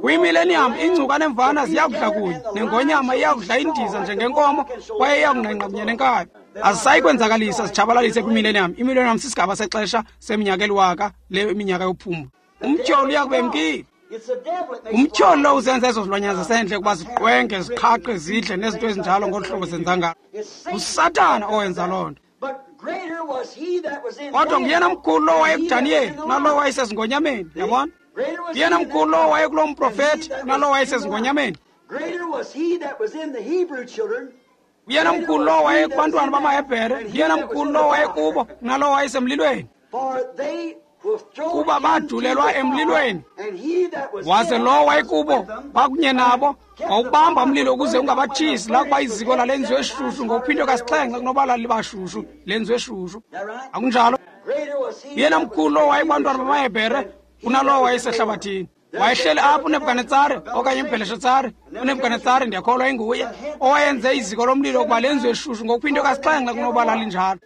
Kwimileniyam ingcuka nemvana ziyakudla kunye, nengonyama iyakudla indiza njengenkomo, kwaye iyakungqengqa kunye nenkabi. Azisayi kwenzakalisa zitshabalalise kwimileniyam. Imileniyam sisigaba sexesha seminyaka eliwaka, le iminyaka yophumlo. Umtyholi uyakube emkile. Umtyholi lo uzenza ezo zilwanyana zasendle ukuba ziqwenge, ziqhaqhe, zidle nezinto ezinjalo ngolu hlobo zenza ngalo. NguSathana owenza loo nto. Kodwa nguyena mkhulu lowo wayekuDaniyeli kunalowo wayesezingonyameni, yabona? Nguyena mkhulu lowo wayekuloo mprofethi kunalowo wayesezingonyameni. Nguyena mkhulu lowo wayekubantwana bamaHebhere, nguyena mkhulu lowo wayekubo kunalowo wayesemlilweni. Kuba badulelwa emlilweni, waze lowo wayekubo bakunye nabo wawubamba umlilo ukuze ungabatshisi, lakuba iziko lalenziwe shushu ngokuphindwe kasixhenxe kunoba lalibashushu lenziwe shushu. Akunjalo? Yena mkhulu lowo wayekubantwana bamaHebhere kunalowo wayesehlabathini. Wayehleli apho uNebukadnetsare okanye uBheleshatsare. uNebukadnetsare ndiyakholwa inguye owayenze iziko lomlilo ukuba lenziwe shushu ngokuphindwe kasixhenxe kunoba lalinjalo,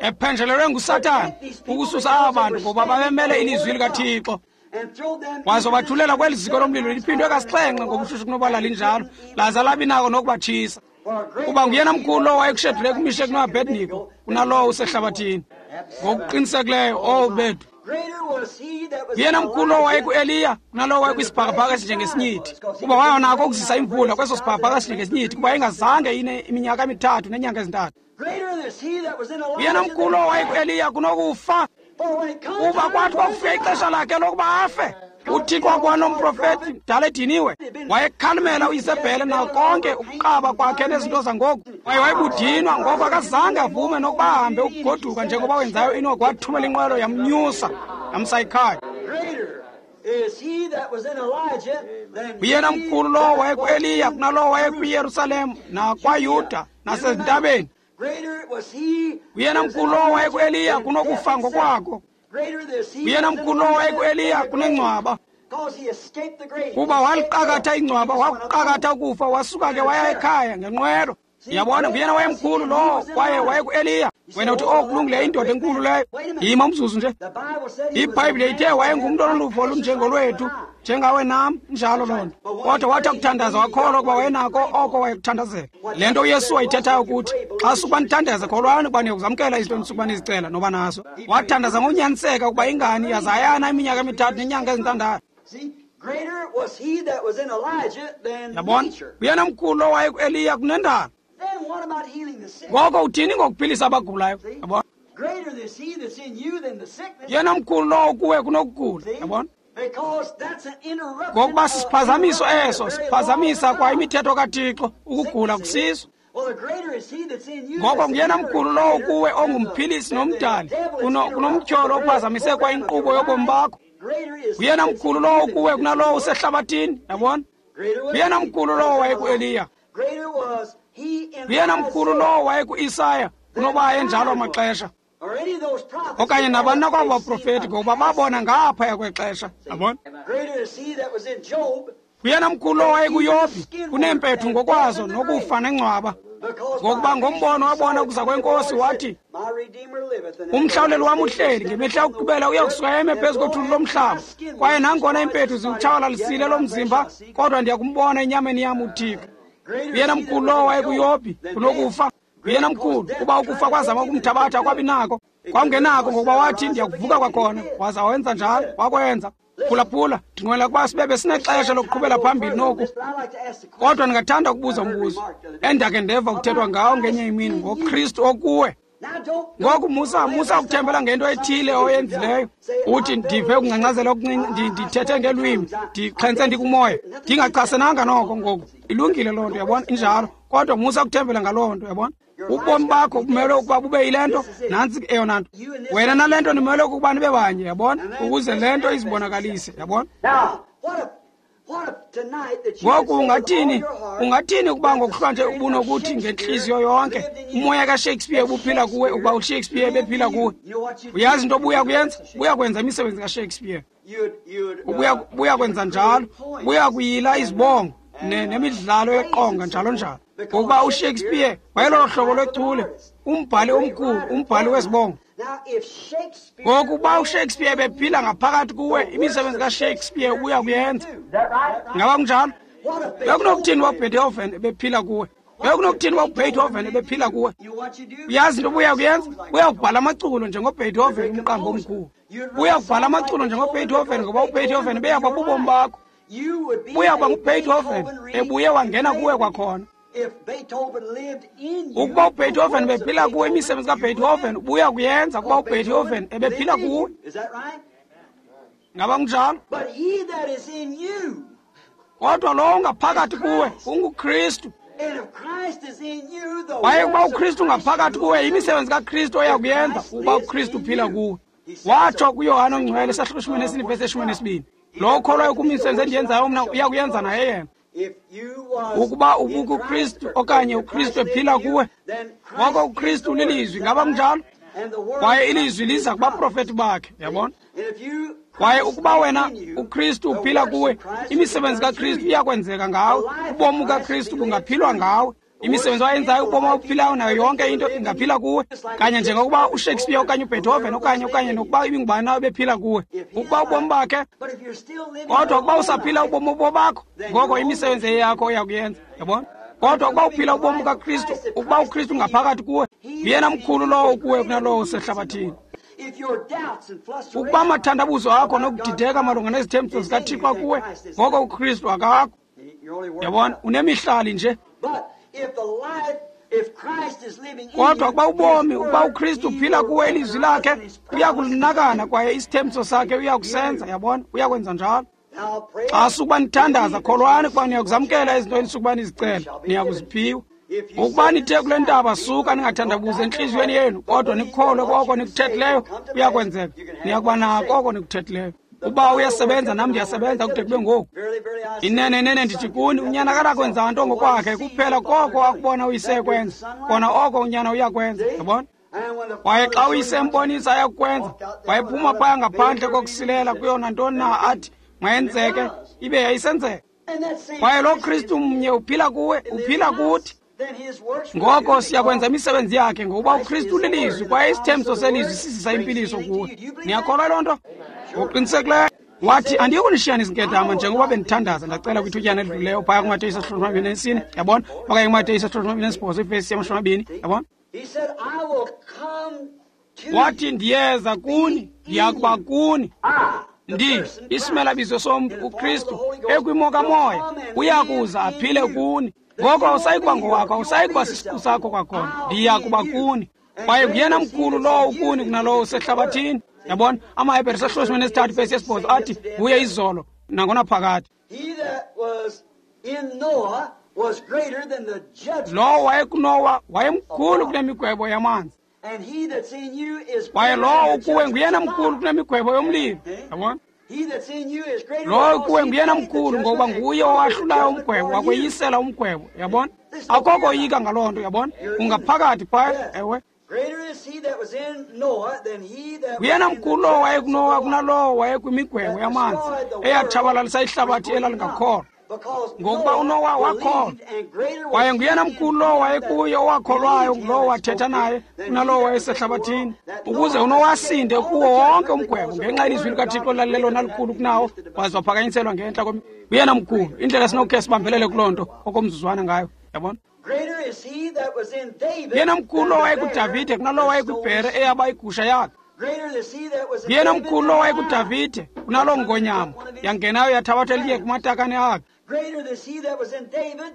ephenjelelwe nguSathana ukususa aba bantu ngoba babemele ilizwi likaThixo. Waze wabathulela kweli ziko lomlilo liphindwe kasixhenxe ngobushushu kunoba lalinjalo, laza labi nako nokubatshisa. Kuba nguyena mkhulu lowo wayekuShedrake, uMishek noAbednego kunalowo usehlabathini. Ngokuqinisekileyo, owu bethu. Nguyena mkhulu lowo wayekuEliya kunalowo wayekwisibhakabhaka esinjengesinyithi, kuba wayenako ukuzisa imvula kweso sibhakabhaka esinjengesinyithi, kuba ingazange ine iminyaka emithathu neenyanga ezintathu. Nguyena mkhulu lowo wayekuEliya kunokufa, kuba kwathi kwakufika ixesha lakhe lokuba afe, uThixo wakwanomprofethi mdala ediniwe wayekhalimela uIsebhele nako konke ukuqaba kwakhe nezinto zangoku. Kwaye wayebudinwa, ngoko akazange avume nokuba ahambe ukugoduka njengoba wenzayo Enoki. Wathumela inqwelo yamnyusa yamsa ekhaya. Nguyena mkhulu lowo wayekuEliya kunalowo wayekwiYerusalem nakwaYuda nasezintabeni. Nguyena mkhulu lowo wayekuEliya kunokufa ngokwako. Nguyena mkhulu lowo wayekuEliya kunengcwaba, kuba waliqakatha ingcwaba, wakuqakatha ukufa, wasuka ke waya ekhaya ngenqwelo. Uyabona, nguyena wayemkhulu lowo kwaye wayekuEliya. Wena uthi, oh, kulungile, indoda enkulu leyo. Yima umzuzu nje. IBhayibhile ithe wayengumntu onoluvo olunjengolwethu, njengawe nam, njalo loo nto. Kodwa wathi akuthandaza wakholwa ukuba wayenako oko wayekuthandazela. Le nto uYesu wayithethayo ukuthi, xa sukuba nithandaza kholwani ukuba niyakuzamkela izinto nisukuba nizicela noba naso. Wathandaza ngokunyaniseka ukuba ingani yazayana iminyaka emithathu neenyanga ezintandathu. Yabona, uyena mkhulu lowo wayekuEliya kunendalo. Ngoko uthini ngokuphilisa abagulayo? Yabona, yena mkhulu lowo kuwe kunokugula. Yabona, ngokuba sisiphazamiso eso, siphazamisa kwa imithetho kaThixo, ukugula kusiso. Ngoko nguyena mkhulu lowo kuwe ongumphilisi nomdali kunomtyholo ophazamise kwa inkqubo yobomi bakho. Nguyena mkhulu lowo kuwe kunalowo usehlabathini. Yabona, nguyena mkhulu lowo wayekuEliya. Nguyena mkhulu lowo wayekuIsaya kunoba ayenjalo amaxesha okanye nabani na kwabo baprofeti, ngokuba babona ngaphaya kwexesha. Yabona, Nguyena mkhulu lowo wayekuYobhi kuneempethu ngokwazo nokufa nengcwaba. Ngokuba ngombono wabona ukuza kwenkosi wathi, umhlawuleli wam uhleli, ngemihla yokugqibela uya kusuka eme phezu kothuli lomhlaba. Kwaye nangona iimpethu ziwutshabalalisile lo mzimba, kodwa ndiya kumbona enyameni yam uThixo. Nguyena mkhulu lowo wayekuYobhi kunokufa. Nguyena mkhulu, kuba ukufa kwazama ukumthabatha kwabi nako. Kwakungenako ngokuba wathi ndiyakuvuka kwakhona, waza wenza njalo, wakwenza. Phulaphula, ndinqwenela ukuba sibe besinexesha lokuqhubela phambili noku. Kodwa ndingathanda ukubuza umbuzo endakhe ndeva kuthethwa ngawo ngenye imini ngoKristu okuwe. Ngoku musa musa ukuthembela ngento ethile oyenzileyo. Uthi ndive ukungcangcazela okuncinci, ndithethe ngelwimi, ndixhentse ndikumoya. Ndingachasenanga noko ngoku. Ilungile loo nto, uyabona, injalo. Kodwa musa ukuthembela ngaloo nto, uyabona. Ubomi bakho bumelwe ukuba bube yile nto, nantsi eyona nto. Wena nale nto nimelwe ukuba nibe banye, yabona, ukuze le nto izibonakalise, yabona. Ngoku ungathini, ungathini ukuba ngokuhlwanje ubunokuthi ngentliziyo yonke umoya kaShakespeare ubuphila kuwe, ukuba uShakespeare ebephila kuwe? Uyazi into obuya kuyenza? Ubuya kwenza imisebenzi kaShakespeare. Ubuya buya kwenza njalo, ubuya kuyila izibongo nemidlalo yeqonga njalo njalo. Ngokuba uShakespeare wayelolo hlobo lwechule, umbhali omkhulu, umbhali wezibongo. Ngoku uba uShakespeare ebephila ngaphakathi kuwe, imisebenzi kaShakespeare ubuya kuyenza. Ngaba kunjalo? Bekunokuthini uba uBeethoven ebephila kuwe? Bekunokuthini uba uBeethoven ebephila kuwe? Uyazi into obuya kuyenza? Uya kubhala amaculo njengoBeethoven, umqambi omkhulu. Uya kubhala amaculo njengoBeethoven, ngoba uBeethoven ebeyaba bubomi bakho. Uya kuba nguBeethoven ebuye wangena kuwe kwakhona. Ukuba uBeethoven ebephila kuwe, imisebenzi kaBeethoven ubuya kuyenza kuba uBeethoven ebephila kuwe. Ngaba kunjalo? Kodwa lowo ungaphakathi kuwe unguKristu. Kwaye ukuba uKristu ungaphakathi kuwe, imisebenzi kaKristu oya kuyenza ukuba uKristu uphila kuwe. Watsho kuYohane oNgcwele isahluko shumi nesine ivesi eshumi nesibini, lowo ukholwayo kumisebenzi endiyenzayo mna uya kuyenza naye yena. Ukuba ubukuKristu okanye uKristu ephila kuwe, ngoko uKristu ulilizwi. Ngaba kunjalo? Kwaye ilizwi liza kubaprofeti bakhe, yabona. Kwaye ukuba wena uKristu uphila kuwe, imisebenzi kaKristu iyakwenzeka ngawe, ubomi kaKristu bungaphilwa ngawe. Imisebenzi oyenzayo, ubomi obuphilayo nayo yonke into ingaphila kuwe, kanye njengokuba uShakespeare okanye uBeethoven okanye okanye nokuba ibingubani na bephila kuwe. Ukuba ubomi bakhe, kodwa ukuba usaphila ubomi obobakho, ngoko imisebenzi eyakho uyakuyenza, yabona. Kodwa ukuba uphila ubomi kaKristu, ukuba uKristu ngaphakathi kuwe, nguyena mkhulu lowo ukuwe kunalowo usehlabathini. Ukuba amathandabuzo akho nokudideka malunga nezithembiso zikaThixo kuwe, ngoko uKristu akakho, yabona, unemihlali nje. Kodwa ukuba ubomi, ukuba uKristu uphila kuwe, ilizwi lakhe uyakulinakana kwaye isithembiso sakhe uyakusenza, yabona, uyakwenza njalo. Xa sukuba nithandaza, kholwani ukuba niyakuzamkela izinto enisukuba nizicela, niyakuziphiwa. Ukuba nithe kule ntaba, suka ningathandabuzi entliziyweni yenu, kodwa nikukholwe koko nikuthethileyo, kuyakwenzeka, niyakuba nako oko nikuthethileyo. Uba uyasebenza, nam ndiyasebenza kude kube ngoku. Inene, inene ndithi kuni, unyana akakwenza nto ngokwakhe, kuphela koko akubona uyise ekwenza, kona oko unyana uyakwenza, yabona. Kwaye xa uyise embonisa ayakukwenza, wayephuma phaya ngaphandle kokusilela kuyo nantoni na athi mayenzeke, ibe yayisenzeka. Kwaye lo Kristu mnye uphila kuwe, uphila kuthi. Ngoko siyakwenza imisebenzi yakhe, ngokuba uKristu ulilizwi kwaye isithembiso selizwi sizisa impiliso kuwe. Niyakholwa loo nto? Ngokuqinisekileyo. Wathi, andiyikunishiya nizinkedama njengoba bendithandaza ndacela kwithutyana elidlulileyo phaya kuMateyu isahluko shumi amabini nesine, yabona, okanye kuMateyu isahluko shumi amabini nesibhozo ivesi yamashumi amabini, yabona. Wathi, ndiyeza kuni, ndiyakuba kuni. Ndi isimelabizo somntu uKristu ekwimo kamoya uyakuza aphile kuni. Ngoko awusayi kuba ngowakho, awusayi kuba sisiqu sakho kwakhona, ndiyakuba kuni. Kwaye nguyena mkhulu lowo ukuni kunalowo usehlabathini, yabona. AmaHebhere isahluko shumi nesithathu ivesi yesibhozo athi nguye izolo nangonaphakade. Lowo wayekuNowa wayemkhulu kunemigwebo yamanzi, kwaye lowo ukuwe nguyena mkhulu kunemigwebo yomlilo, yabona. Lowo kuwe nguyena mkhulu ngokuba nguye owahlulayo umgwebo, wakweyisela umgwebo, yabona. Akukho koyika ngaloo nto, yabona. Ungaphakathi phaya, ewe. Nguyena mkhulu lowo wayekuNowa kunalowo wayekwimigwebo yamanzi eyatshabalalisa ihlabathi elalingakholwa. Ngokuba uNowa wakholwa, kwaye nguyena mkhulu lowo wayekuye owakholwayo ngulowo wathetha naye kunalowo wayesehlabathini, ukuze uNowa asinde kuwo wonke umgwebo ngenxa yelizwi likaThixo lalilelona likhulu kunawo, waze waphakanyiselwa ngentla kwem. Nguyena mkhulu. Indlela esinokukhe sibambelele kuloo nto okomzuzwana ngayo, yabona? Yena mkhulu lowo wayekuDavide kunalowo wayekubhere eyaba igusha yakhe. Yena mkhulu lowo wayekuDavide kunaloo ngonyama yangenayo yathabatha elinye kumatakane akhe.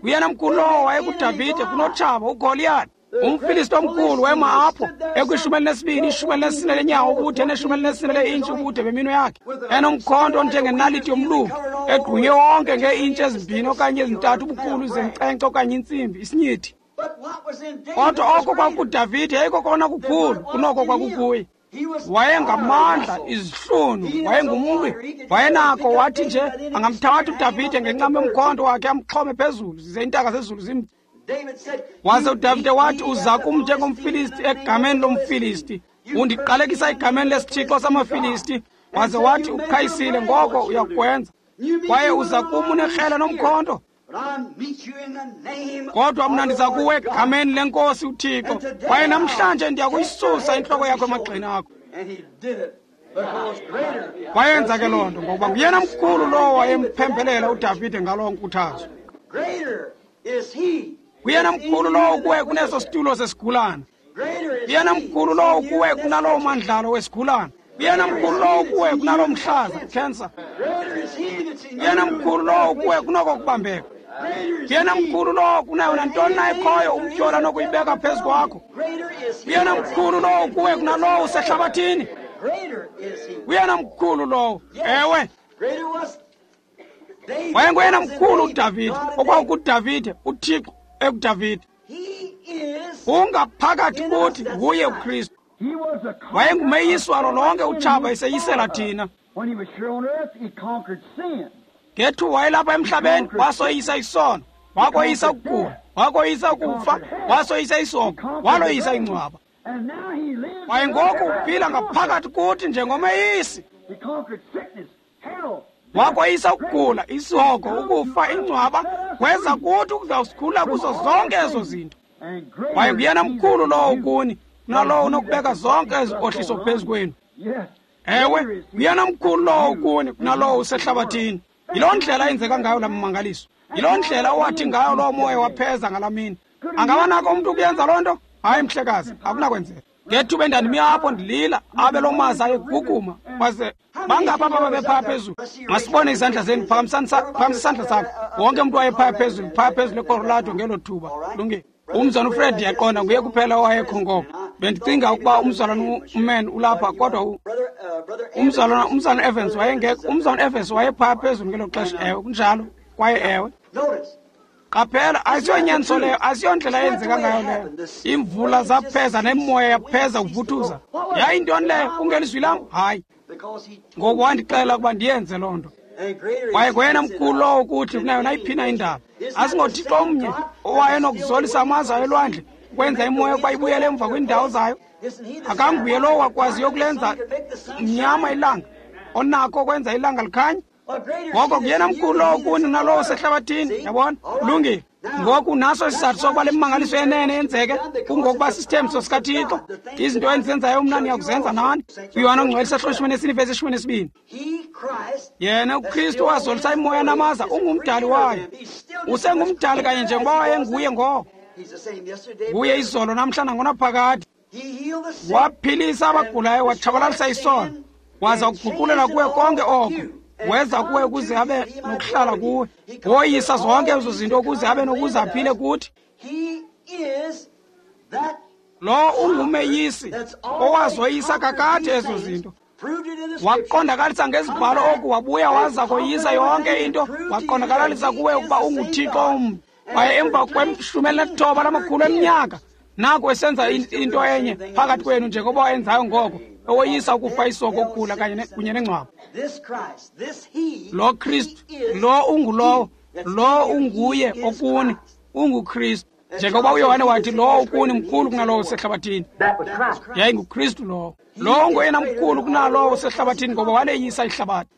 Nguyena mkhulu lowo wayekuDavide kunotshaba uGoliyati. UmFilisti omkhulu wema apho ekwishumi elinesibini, ishumi elinesine lenyawo ubude neshumi elinesine leintshi ubude beminwe yakhe, enomkhonto onjengenaliti yomluki, egqunywe wonke ngeeintshi ezimbini okanye ezintathu ubukhulu zenkcenkce okanye intsimbi, isinyithi. Kodwa oko kwakuDavide yayikokona kukhulu kunoko kwakukuye. Wayengamandla, izihlunu, wayengumlwi, wayenako. Wathi nje angamthatha uDavide ngencam yomkhonto wakhe amxhome phezulu, zize iintaka zezulu zim. Waze uDavide wathi, uza kum njengomFilisti egameni lomFilisti, undiqalekisa egameni lesithixo samaFilisti. Waze wathi, uqhayisile, ngoko uyakwenza, kwaye uza kum unekrele nomkhonto, kodwa mna ndiza kuwe egameni lenkosi uThixo, kwaye namhlanje ndiya kuyisusa intloko yakho emagxeni akho. Wayenza ke loo nto ngokuba nguyena mkhulu lowo wayemphembelela uDavide ngaloo nkuthazo. Nguyena mkhulu lowo kuwe kuneso situlo sesigulana. Nguyena mkhulu lowo kuwe kunalowo mandlalo wesigulana. Nguyena mkhulu lowo kuwe kunaloo mhlaza, cancer. Nguyena mkhulu lowo kuwe kunoko kubambeka. Nguyena mkhulu lowo kunayo nantoni na ekhoyo umtyhola nokuyibeka phezu kwakho. Nguyena mkhulu lowo kuwe kunalowo usehlabathini. Nguyena mkhulu lowo. Ewe. Wayenguyena mkhulu uDavide, okwakukuDavide, uThixo ekuDavide. Ungaphakathi kuthi nguye uKristu. Wayengumeyisi walo lonke utshaba eseyisela thina. Ngethu wayelapha emhlabeni, wasoyisa isono, wakoyisa ukugula, wakoyisa ukufa, wasoyisa isongo, waloyisa ingcwaba. Kwaye ngoku uphila ngaphakathi kuthi njengomeyisi. Wakoyisa ukugula, isihogo, ukufa, ingcwaba, weza kuthi ukuzawusikhulula kuzo zonke ezo zinto. Kwaye nguyena mkhulu lowo kuni kunalowo unokubeka zonke ezinkohliso phezu kwenu. Ewe, nguyena mkhulu lowo kuni kunalowo usehlabathini. Yiloo ndlela eyenzeka ngayo laa mmangaliso. Yiloo ndlela owathi ngayo loo moya wapheza ngalaa mini. Angaba nako umntu ukuyenza loo nto? Hayi, mhlekazi, akunakwenzeka. Ngethuba endandimi apho ndilila, abe loo mazi ayeguguma, waze bangapha apha babephaya phezulu. Masibone izandla zenu, phakamisa isandla sakho. Wonke umntu wayephaya phezulu, phaya phezulu eColorado ngelo thuba. Lungile. Umzalwana uFred ndiyaqonda nguye kuphela owayekho ngoko. Bendicinga ukuba umzalwana uMan ulapha, kodwa umzalwana umzalwana Evans wayengekho. Umzalwana Evans wayephaya phezulu ngelo xesha. Ewe, kunjalo. Kwaye ewe. Qaphela, asiyonyaniso leyo, asiyondlela eyenzeka ngayo leyo. Imvula zapheza nemoya yapheza ukuvuthuza. Yayintoni leyo? Kungelizwi lam? Hayi. Ngoku wandixelela ukuba ndiyenze loo nto. Kwaye ngoyena mkhulu lowo kuthi kunayo nayiphi na indaba. AsingoThixo omnye owayenokuzolisa amaza elwandle ukwenza imoya ukuba ibuyele emva kwiindawo zayo. Akanguye lowo wakwaziyo ukulenza mnyama ilanga, onakho ukwenza ilanga likhanye. Ngoko nguyena mkhulu lowo kuni nalowo usehlabathini, yabona? Lungile. Ngoku naso isizathu sokuba le mmangaliso yenene yenzeke, kungokuba sisithembiso sikaThixo. Izinto endizenzayo mna niyakuzenza nani. UYohane oNgcwele isahluko ishumi nesine ivesi ishumi nesibini. Yena uKristu wazolisa imoya namaza, ungumdali wayo. Usengumdali kanye njengoba wayenguye ngoko. Nguye izolo namhla nangonaphakade. Waphilisa abagulayo, watshabalalisa isono, waza kuguqulela kuwe konke oko. Weza kuwe ukuze abe nokuhlala kuwe. Woyisa zonke ezo zinto ukuze abe nokuze aphile kuthi. Lo ungumeyisi owazoyisa kakade ezo zinto. Waqondakalisa ngezibhalo oku, wabuya waza koyisa yonke into, waqondakalalisa kuwe ukuba unguThixo omnye. Kwaye emva kweshumi elinethoba lamakhulu eminyaka, naku esenza into enye phakathi kwenu njengoba wayenzayo ngoko, owoyisa ukufa, isoko, ukugula kanye kunye nengcwaba. Lo Kristu, lo ungulowo, lo unguye okuni, unguKristu. Njengoba uYohane wathi, lowo ukuni mkhulu kunalowo usehlabathini. YayinguKristu lowo. Lowo nguyena mkhulu kunalowo usehlabathini ngoba waleyisa ihlabathi.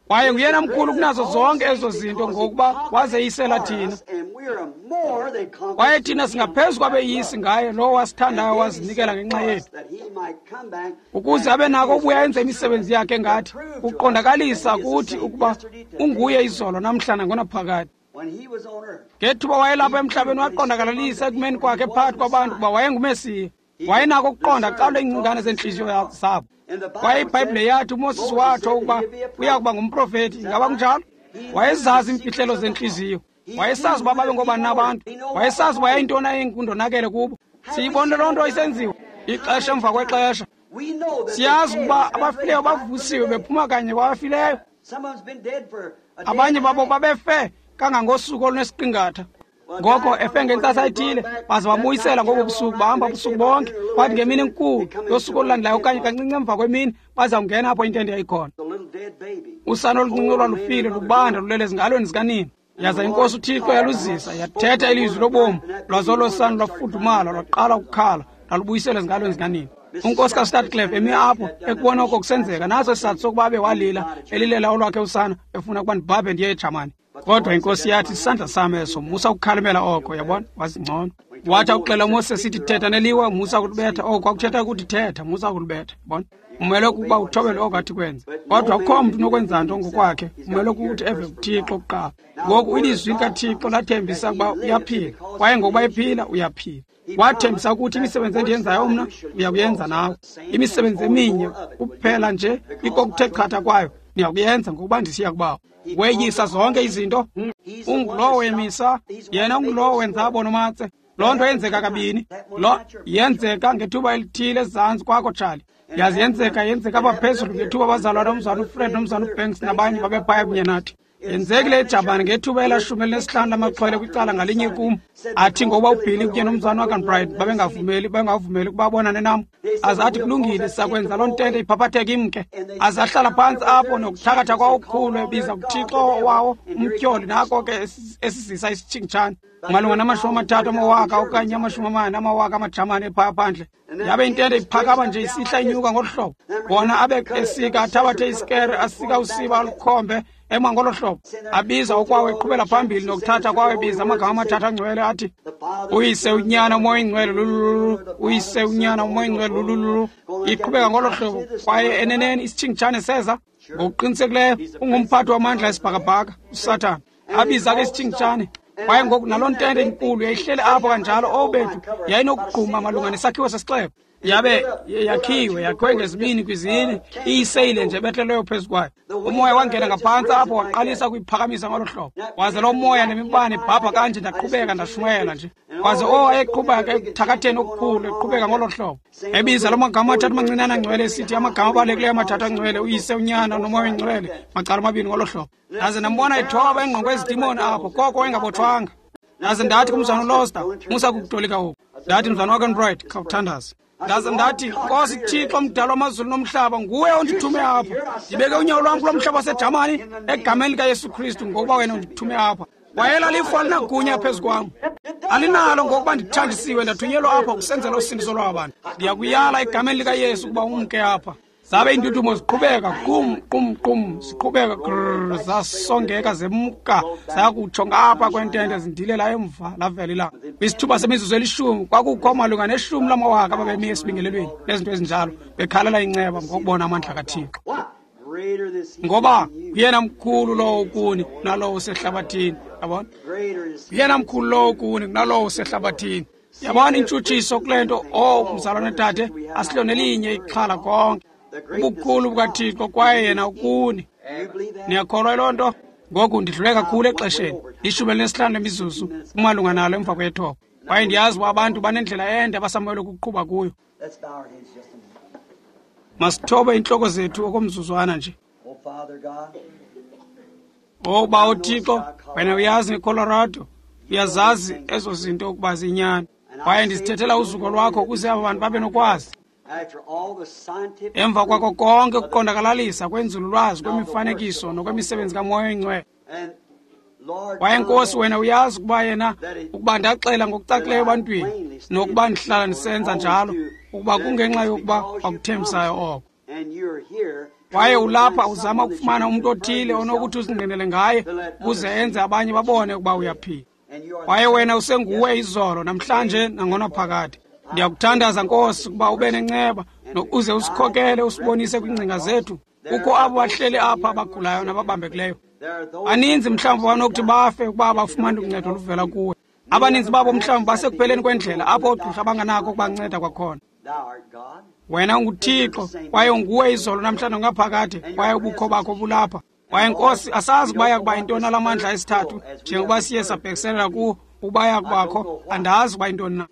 Kwaye nguyena mkhulu kunazo zonke ezo zinto ngokuba wazeyisela thina. Kwaye thina singaphezu kwabeyisi ngaye lowo wasithandayo wazinikela ngenxa yethu, ukuze abe nako ubuya enze imisebenzi yakhe ngathi, ukuqondakalisa kuthi ukuba unguye izolo namhla nangonaphakade. Ngethuba wayelapha emhlabeni waqondakalalisa ekumeni kwakhe phakathi kwabantu kuba wayenguMesiya. Wayenako ukuqonda kuqalwe iingcingane zeentliziyo zabo. Kwaye iBhayibhile yathi uMoses watsho ukuba uya kuba ngumprofethi. Ingaba kunjalo? Wayezazi iimfihlelo zentliziyo. Wayesazi uba babe ngobani nabantu. Wayesazi uba yayintoni ayingundonakele kubo. Siyibone loo nto isenziwa ixesha emva kwexesha. Siyazi ukuba abafileyo bavusiwe bephuma kanye kwabafileyo. Abanye babo babefe kangangosuku olunesiqingatha. Ngoko efe ngentsasa ethile, baze babuyisela ngobo busuku, bahamba ubusuku bonke. Kwathi ngemini enkulu yosuku olulandelayo okanye kancinci emva kwemini, bazawungena apho intente yayikhona. Usana oluncinci olwalufile lubanda lulele ezingalweni zikanina. Yaza iNkosi uThixo yaluzisa, yathetha ilizwi lobomi, lwaze olo sana lwafudumala, lwaqala ukukhala, lwalubuyisela ezingalweni zikanina. Unkosikazi Stadclef emi apho ekubona oko kusenzeka, naso isizathu sokuba abe walila elilela olwakhe usana, efuna ukuba ndibhabhe ndiye eJamani. Kodwa iNkosi yathi, isandla sam eso, musa ukukhalimela oko. Yabona, wazingcono. Wathi akuxela uMoses sithi, thetha neliwa, musa ukulibetha oko. Akuthetha ukuthi thetha, musa ukulibetha. Yabona, umele ukuba uthobele oko athi kwenze. Kodwa akukho mntu unokwenza nto ngokwakhe, umele ukuthi eve kuThixo kuqala. Ngoku ilizwi likaThixo lathembisa ukuba uyaphila, kwaye ngokuba ephila uyaphila. Wathembisa ukuthi imisebenzi endiyenzayo mna uyakuyenza nawe. Imisebenzi eminye kuphela nje ikokuthe chatha kwayo niyakuyenza ngokuba ndisiya kubawo. Weyisa zonke izinto. Ungulowo wemisa, yena ungulowo wenza abonomatse. Loo nto yenzeka kabini. Lo yenzeka ngethuba elithile ezantsi kwakho, Charlie. Yazi yenzeka yenzeka apha phezulu ngethuba abazalwana umzana uFred nomzana uBanks nabanye babephaya kunye nathi. Yenzekile eJabani ngethuba elashumi elinesihlanu lamaxhwele kwicala ngalinye kum. Athi ngokuba uBilly kunye nomzana wakanBright babengavumeli bengavumeli ukuba abonane nam. Aze athi kulungile, sakwenza loo ntente iphaphatheke imke. Aze ahlala phantsi apho nokuthakatha kwawo okukhulu ebiza kuThixo wawo umtyholi, nako ke esizisa isitshingitshane malunga namashumi amathathu amawaka okanye amashumi amane amawaka amaJamani ephaya phandle. Yabe intente iphakama nje isihla inyuka ngolu hlobo. Wona abe esika athabathe isikere asika usiba alukhombe ema ngolo hlobo. Abiza okwawo eqhubela phambili nokuthatha kwawo ebiza amagama amathathu angcwele athi, Uyise, uNyana, uMoya oyiNgcwele, lulululu, Uyise, uNyana, uMoya oyiNgcwele, lulululu. Iqhubeka ngolo hlobo. Kwaye eneneni isitshingitshane seza. Ngokuqinisekileyo ungumphathi wamandla esibhakabhaka uSathana. Abiza ke isitshingitshane. Kwaye ngoku naloo ntente inkulu yayihleli apho kanjalo, obethu yayinokugquma malunga nesakhiwo sesixeko. Yabe yakhiwe yakhiwe ngezibini kwizine, iyiseyile nje behleleyo phezu kwayo. Umoya wangena ngaphantsi apho waqalisa ukuyiphakamisa ngolo hlobo. Waze loo moya nemibane ibhabha kanje, ndaqhubeka ndashumayela nje. Waze o ayeqhubeka ekuthakatheni okukhulu eqhubeka ngolo hlobo. Ebiza loo magama amathathu mancinane angcwele esithi amagama abalulekileyo amathathu angcwele, Uyise, uNyana noMoya oyiNgcwele, macala amabini ngolo hlobo. Ndaze ndambona ethoba engqongwe ezidimoni apho, koko wayengabotshwanga. Ndaze ndathi kumzana uLoster, musa kukutolika oku. Ndathi, mzana wakanBright, khawuthandaze. Ndaze ndathi, Nkosi Thixo mdala wamazulu nomhlaba, nguwe ondithume apha. Ndibeke unyawo lwam kulo mhlaba waseJamani egameni likaYesu Kristu, ngokuba wena undithume apha. Wayela lifu alinagunya phezu kwam. Alinalo ngokuba ndithanjisiwe ndathunyelwa apha kusenzela usindiso lwabantu. Ndiyakuyala egameni likaYesu ukuba umke apha. Zabe iindudumo ziqhubeka qum qum qum ziqhubeka grrr, zasongeka zemka zayakutsho ngapha kwentente zindilela emva lavela ilanga. Kwisithuba semizuzu elishumi kwakukho malunga neshumi lamawaka ababemi esibingelelweni nezinto ezinjalo bekhalela inceba ngokubona amandla kaThixo. Ngoba nguyena mkhulu lowo kuni kunalowo usehlabathini. Yabona, nguyena mkhulu lowo kuni kunalowo usehlabathini. Yabona intshutshiso kule nto. Oh mzalwane tate, asililo nelinye ixhala konke ubukhulu bukaThixo kwaye yena ukuni. Niyakholwa yiloo nto? Ngoku ndidlule kakhulu exesheni, ishumi elinesihlanu lemizuzu kumalunga nalo emva kwethoba. Kwaye ndiyazi uba abantu banendlela ende abasamelwe ukuqhuba kuyo. Masithobe iintloko zethu okomzuzwana nje. Oh Bawo Thixo, wena uyazi ngeColorado, uyazazi ezo zinto ukuba ziyinyani. Kwaye ndizithethela uzuko lwakho ukuze aba bantu babe nokwazi. Emva kwako konke ukuqondakalalisa kwenzululwazi, kwemifanekiso nokwemisebenzi kaMoya oyiNgcwele, Kwaye Nkosi, wena uyazi ukuba yena ukuba ndaxela ngokucacileyo ebantwini nokuba ndihlala ndisenza njalo, ukuba kungenxa yokuba wakuthembisayo oko. Kwaye ulapha uzama ukufumana umntu othile onokuthi uzingqinele ngaye ukuze enze abanye babone ukuba uyaphila. Kwaye wena usenguwe izolo, namhlanje nangonaphakade. Ndiyakuthandaza Nkosi ukuba ube nenceba nokuze usikhokele usibonise kwiingcinga zethu. Kukho abo bahleli apha abagulayo nababambekileyo. Baninzi mhlawumbi banokuthi bafe ukuba abafumani uncedo oluvela kuwe. Abaninzi babo mhlawumbi basekupheleni kwendlela apho oogqirha banganako ukubanceda kwakhona. Wena unguThixo kwaye unguwe izolo namhlanje ngaphakade, kwaye ubukho bakho bulapha. Kwaye Nkosi, asazi ukuba yakuba yintoni la mandla esithathu njengoba siye sabhekiselela kuwo ukuba yakubakho, andazi ukuba yintoni na.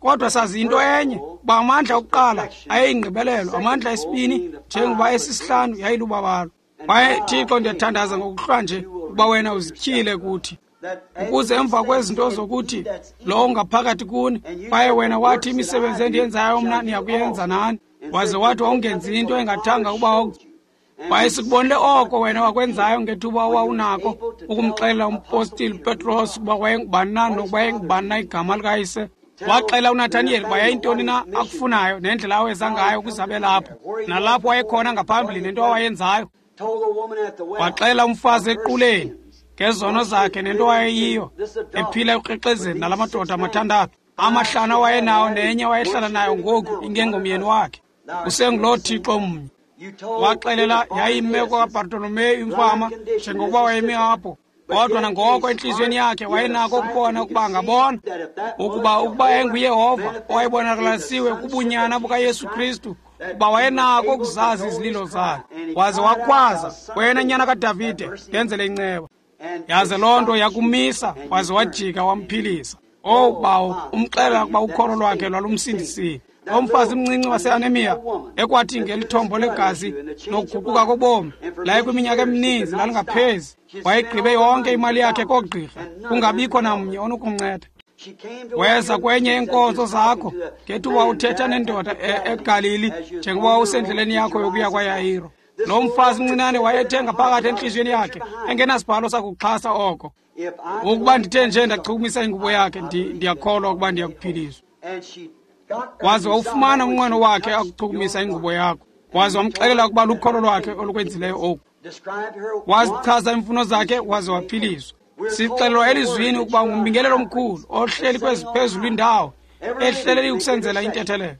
Kodwa sazi into enye, uba amandla okuqala ayeyingqibelelo, amandla esibini njengoba esisihlanu yayilubabalo. Kwaye Thixo, ndiyathandaza ngokuhlwa nje ukuba wena uzityhile kuthi, ukuze emva kwezinto zokuthi lowo ngaphakathi kuni, kwaye wena wathi imisebenzi endiyenzayo mna niyakuyenza nani, waze wathi wawungenzi into engathanga ukuba. Kwaye sikubonile oko wena wakwenzayo ngethuba owawunako ukumxelela umpostile Petros ukuba wayengubani na nokuba yayingubani na igama likayise. Waxela uNathaniyeli uba yayintoni na akufunayo nendlela aweza ngayo ukuze abe lapho, nalapho wayekhona ngaphambili nento awayenzayo. Waxela umfazi equleni ngezono zakhe nento wayeyiyo, ephila ekukrexezeni nala madoda amathandathu, amahlanu awayenawo nenye wayehlala nayo ngoku ingengomyeni wakhe. Usenguloo Thixo mnye. Waxelela yayimeko kaBartolomeyu imfama njengokuba wayemi apho, kodwa nangoko entliziyweni yakhe wayenako ukubona ukuba angabona ukuba ukuba yayinguYehova owayebonakalisiwe kubunyana bukaYesu Kristu, ukuba wayenako ukuzazi izililo zakhe. Waze wakhwaza, wena nyana kaDavide, ndenzele inceba. Yaze loo nto yakumisa, waze wajika wamphilisa. Owu bawo, umxelela ukuba ukholo lwakhe lwalumsindisile. Lo mfazi mncinci waseanemiya ekwathi ngelithombo legazi nokuguquka kobomi laye kwiminyaka emininzi lalingaphezi, wayegqibe yonke imali yakhe koogqirha, kungabikho namnye onokumnceda. Weza kwenye yeenkonzo zakho ngethuba uthetha nendoda eGalili njengoba wawusendleleni yakho yokuya kwaYayiro. Lo mfazi mncinane wayethenga phakathi entliziyweni yakhe engenasibhalo sakuxhasa oko. Ukuba ndithe nje ndachukumisa ingubo yakhe, ndiyakholwa ukuba ndiyakuphiliswa. Waze wawufumana umnqweno wakhe akuchukumisa ingubo yakho. Waze wamxelela ukuba lukholo lwakhe olukwenzileyo oku. Wazichaza iimfuno zakhe, waze waphiliswa. Sixelelwa elizwini ukuba ngumbingelelo omkhulu ohleli kweziphezulu indawo, ehleleli ukusenzela intethelelo.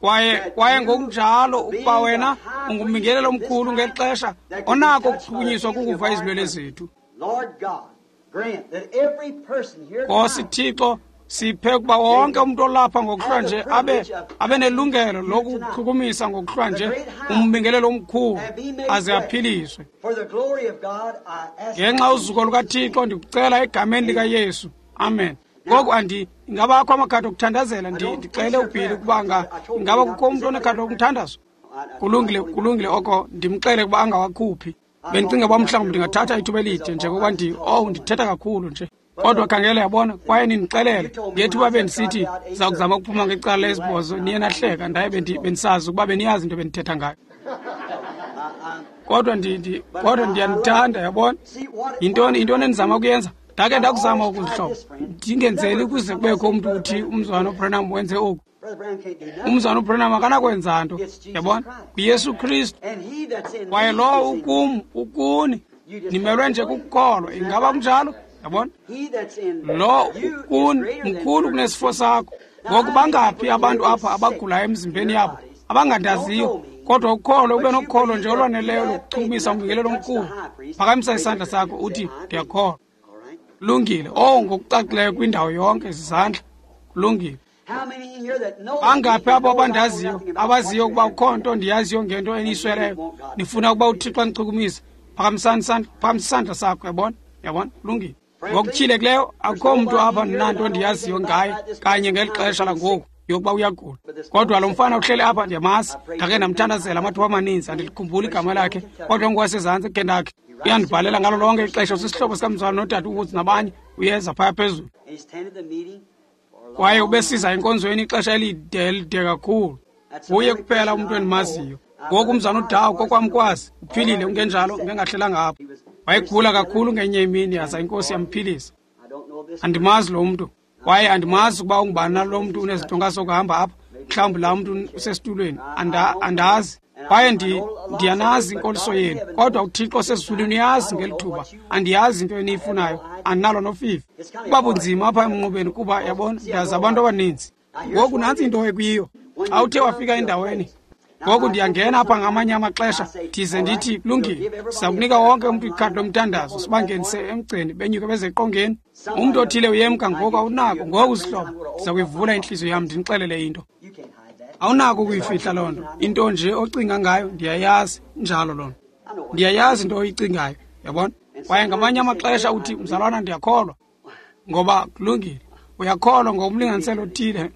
Kwaye kwaye ngokunjalo ukuba wena ungumbingelelo omkhulu ngexesha onako ukuchukunyiswa kukuva izilwele zethu. Nkosi Thixo, siphe ukuba wonke umntu olapha ngokuhlwa nje abe abe nelungelo lokuchukumisa ngokuhlwa nje umbingelelo omkhulu aze aphiliswe. Ngenxa uzuko lukaThixo ndikucela egameni likaYesu. Amen. Ngoku andi ingabakho amakhadi okuthandazela, ndixele uBhili ukuba ingaba kukho umntu onekhadi lokumthandazo. Kulungile, kulungile oko, ndimxele ukuba angawakhuphi. Bendicinga uba mhlawumbi ndingathatha ithuba elide njengokuba ndi oh ndithetha kakhulu nje. Kodwa khangela, yabona, kwaye nindixelele ngethuba bendisithi ndiza kuzama ukuphuma ngecala lesibhozo, niye nahleka, ndaye bendisazi ukuba beniyazi into bendithetha ngayo. Kodwa ndi kodwa ndiyanithanda, yabona. Yintoni yintoni endizama ukuyenza? Ndake ndakuzama ukuzihloba, ndingenzeli ukuze kubekho umntu uthi umzwana uBranham wenze oku. Umzwana uBranham akanakwenza nto, yabona, nguYesu Kristu. Kwaye lowo ukum ukuni, nimelwe nje kukukholwa. Ingaba kunjalo? Yabona, lo ukuni mkhulu kunesifo sakho. Ngoku bangaphi abantu apha abagulayo emzimbeni yabo abangandaziyo, kodwa ukholo ube nokholo nje olwaneleyo lokuchumisa umbingelelo omkhulu? Phakamisa isandla sakho uthi ndiyakholwa. Kulungile. Oh, ngokucacileyo kwindawo yonke izandla. Kulungile. Bangaphi abo abandaziyo abaziyo ukuba kukho nto ndiyaziyo ngento eniyisweleyo, nifuna ukuba uThixo anichukumise? Phakamisani isandla, phakamisa isandla sakho. Yabona, yabona, kulungile. Ngokutyhilekileyo akukho mntu apha ndinanto ndiyaziyo ngaye kanye ngeli xesha langoku yokuba uyagula. Kodwa lo mfana uhleli apha ndiyamazi, ndake ndamthandazela amathuba amaninzi, andilikhumbuli igama lakhe, kodwa ngowasezantsi eKentucky. Uyandibhalela ngalo lonke ixesha, usisihlobo sikamzala nodade uWoods nabanye, uyeza phaya phezulu. Kwaye ubesiza enkonzweni ixesha elide elide kakhulu. Nguye kuphela umntu endimaziyo. Ngoku umzana uDawo kokwamkwazi uphilile, ungenjalo ngengahlelanga apho. Wayegula kakhulu ngenye imini, yaza iNkosi yamphilisa. Andimazi lo mntu, kwaye andimazi ukuba ungubani na lo mntu unezitonga zokuhamba apha. Mhlawumbi laa mntu usesitulweni, andazi. Kwaye ndiyanazi inkoliso yenu, kodwa uThixo osezulwini uyazi ngeli thuba. Andiyazi into eniyifunayo, andinalo nofifi. Kuba bunzima apha emnqubeni kuba, yabona, ndazi abantu abaninzi. Ngoku nantsi into ekuyiyo, xa uthe wafika endaweni. Ngoku ndiyangena apha ngamanye amaxesha, ndize ndithi kulungile, siza kunika wonke umntu ikhadi lomthandazo, sibangenise emgceni, benyuke beze eqongeni. Umntu othile uyemka ngoku, awunako. Ngoku zihlobo, ndiza kuyivula intliziyo yam ndinixelele into. Awunako ukuyifihla loo nto. Into nje ocinga ngayo ndiyayazi, njalo loo nto. Ndiyayazi into oyicingayo, yabona? Kwaye ngamanye amaxesha uthi, mzalwana, ndiyakholwa. Ngoba kulungile, uyakholwa ngokumlinganiselo othile,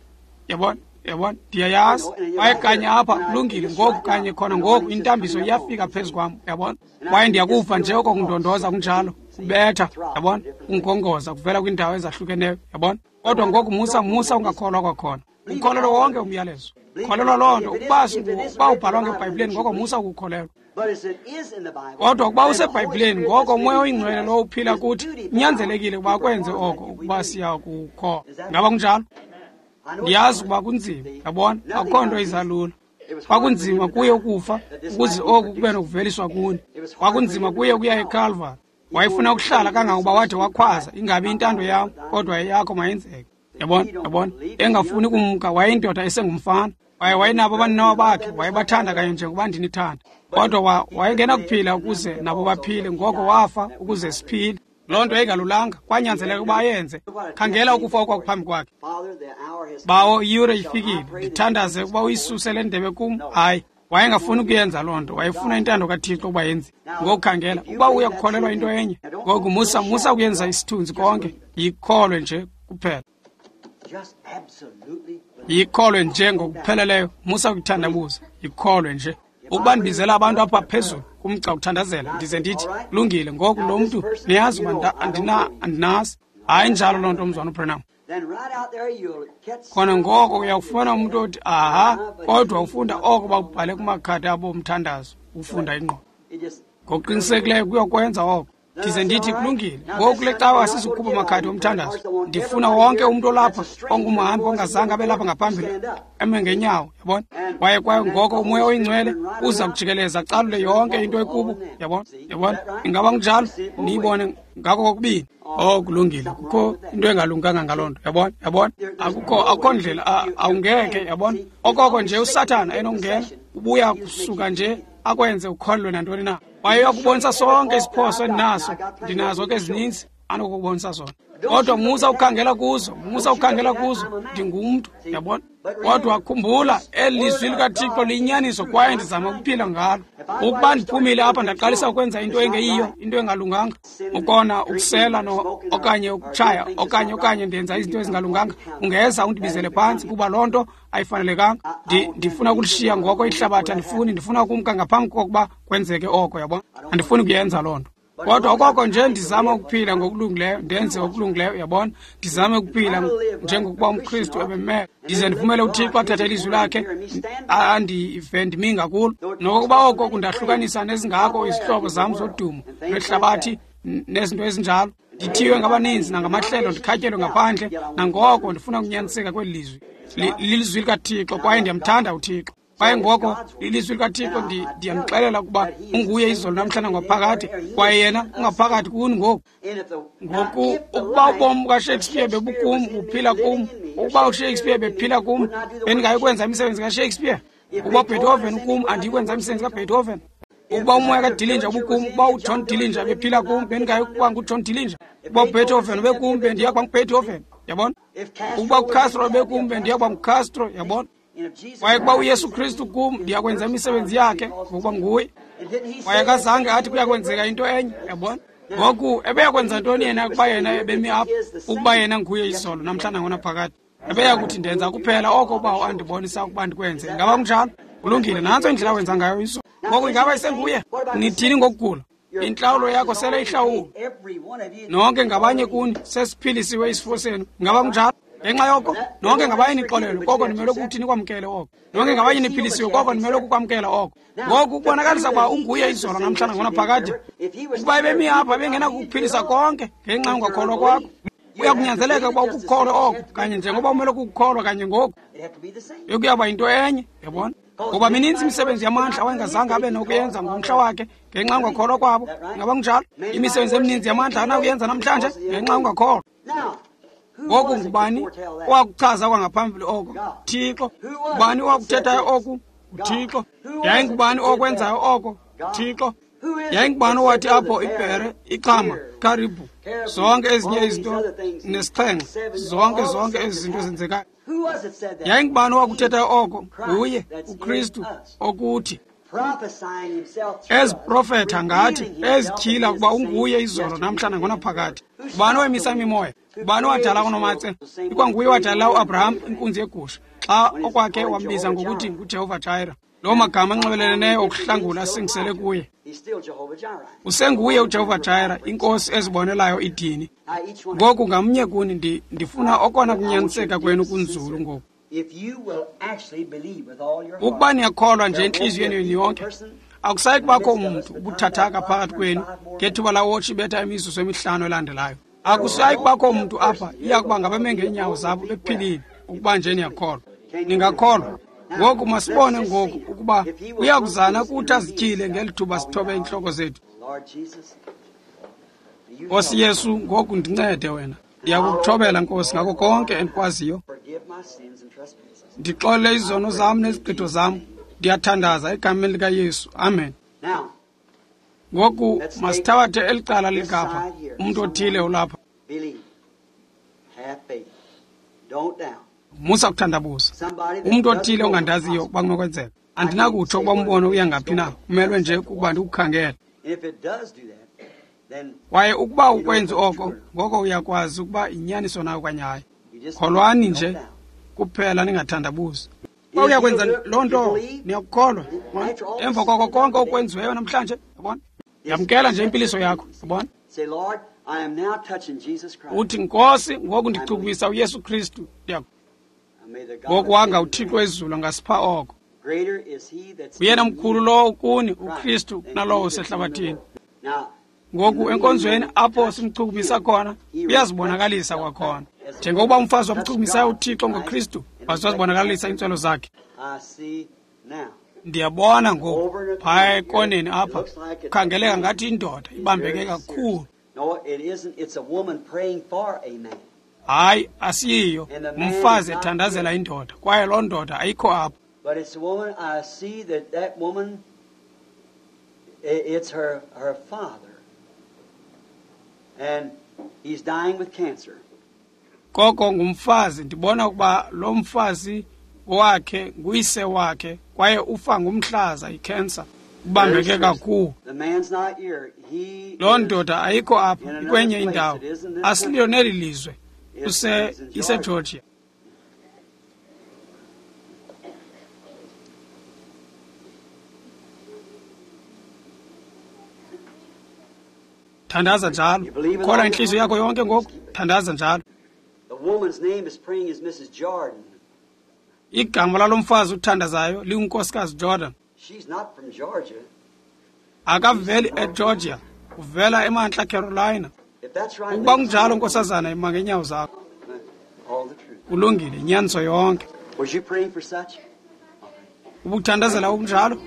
yabona? Yabona, ndiyayazi. Kwaye kanye apha kulungile ngoku, kanye khona ngoku intambiso iyafika phezu kwam, yabona? Kwaye ndiyakuva nje oko kundondoza kunjalo, kubetha, yabona? Kungongoza kuvela kwiindawo ezahlukeneyo, yabona? Kodwa ngoku musa musa ungakholwa kwakhona. Ukholelwa wonke umyalezo. Kholelwa loo nto. Ukuba ukuba ubhalwa ngeBhayibhileni, ngoko musa ukukholelwa. Kodwa ukuba useBhayibhileni, ngoko uMoya oyiNgcwele lowo uphila kuthi unyanzelekile ukuba akwenze oko ukuba siya kukholwa. Ngaba kunjalo? Ndiyazi ukuba kunzima, yabona, akukho nto izalula. Kwakunzima kuye ukufa ukuze oku kube nokuveliswa kuni. Kwakunzima kuye ukuya eKalvari. Wayefuna ukuhlala kangangokuba wade wakhwaza, ingabi intando yam, kodwa eyakho mayenzeke. Yabona, yabona, engafuni kumka, wayeyindoda esengumfana. Waye wayenabo abaninawa bakhe, wayebathanda kanye njengoba ndinithanda. Kodwa wayengenakuphila ukuze nabo baphile, ngoko wafa ukuze siphile. Loo nto yayingalulanga, kwanyanzeleka ukuba ayenze. Khangela ukufa okwakuphambi kwakhe. Bawo, iyure ifikile, ndithandaze ukuba uyisuse le ndebe kum. Hayi, wayengafuni ukuyenza loo nto, wayefuna intando kaThixo ukuba yenziwe. Ngoku khangela, ukuba uya kukholelwa into enye, ngoku musa musa ukuyenza isithunzi konke, yikholwe nje kuphela. Yikholwe nje ngokupheleleyo, musa ukuthandabuza, yikholwe nje. Ukuba ndibizela abantu apha phezulu kumgca ukuthandazela, ndize ndithi kulungile, ngoku lo mntu niyazi uba andina andinazi. Hayi njalo loo nto, mzwana uBranham. Khona ngoko uyakufuna umntu othi aha, kodwa ufunda oko bakubhale kumakhadi abo omthandazo, ufunda ingqondo. Ngokuqinisekileyo kuyokwenza oko. Ndize ndithi kulungile, ngoku kule cawa asizukukhupha amakhadi omthandazo. Ndifuna wonke umntu olapha ongumhambi ongazange abe lapha ngaphambili eme ngenyawo, yabona? Kwaye kwaye ngoko uMoya oyiNgcwele uza kujikeleza acalule yonke into ekubo, yabona? Yabona? Ingaba kunjalo? Niyibone ngako kokubini. Oh, kulungile, kukho into engalunganga ngaloo nto, yabona? Yabona? Akukho akukho ndlela, awungeke, yabona? Okoko nje uSathana enokungena, ubuya kusuka nje akwenze ukholelwe nantoni na. Kwaye uyakubonisa sonke isiphoso endinaso, ndinazo ke ezininzi anokukubonisa zona. Kodwa musa ukukhangela kuzo, musa ukukhangela kuzo, ndingumntu, yabona? Kodwa khumbula, eli lizwi likaThixo liyinyaniso kwaye ndizama ukuphila ngalo. Ukuba ndiphumile apha ndaqalisa ukwenza into engeyiyo, into engalunganga, ukona, ukusela no okanye ukutshaya, okanye okanye ndenza izinto ezingalunganga, ungeza undibizele phantsi kuba loo nto ayifanelekanga. Ndifuna ukulishiya ngoko ihlabathi, andifuni, ndifuna ukumka ngaphambi kokuba kwenzeke oko, yabona? Andifuni kuyenza loo nto. Kodwa okoko nje ndizama ukuphila ngokulungileyo, ndenze okulungileyo, yabona? Ndizame ukuphila njengokuba umKristu ebemele. Ndize ndivumele uThixo athathe ilizwi lakhe andive ndimi ngakulo. Nokokuba oko kundahlukanisa nezingako izihlobo zam zodumo lwehlabathi nezinto ezinjalo. Ndithiywe ngabaninzi nangamahlelo, ndikhatyelwe ngaphandle, nangoko ndifuna ukunyaniseka kweli lizwi. Lilizwi likaThixo kwaye ndiyamthanda uThixo. Kwaye ngoko ilizwi likaThixo ndiyamxelela ukuba unguye izolo namhla nangophakade, kwaye yena ungaphakathi kuni ngoku. Ngoku ukuba ubomi bukaShakespeare bebukum, buphila kum, ukuba uShakespeare bephila kum, bendingayikwenza imisebenzi kaShakespeare. Ukuba uBeethoven kum, andiyikwenza imisebenzi kaBeethoven. Ukuba umoya kaDillinger ubukum, ukuba uJohn Dillinger bephila kum, bendingayikuba nguJohn Dillinger. Ukuba uBeethoven ubekum, bendiya kuba nguBeethoven, yabona? Ukuba uCastro ubekum, bendiya kuba nguCastro, yabona? Kwaye kuba uYesu Kristu kum, ndiyakwenza imisebenzi yakhe ngokuba nguye. Kwaye akazange athi kuyakwenzeka into enye, yabona? Ngoku ebeyakwenza ntoni yena ukuba yena ebemi apha, ukuba yena nguye izolo namhla nangonaphakade? Ebeyakuthi ndenza kuphela oko uBawo andibonisa ukuba ndikwenze. Ingaba kunjalo? Kulungile, nantso indlela awenza ngayo izolo. Ngoku ingaba isenguye? Nithini ngokugula? Intlawulo yakho sele ihlawulwe. Nonke ngabanye kuni sesiphilisiwe isifo senu. Ingaba kunjalo? Ngenxa yoko nonke ngabanye nixolelwe, koko nimele ukuthi nikwamkele oko. Nonke ngabanye niphilisiwe, koko nimele ukukwamkela oko. Ngoku kubonakalisa ukuba unguye izolo namhlanje ngonaphakade. Ukuba ebemi apha bengenakukuphilisa konke ngenxa yongakholwa kwakho, uyakunyanzeleka ukuba ukukholwe oko kanye njengoba umele ukukholwa kanye ngoku. Bekuyaba yinto enye, yabona? Ngoba mininzi imisebenzi yamandla awayengazange abe nokuyenza ngomhla wakhe ngenxa yongakholwa kwabo. Ingaba kunjalo? Imisebenzi emininzi yamandla anakuyenza namhlanje ngenxa yongakholwa. Ngoku ngubani owakuchaza kwangaphambili oko? Thixo. Ngubani owakuthethayo oku? UThixo. Yayingubani okwenzayo oko? Thixo. Yayingubani owathi apho ibhere, ixhama, karibhu, zonke ezinye izinto nesixhenxe, zonke zonke ezi zinto zenzekayo? Yayingubani owakuthethayo oko? Nguye uKristu okuthi eziprofetha ngathi, ezityhila ukuba unguye izolo namhla nangonaphakade. Ubani owemisa imimoya? Ubani owadala unomatse? Ikwanguye owadala uAbraham inkunzi yegusha xa okwakhe wambiza ngokuthi nguJehova Jireh. Loo magama anxibeleleneyo okuhlangula asingisele kuye. Usenguye uJehova Jireh, inkosi ezibonelayo idini. Ngoku ngamnye kuni ndifuna okona kunyaniseka kwenu kunzulu ngoku. Ukuba niyakholwa nje entliziyweni yenu yonke, akusayi kubakho mntu ubuthathaka phakathi kwenu ngethuba lawotshi ibetha imizuzu emihlanu elandelayo. Akusayi kubakho mntu apha, iya kuba ngabame ngeenyawo zabo bephilile, ukuba nje niyakholwa. Ningakholwa. Ngoku masibone ngoku ukuba uyakuzana kuthi azityhile ngeli thuba sithobe iintloko zethu. Nkosi Yesu, ngoku ndincede wena. Ndiyakukuthobela, Nkosi, ngako konke endikwaziyo. Ndixolele izono zam nezigqitho zam. Ndiyathandaza egameni likaYesu. Amen. Ngoku masithabathe eli cala likapha. Umntu othile ulapha. Musa kuthandabuza. Umntu othile ongandaziyo ukuba kunokwenzeka. Andinakutsho ukuba umbono uya ngaphi na. Kumelwe nje kukuba ndikukhangele. Kwaye ukuba ukwenzi oko, ngoko uyakwazi ukuba inyaniso nayo okanye hayi. Kholwani nje kuphela, ningathandabuzi. Uba uyakwenza loo nto, niyakukholwa. Emva koko konke okwenziweyo namhlanje, yabona? Yamkela nje impiliso yakho, yabona? Uthi, Nkosi, ngoku ndichukumisa uYesu Kristu. Ngoku wanga uThixo wezulu angasipha oko. Uyena mkhulu lowo kuni, uKristu, kunalowo usehlabathini. Ngoku enkonzweni apho simchukumisa khona, uyazibonakalisa kwakhona. Njengokuba umfazi wamchukumisayo uThixo ngoKristu, waze wazibonakalisa iintswelo zakhe. Ndiyabona ngoku phaya ekoneni apha, kukhangeleka ngathi indoda ibambeke kakhulu. Hayi, asiyiyo. Umfazi ethandazela indoda, kwaye loo ndoda ayikho apho. It's her, her father. And he's dying with cancer. Koko ngumfazi, ndibona ukuba lo mfazi wakhe nguyise wakhe, kwaye ufa ngumhlaza icancer. Ubambeke kakhulu. Loo ndoda ayikho apha, ikwenye indawo. Asiliyo neli lizwe. Use iseGeorgia. Thandaza njalo. Ukholwa inhliziyo yakho yonke ngoku. Thandaza njalo. Igama lalo mfazi uthandazayo lingunkosikazi Jordan. Akaveli eGeorgia, uvela eMantla Carolina. Ukuba kunjalo, nkosazana, ima ngeenyawo zakho. Kulungile, inyaniso yonke. Ubuthandazela okunjalo?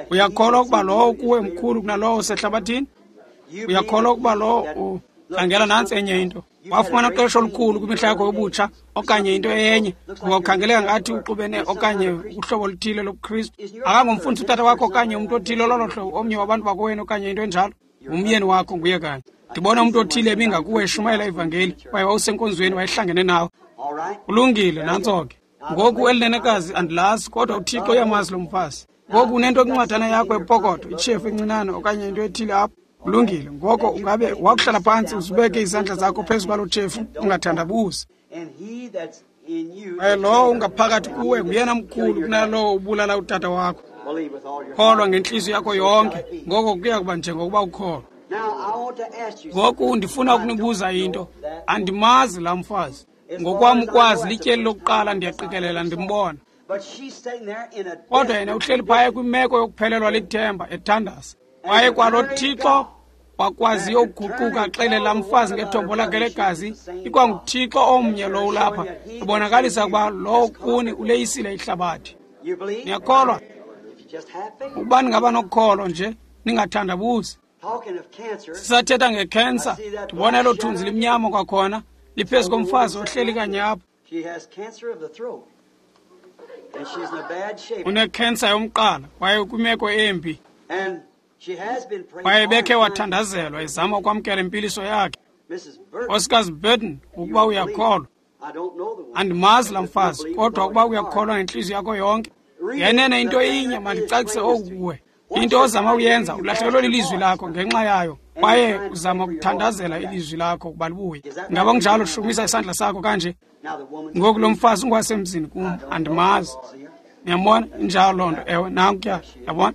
Uyakholwa ukuba lowo kuwe mkhulu kunalowo usehlabathini? Uyakholwa ukuba lowo khangela nantsi enye into. Wafumana uqeqesho olukhulu kwimihla yakho yobutsha okanye into enye, ngoba ukhangeleka ngathi uxubene okanye uhlobo oluthile lobuKristu. Akangomfundisi utata wakho okanye umntu othile lolo hlobo, omnye wabantu bakowenu okanye into enjalo. Ngumyeni wakho nguye kanye. Ndibona umntu othile ebingakuwe eshumayela ivangeli, kwaye wawusenkonzweni wayehlangene nawe. Kulungile, nantso ke. Ngoku elinenekazi andilazi, kodwa uThixo uyamazi lo mfazi. Ngoku unento kwincwadana yakho epokotho, itshefu encinane okanye into ethile apho. Kulungile. Ngoko ungabe wakuhlala phantsi uzibeke izandla zakho phezu kwaloo tshefu, ungathandabuzi. Kwaye lowo ungaphakathi kuwe nguyena mkhulu kunalowo ubulala utata wakho. Kholwa ngentliziyo yakho yonke, ngoko kuya kuba njengokuba ukholwa. Ngoku ndifuna ukunibuza into. Andimazi laa mfazi. Ngokwam ukwazi, lityeli lokuqala ndiyaqikelela ndimbona. Kodwa yena uhleli phaya kwimeko yokuphelelwa lithemba, ethandaza. Kwaye kwalo Thixo wakwaziyo ukuguquka axele laa mfazi ngethombo lakhe legazi, ikwanguThixo omnye lowo ulapha, ebonakalisa ukuba lowo kuni uleyisile ihlabathi. Niyakholwa? Ukuba ningaba nokholo nje, ningathandabuzi. Sisathetha ngekhensa, ndibona elo thunzi limnyama kwakhona, liphezu komfazi ohleli kanye apho. Unekhensa yomqala, kwaye kwimeko embi. Kwaye bekhe wathandazelwa ezama ukwamkela impiliso yakhe. Nkosikazi Burton, ukuba uyakholwa. Andimazi laa mfazi, kodwa ukuba uyakholwa ngentliziyo yakho yonke, ngenene into inye mandicacise oku kuwe. Into ozama uyenza, ulahlekelwe lilizwi lakho ngenxa yayo, kwaye uzama ukuthandazela ilizwi lakho ukuba libuye. Ngaba kunjalo? Shumisa isandla sakho kanje. Ngoku lo mfazi ungwasemzini kum, andimazi. Niyambona? Injalo loo nto. Ewe, nankuya. Yabona?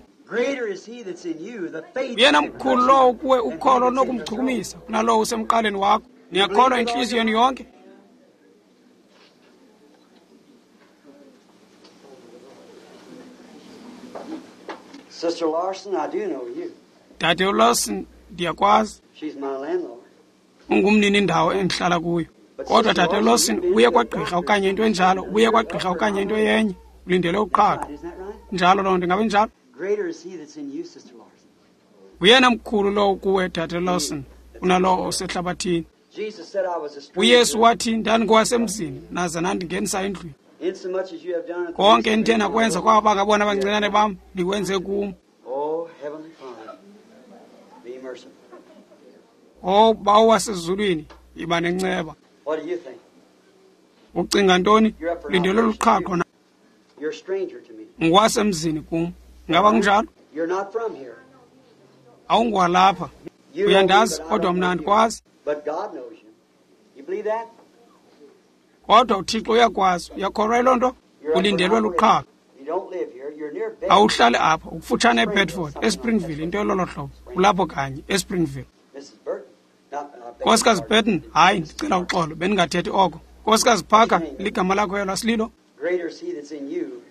Uyena mkhulu lowo kuwe ukholo onokumchukumisa kunalowo usemqaleni wakho. Niyakholwa intliziyo yenu yonke? Sister Larson, I do know you. Dade Larson, ndiyakwazi. She's my landlord. Ungumnini indawo endihlala kuyo. Kodwa Dade Larson, uye kwagqirha okanye into enjalo, uye kwagqirha okanye into yenye, ulindele uqhaqho. Njalo loo nto, ingabe njalo? Greater is he that's in you, Sister Larson. Uyena mkhulu lowo kuwe, Dade Larson, kunalowo osehlabathini. Jesus said I was a stranger. UYesu wathi ndandingowasemzini, naza nandingenisa endlwini. Insomuch as you have done it. Konke endithe nakwenza kwaba bangabona abancinane bam, nikwenze kum. Oh, Heavenly Father, be merciful. O Bawo wasezulwini, yiba nenceba. What do you think? Ucinga ntoni? Lindele luqhaqho na? You're a stranger to me. Ngwasemzini kum. Ngaba kunjalo? You're not from here. Awungwalapha. You know me, Uyandazi, but I kodwa don't mna know you. andikwazi. But God knows you. You believe that? Kodwa uThixo uyakwazi. Uyakholwa yiloo nto? You're up for Ulindelwe an luqhaqho. operation. You don't live here. You're near Bedford. Awuhlali apha, ukufutshane eBedford, eSpringville, into elolo hlobo. Ulapho kanye, eSpringville. Missus Burton. Not, I beg your Nkosikazi pardon. Burton, hayi, ndicela uxolo, bendingathethi oko. Nkosikazi Parker, ligama lakho elo asililo? Greater is he that's in you.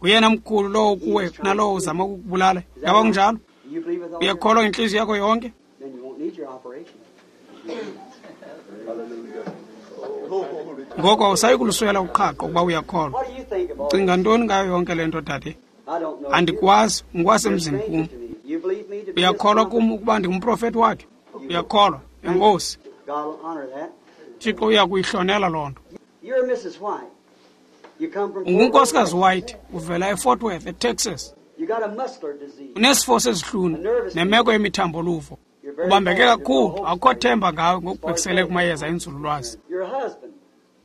Uyena mkhulu lowo kuwe kunalowo uzama ukukubulala. Is that Ngaba right? kunjalo? You believe with all your heart? Uyakholwa ngentliziyo yakho yonke? Then you won't need your operation. Ngoko awusayi kuluswela uqhaqho ukuba uyakholwa. What do you think of all Cinga this? ntoni ngayo yonke le nto, dade? I don't know you. Andikwazi, You're a ngwasemzini stranger kum. to me. You believe me to be his Uyakholwa prophet? kum ukuba ndingumprofeti wakhe? Uyakholwa? Enkosi. God will honor that. Thixo uya kuyihlonela loo nto. You're Missus White. You come from Fort Ungunkosikazi Worth. White, uvela eFort Worth, eTexas. You got a muscular disease. Unesifo sezihlunu nemeko yemithambo-luvo. You're very Ubambeke bad. There's no kakhulu, hope akukho for you. themba ngawe ngokubhekisele kumayeza enzululwazi. Your husband.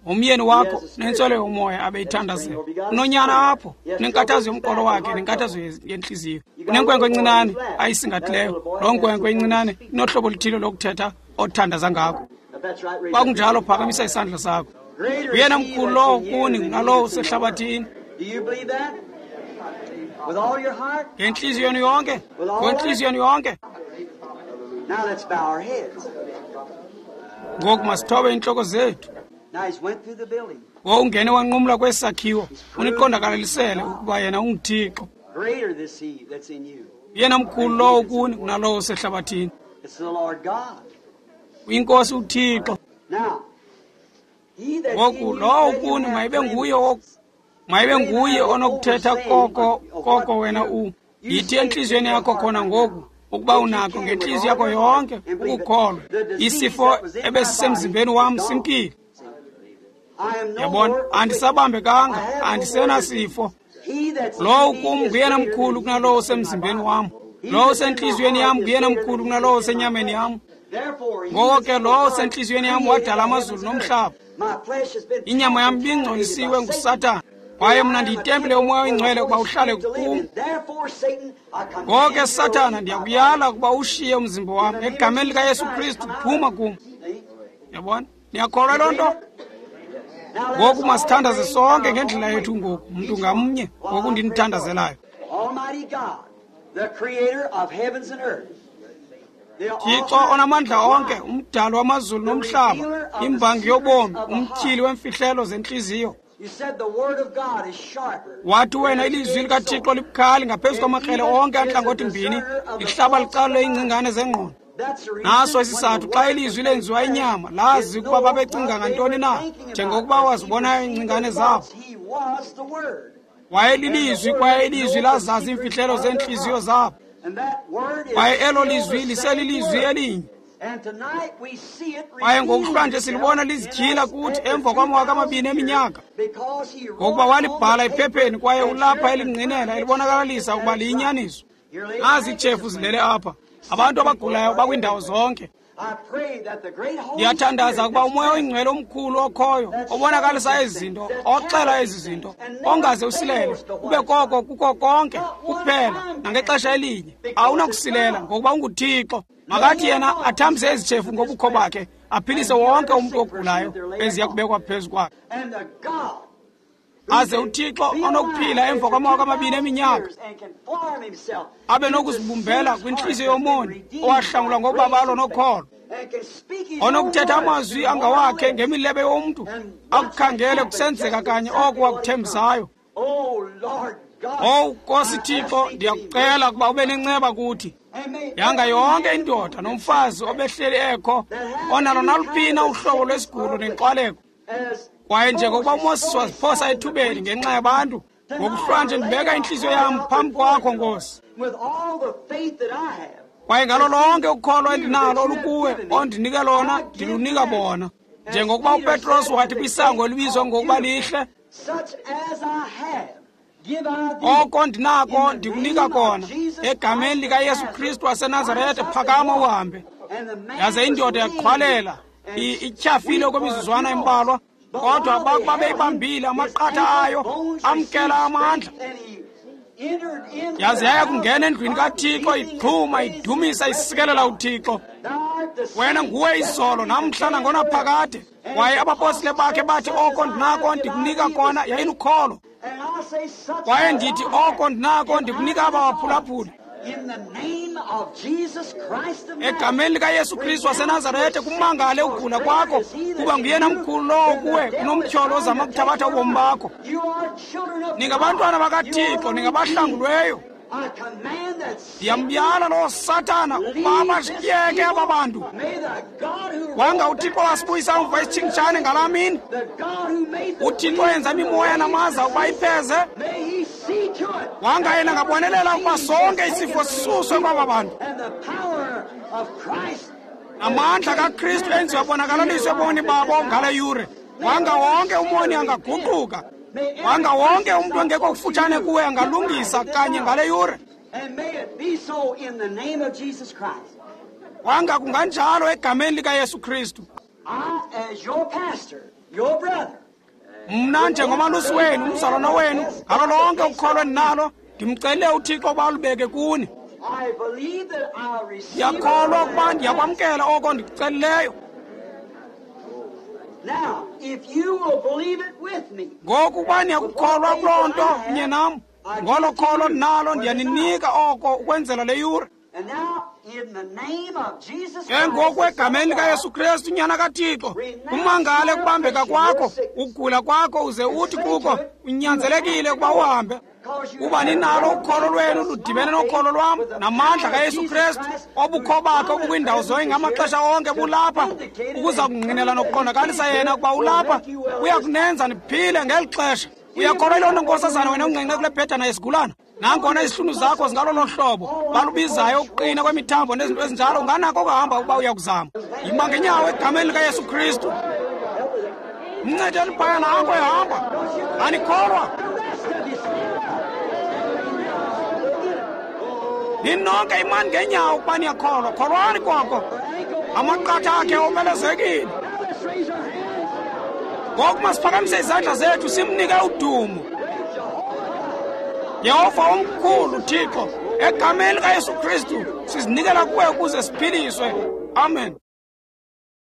Umyeni wakho nentswelo yomoya abeyithandazela. Unonyana apho, unenkathazo yomqolo wakhe nenkathazo yentliziyo. Unenkwenkwe encinane ayisingathileyo. Loo nkwenkwe incinane inohlobo oluthile lokuthetha othandaza ngako. If that's right, raise Xa up your kunjalo, hand. phakamisa isandla sakho. Greater is Uyena he mkhulu that's lowo in you kuni than he kunalowo that's in the world. usehlabathini. Do you believe that? With all your heart? Ngentliziyo yenu yonke, ngentliziyo yenu yonke. Now let's bow our heads. Ngoku masithobe iintloko zethu. Now he's went through the building. Wowungene wanqumla kwesi sakhiwo, uniqondakalalisele ukuba yena unguThixo. Greater this he that's in you. Uyena mkhulu lowo kuni kunalowo usehlabathini. It's the Lord God. Uyinkosi uThixo. Now, he that's in Ngoku you, lowo let him kuni have mayibe nguye preeminence. mayibe nguye onokuthetha koko koko wena u. Yithi entliziyweni yakho khona ngoku ukuba unakho ngentliziyo yakho yonke ukukholwa. Isifo ebesisemzimbeni wam simkile. I am no Yabona, more andisabambekanga, I have no andisenasifo. more disease. He that's Lowo in me kum is nguyena greater mkhulu than he kunalowo that's in my usemzimbeni body. wam. He Lowo that's in my usentliziyweni heart yam is nguyena greater mkhulu than he kunalowo that's in my usenyameni flesh. yam. Therefore, he Ngoko that's ke in lowo my heart usentliziyweni yam created wadala the amazulu heavens and nomhlaba. earth. My flesh has been Inyama yam contaminated by ibingcolisiwe Satan. nguSathana. Kwaye mna ndiyitempile yoMoya oyiNgcwele ukuba uhlale kum. Ngoko ke Sathana, ndiyakuyala ukuba ushiye umzimba wam. Egameni likaYesu Kristu, phuma kum. Yabona? Niyakholwa loo nto? Ngoku masithandaze sonke ngendlela yethu ngoku, mntu ngamnye, ngoku ndinithandazelayo. Thixo onamandla onke, umdali wamazulu nomhlaba, imbangi yobomi, umtyhili wemfihlelo zentliziyo. Wathi wena ilizwi likaThixo libukhali ngaphezu kwamakrele onke antlangothi mbini, lihlaba licalule iingcingane zengqondo. Naso isizathu xa ilizwi lenziwa inyama, lazi ukuba babecinga ngantoni na, njengokuba wazibonayo iingcingane zabo. Wayelilizwi kwaye ilizwi lazazi iimfihlelo zeentliziyo zabo. Kwaye elo lizwi liselilizwi elinye. Kwaye ngokuhlwanje silibona lizityhila kuthi emva kwamawaka amabini eminyaka, ngokuba walibhala ephepheni kwaye ulapha elingqinela elibonakalisa ukuba liyinyaniso. Nazi iitshefu zilele apha. Abantu abagulayo bakwiindawo zonke. Ndiyathandaza ukuba uMoya oyiNgcwele omkhulu okhoyo, obonakalisa ezi zinto, oxela ezi zinto, ongaze usilele, ube koko kuko konke kuphela nangexesha elinye. Awunakusilela ngokuba unguThixo. Makathi yena athambise ezi tshefu ngobukho bakhe, aphilise wonke umntu ogulayo eziya kubekwa phezu kwakhe. Aze uThixo onokuphila emva kwamawaka amabini eminyaka abe nokuzibumbela kwintliziyo yomoni owahlangulwa ngobabalo nokholo, onokuthetha amazwi angawakhe ngemilebe yomntu, akukhangele kusenzeka kanye oko wakuthembisayo. Owu Nkosi Thixo, ndiyakucela ukuba ube nenceba kuthi. Yanga yonke indoda nomfazi obehleli ekho onalo naluphi na uhlobo lwesigulo nenxwaleko. Kwaye njengokuba uMoses waziphosa ethubeni ngenxa yabantu, ngokuhlwanje ndibeka intliziyo yam phambi kwakho, Nkosi. Kwaye ngalo lonke ukholo endinalo olukuwe ondinike lona, ndilunika bona. Njengokuba uPetros wathi kwisango elibizwa ngokuba lihle, oko ndinako ndikunika kona, egameni likaYesu Kristu waseNazaretha, phakama uhambe. Yaze indoda yaqhwalela, ityhafile okwemizuzwana embalwa, kodwa bakuba beyibambile amaqatha ayo amkela amandla. Yaze yaya kungena endlwini kaThixo, ixhuma, idumisa, isikelela uThixo. Wena nguwe izolo namhla nangonaphakade. Kwaye abapostile bakhe bathi oko ndinako ndikunika kona, yayilukholo. Kwaye ndithi oko ndinako ndikunika abawaphulaphuli. Egameni likaYesu Kristu waseNazaretha, kumangale ukugula kwakho, kuba nguyena mkhulu lowo kuwe kunomtyholo ozama ukuthabatha ubomi bakho. Ningabantwana bakaThixo, ningabahlangulweyo. Ndiyamyala loo Sathana ukuba abashiyeke aba bantu. Wanga uThixo wasibuyisa umva isitshingitshane ngalaa mini. UThixo yenza imimoya namaza ukuba ipheze. Wanga yena ngabonelela ukuba sonke isifo sisuswe kwaba bantu. Amandla kaKristu enziwe abonakalaliswe ebomini babo ngale yure. Wanga wonke umoni angaguquka. Wanga wonke umntu ongekho kufutshane kuwe angalungisa kanye ngale yure. Wanga kunganjalo egameni likaYesu Kristu. Mna njengomalusi wenu, umzalwana wenu, ngalo lonke ukholo endinalo, ndimcele uThixo ukuba alubeke kuni. Ndiyakholwa ukuba ndiyakwamkela oko ndikucelileyo. Ngoku uba niyakukholwa kuloo nto kunye nam, ngolo kholo ndinalo ndiyaninika oko ukwenzela le yure. Ke ngoku egameni likaYesu Kristu, uNyana kaThixo, kumangale ukubambeka kwakho, ukugula kwakho, uze uthi kuko unyanzelekile ukuba uhambe. Kuba ninalo ukholo lwenu ludibene nokholo lwam namandla kaYesu Kristu, obukho bakhe obukwiindawo zonke ngamaxesha onke bulapha ukuza kungqinela nokuqondakalisa yena ukuba ulapha, uya kunenza niphile ngeli xesha. Uyakholwa yiloo nto, nkosazana, wena unqenqe kule bhedana yesigulana? Nangona izihlunu zakho zingalolo hlobo balubizayo ukuqina kwemithambo nezinto ezinjalo, unganako ukuhamba ukuba uyakuzama. Yima ngenyawo egameni likaYesu Kristu. Mncedeni phaya nanko ehamba. Anikholwa? Ninonke imani ngenyawo ukuba niyakholwa. Kholwani koko. Amaqatha akhe omelezekile. Ngoku masiphakamise izandla zethu simnike udumo. Yehova omkhulu Thixo, egameni likaYesu Kristu sizinikela kuwe ukuze siphiliswe. Amen.